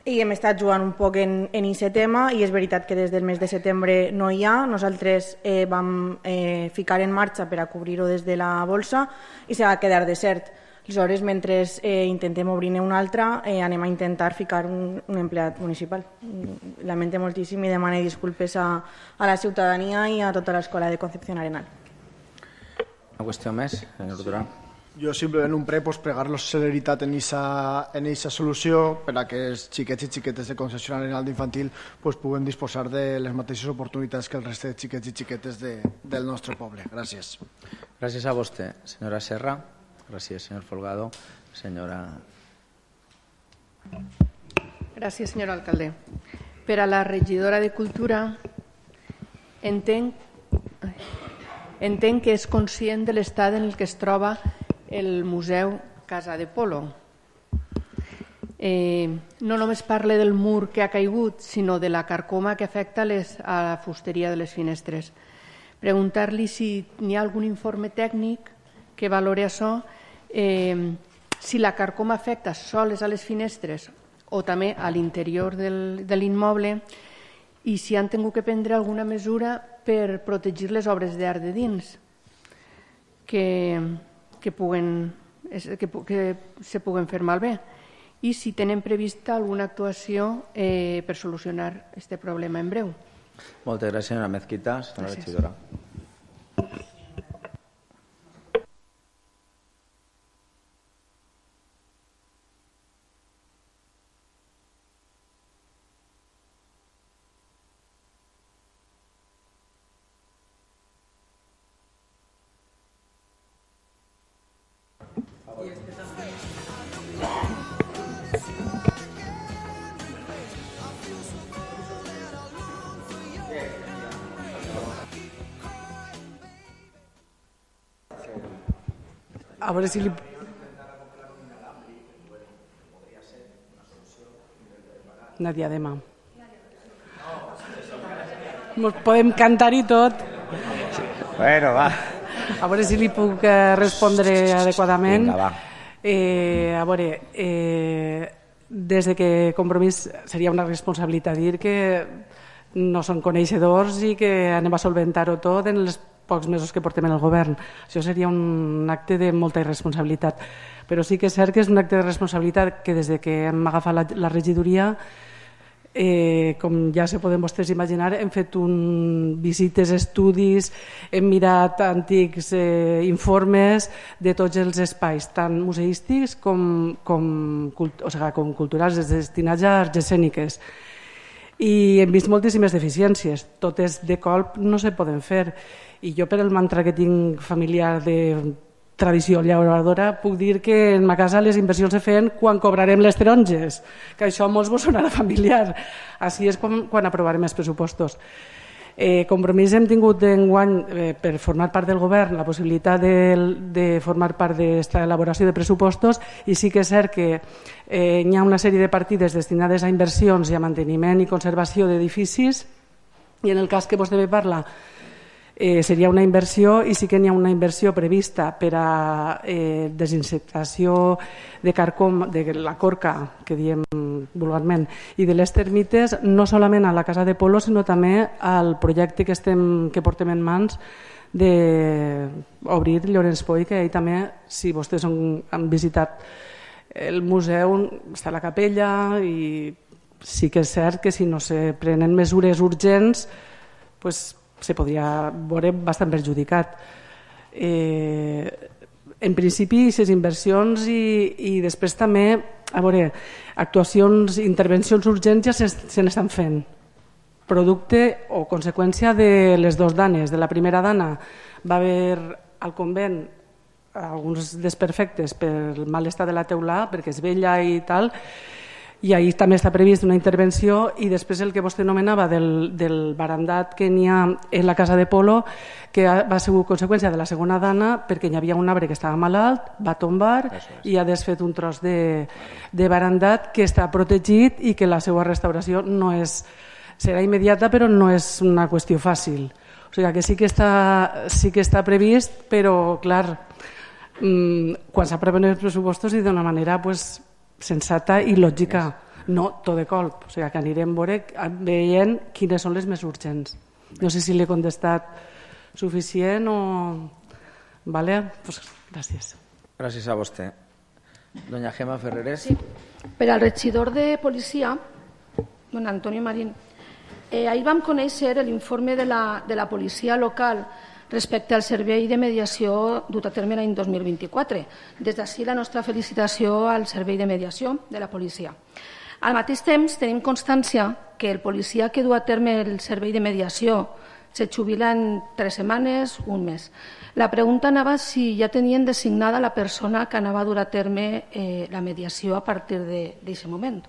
i hem estat jugant un poc en aquest tema i és veritat que des del mes de setembre no hi ha. Nosaltres eh, vam eh, ficar en marxa per a cobrir-ho des de la bolsa i se va quedar desert. Aleshores, mentre eh, intentem obrir-ne una altra, eh, anem a intentar ficar un, un empleat municipal. Lamente moltíssim i demano disculpes a, a la ciutadania i a tota l'escola de Concepción Arenal. Una qüestió més, senyor Durà. Jo simplement un pre, pues, pregar-los celeritat en aquesta solució per a que els xiquets i xiquetes de Concepción Arenal d'infantil pues, puguen disposar de les mateixes oportunitats que el reste de xiquets i xiquetes de, del nostre poble. Gràcies. Gràcies a vostè, senyora Serra. Gràcies, senyor Folgado. Senyora... Gràcies, senyor alcalde. Per a la regidora de Cultura, entenc, entenc que és conscient de l'estat en el que es troba el Museu Casa de Polo. Eh, no només parle del mur que ha caigut, sinó de la carcoma que afecta les, a la fusteria de les finestres. Preguntar-li si hi ha algun informe tècnic que valore això, eh, si la carcoma afecta sols a les finestres o també a l'interior del, de l'immoble i si han tingut que prendre alguna mesura per protegir les obres d'art de dins que, que, puguen, que, que se puguen fer malbé i si tenen prevista alguna actuació eh, per solucionar aquest problema en breu. Moltes gràcies, senyora Mezquita. Senyora regidora. A veure si li... Una diadema. Ens podem cantar i tot. Bueno, va. A veure si li puc eh, respondre adequadament. Vinga, va. Eh, a veure, eh, des de que Compromís seria una responsabilitat dir que no són coneixedors i que anem a solventar-ho tot en els pocs mesos que portem en el govern. Això seria un acte de molta irresponsabilitat. Però sí que és cert que és un acte de responsabilitat que des de que hem agafat la, la regidoria, eh, com ja se poden vostès imaginar, hem fet un, visites, estudis, hem mirat antics eh, informes de tots els espais, tant museístics com, com, o sigui, com culturals, destinats a arts escèniques. I hem vist moltíssimes deficiències, totes de colp no se poden fer. I jo, per el mantra que tinc familiar de tradició llauradora, puc dir que en ma casa les inversions se feien quan cobrarem les taronges, que això a molts vos sonarà familiar. Així és com, quan aprovarem els pressupostos. Eh, compromís hem tingut d'enguany eh, per formar part del govern la possibilitat de, de formar part d'esta elaboració de pressupostos, i sí que és cert que eh, hi ha una sèrie de partides destinades a inversions i a manteniment i conservació d'edificis, i en el cas que vostè me parla eh, seria una inversió, i sí que n'hi ha una inversió prevista per a eh, desinsectació de carcom, de la corca, que diem vulgarment, i de les termites, no solament a la Casa de Polo, sinó també al projecte que, estem, que portem en mans d'obrir Llorenç Poi, que ahir també, si vostès han, han visitat el museu, està a la capella, i sí que és cert que si no se prenen mesures urgents, pues, se podria veure bastant perjudicat. Eh, en principi, aquestes inversions i, i després també, a veure, actuacions, intervencions urgents ja se, se n'estan fent. Producte o conseqüència de les dues danes. De la primera dana va haver al convent alguns desperfectes per mal estat de la teulà, perquè és vella i tal, i ahir també està previst una intervenció, i després el que vostè anomenava del, del barandat que n'hi ha en la Casa de Polo, que va ser conseqüència de la segona dana, perquè hi havia un arbre que estava malalt, va tombar i ha desfet un tros de, de barandat que està protegit i que la seva restauració no és, serà immediata, però no és una qüestió fàcil. O sigui que sí que està, sí que està previst, però clar, quan s'aproven els pressupostos i d'una manera pues, sensata i lògica, no tot de colp. O sigui que anirem veient quines són les més urgents. No sé si l'he contestat suficient o... Vale? Pues gràcies. Gràcies a vostè. Doña Gemma Ferreres. Sí. Per al regidor de policia, don Antonio Marín, eh, ahir vam conèixer l'informe de la, de la policia local respecte al servei de mediació dut a terme l'any dos mil vint-i-quatre. Des d'ací la nostra felicitació al servei de mediació de la policia. Al mateix temps tenim constància que el policia que du a terme el servei de mediació se jubila en tres setmanes, un mes. La pregunta anava si ja tenien designada la persona que anava a dur a terme eh, la mediació a partir d'aquest moment.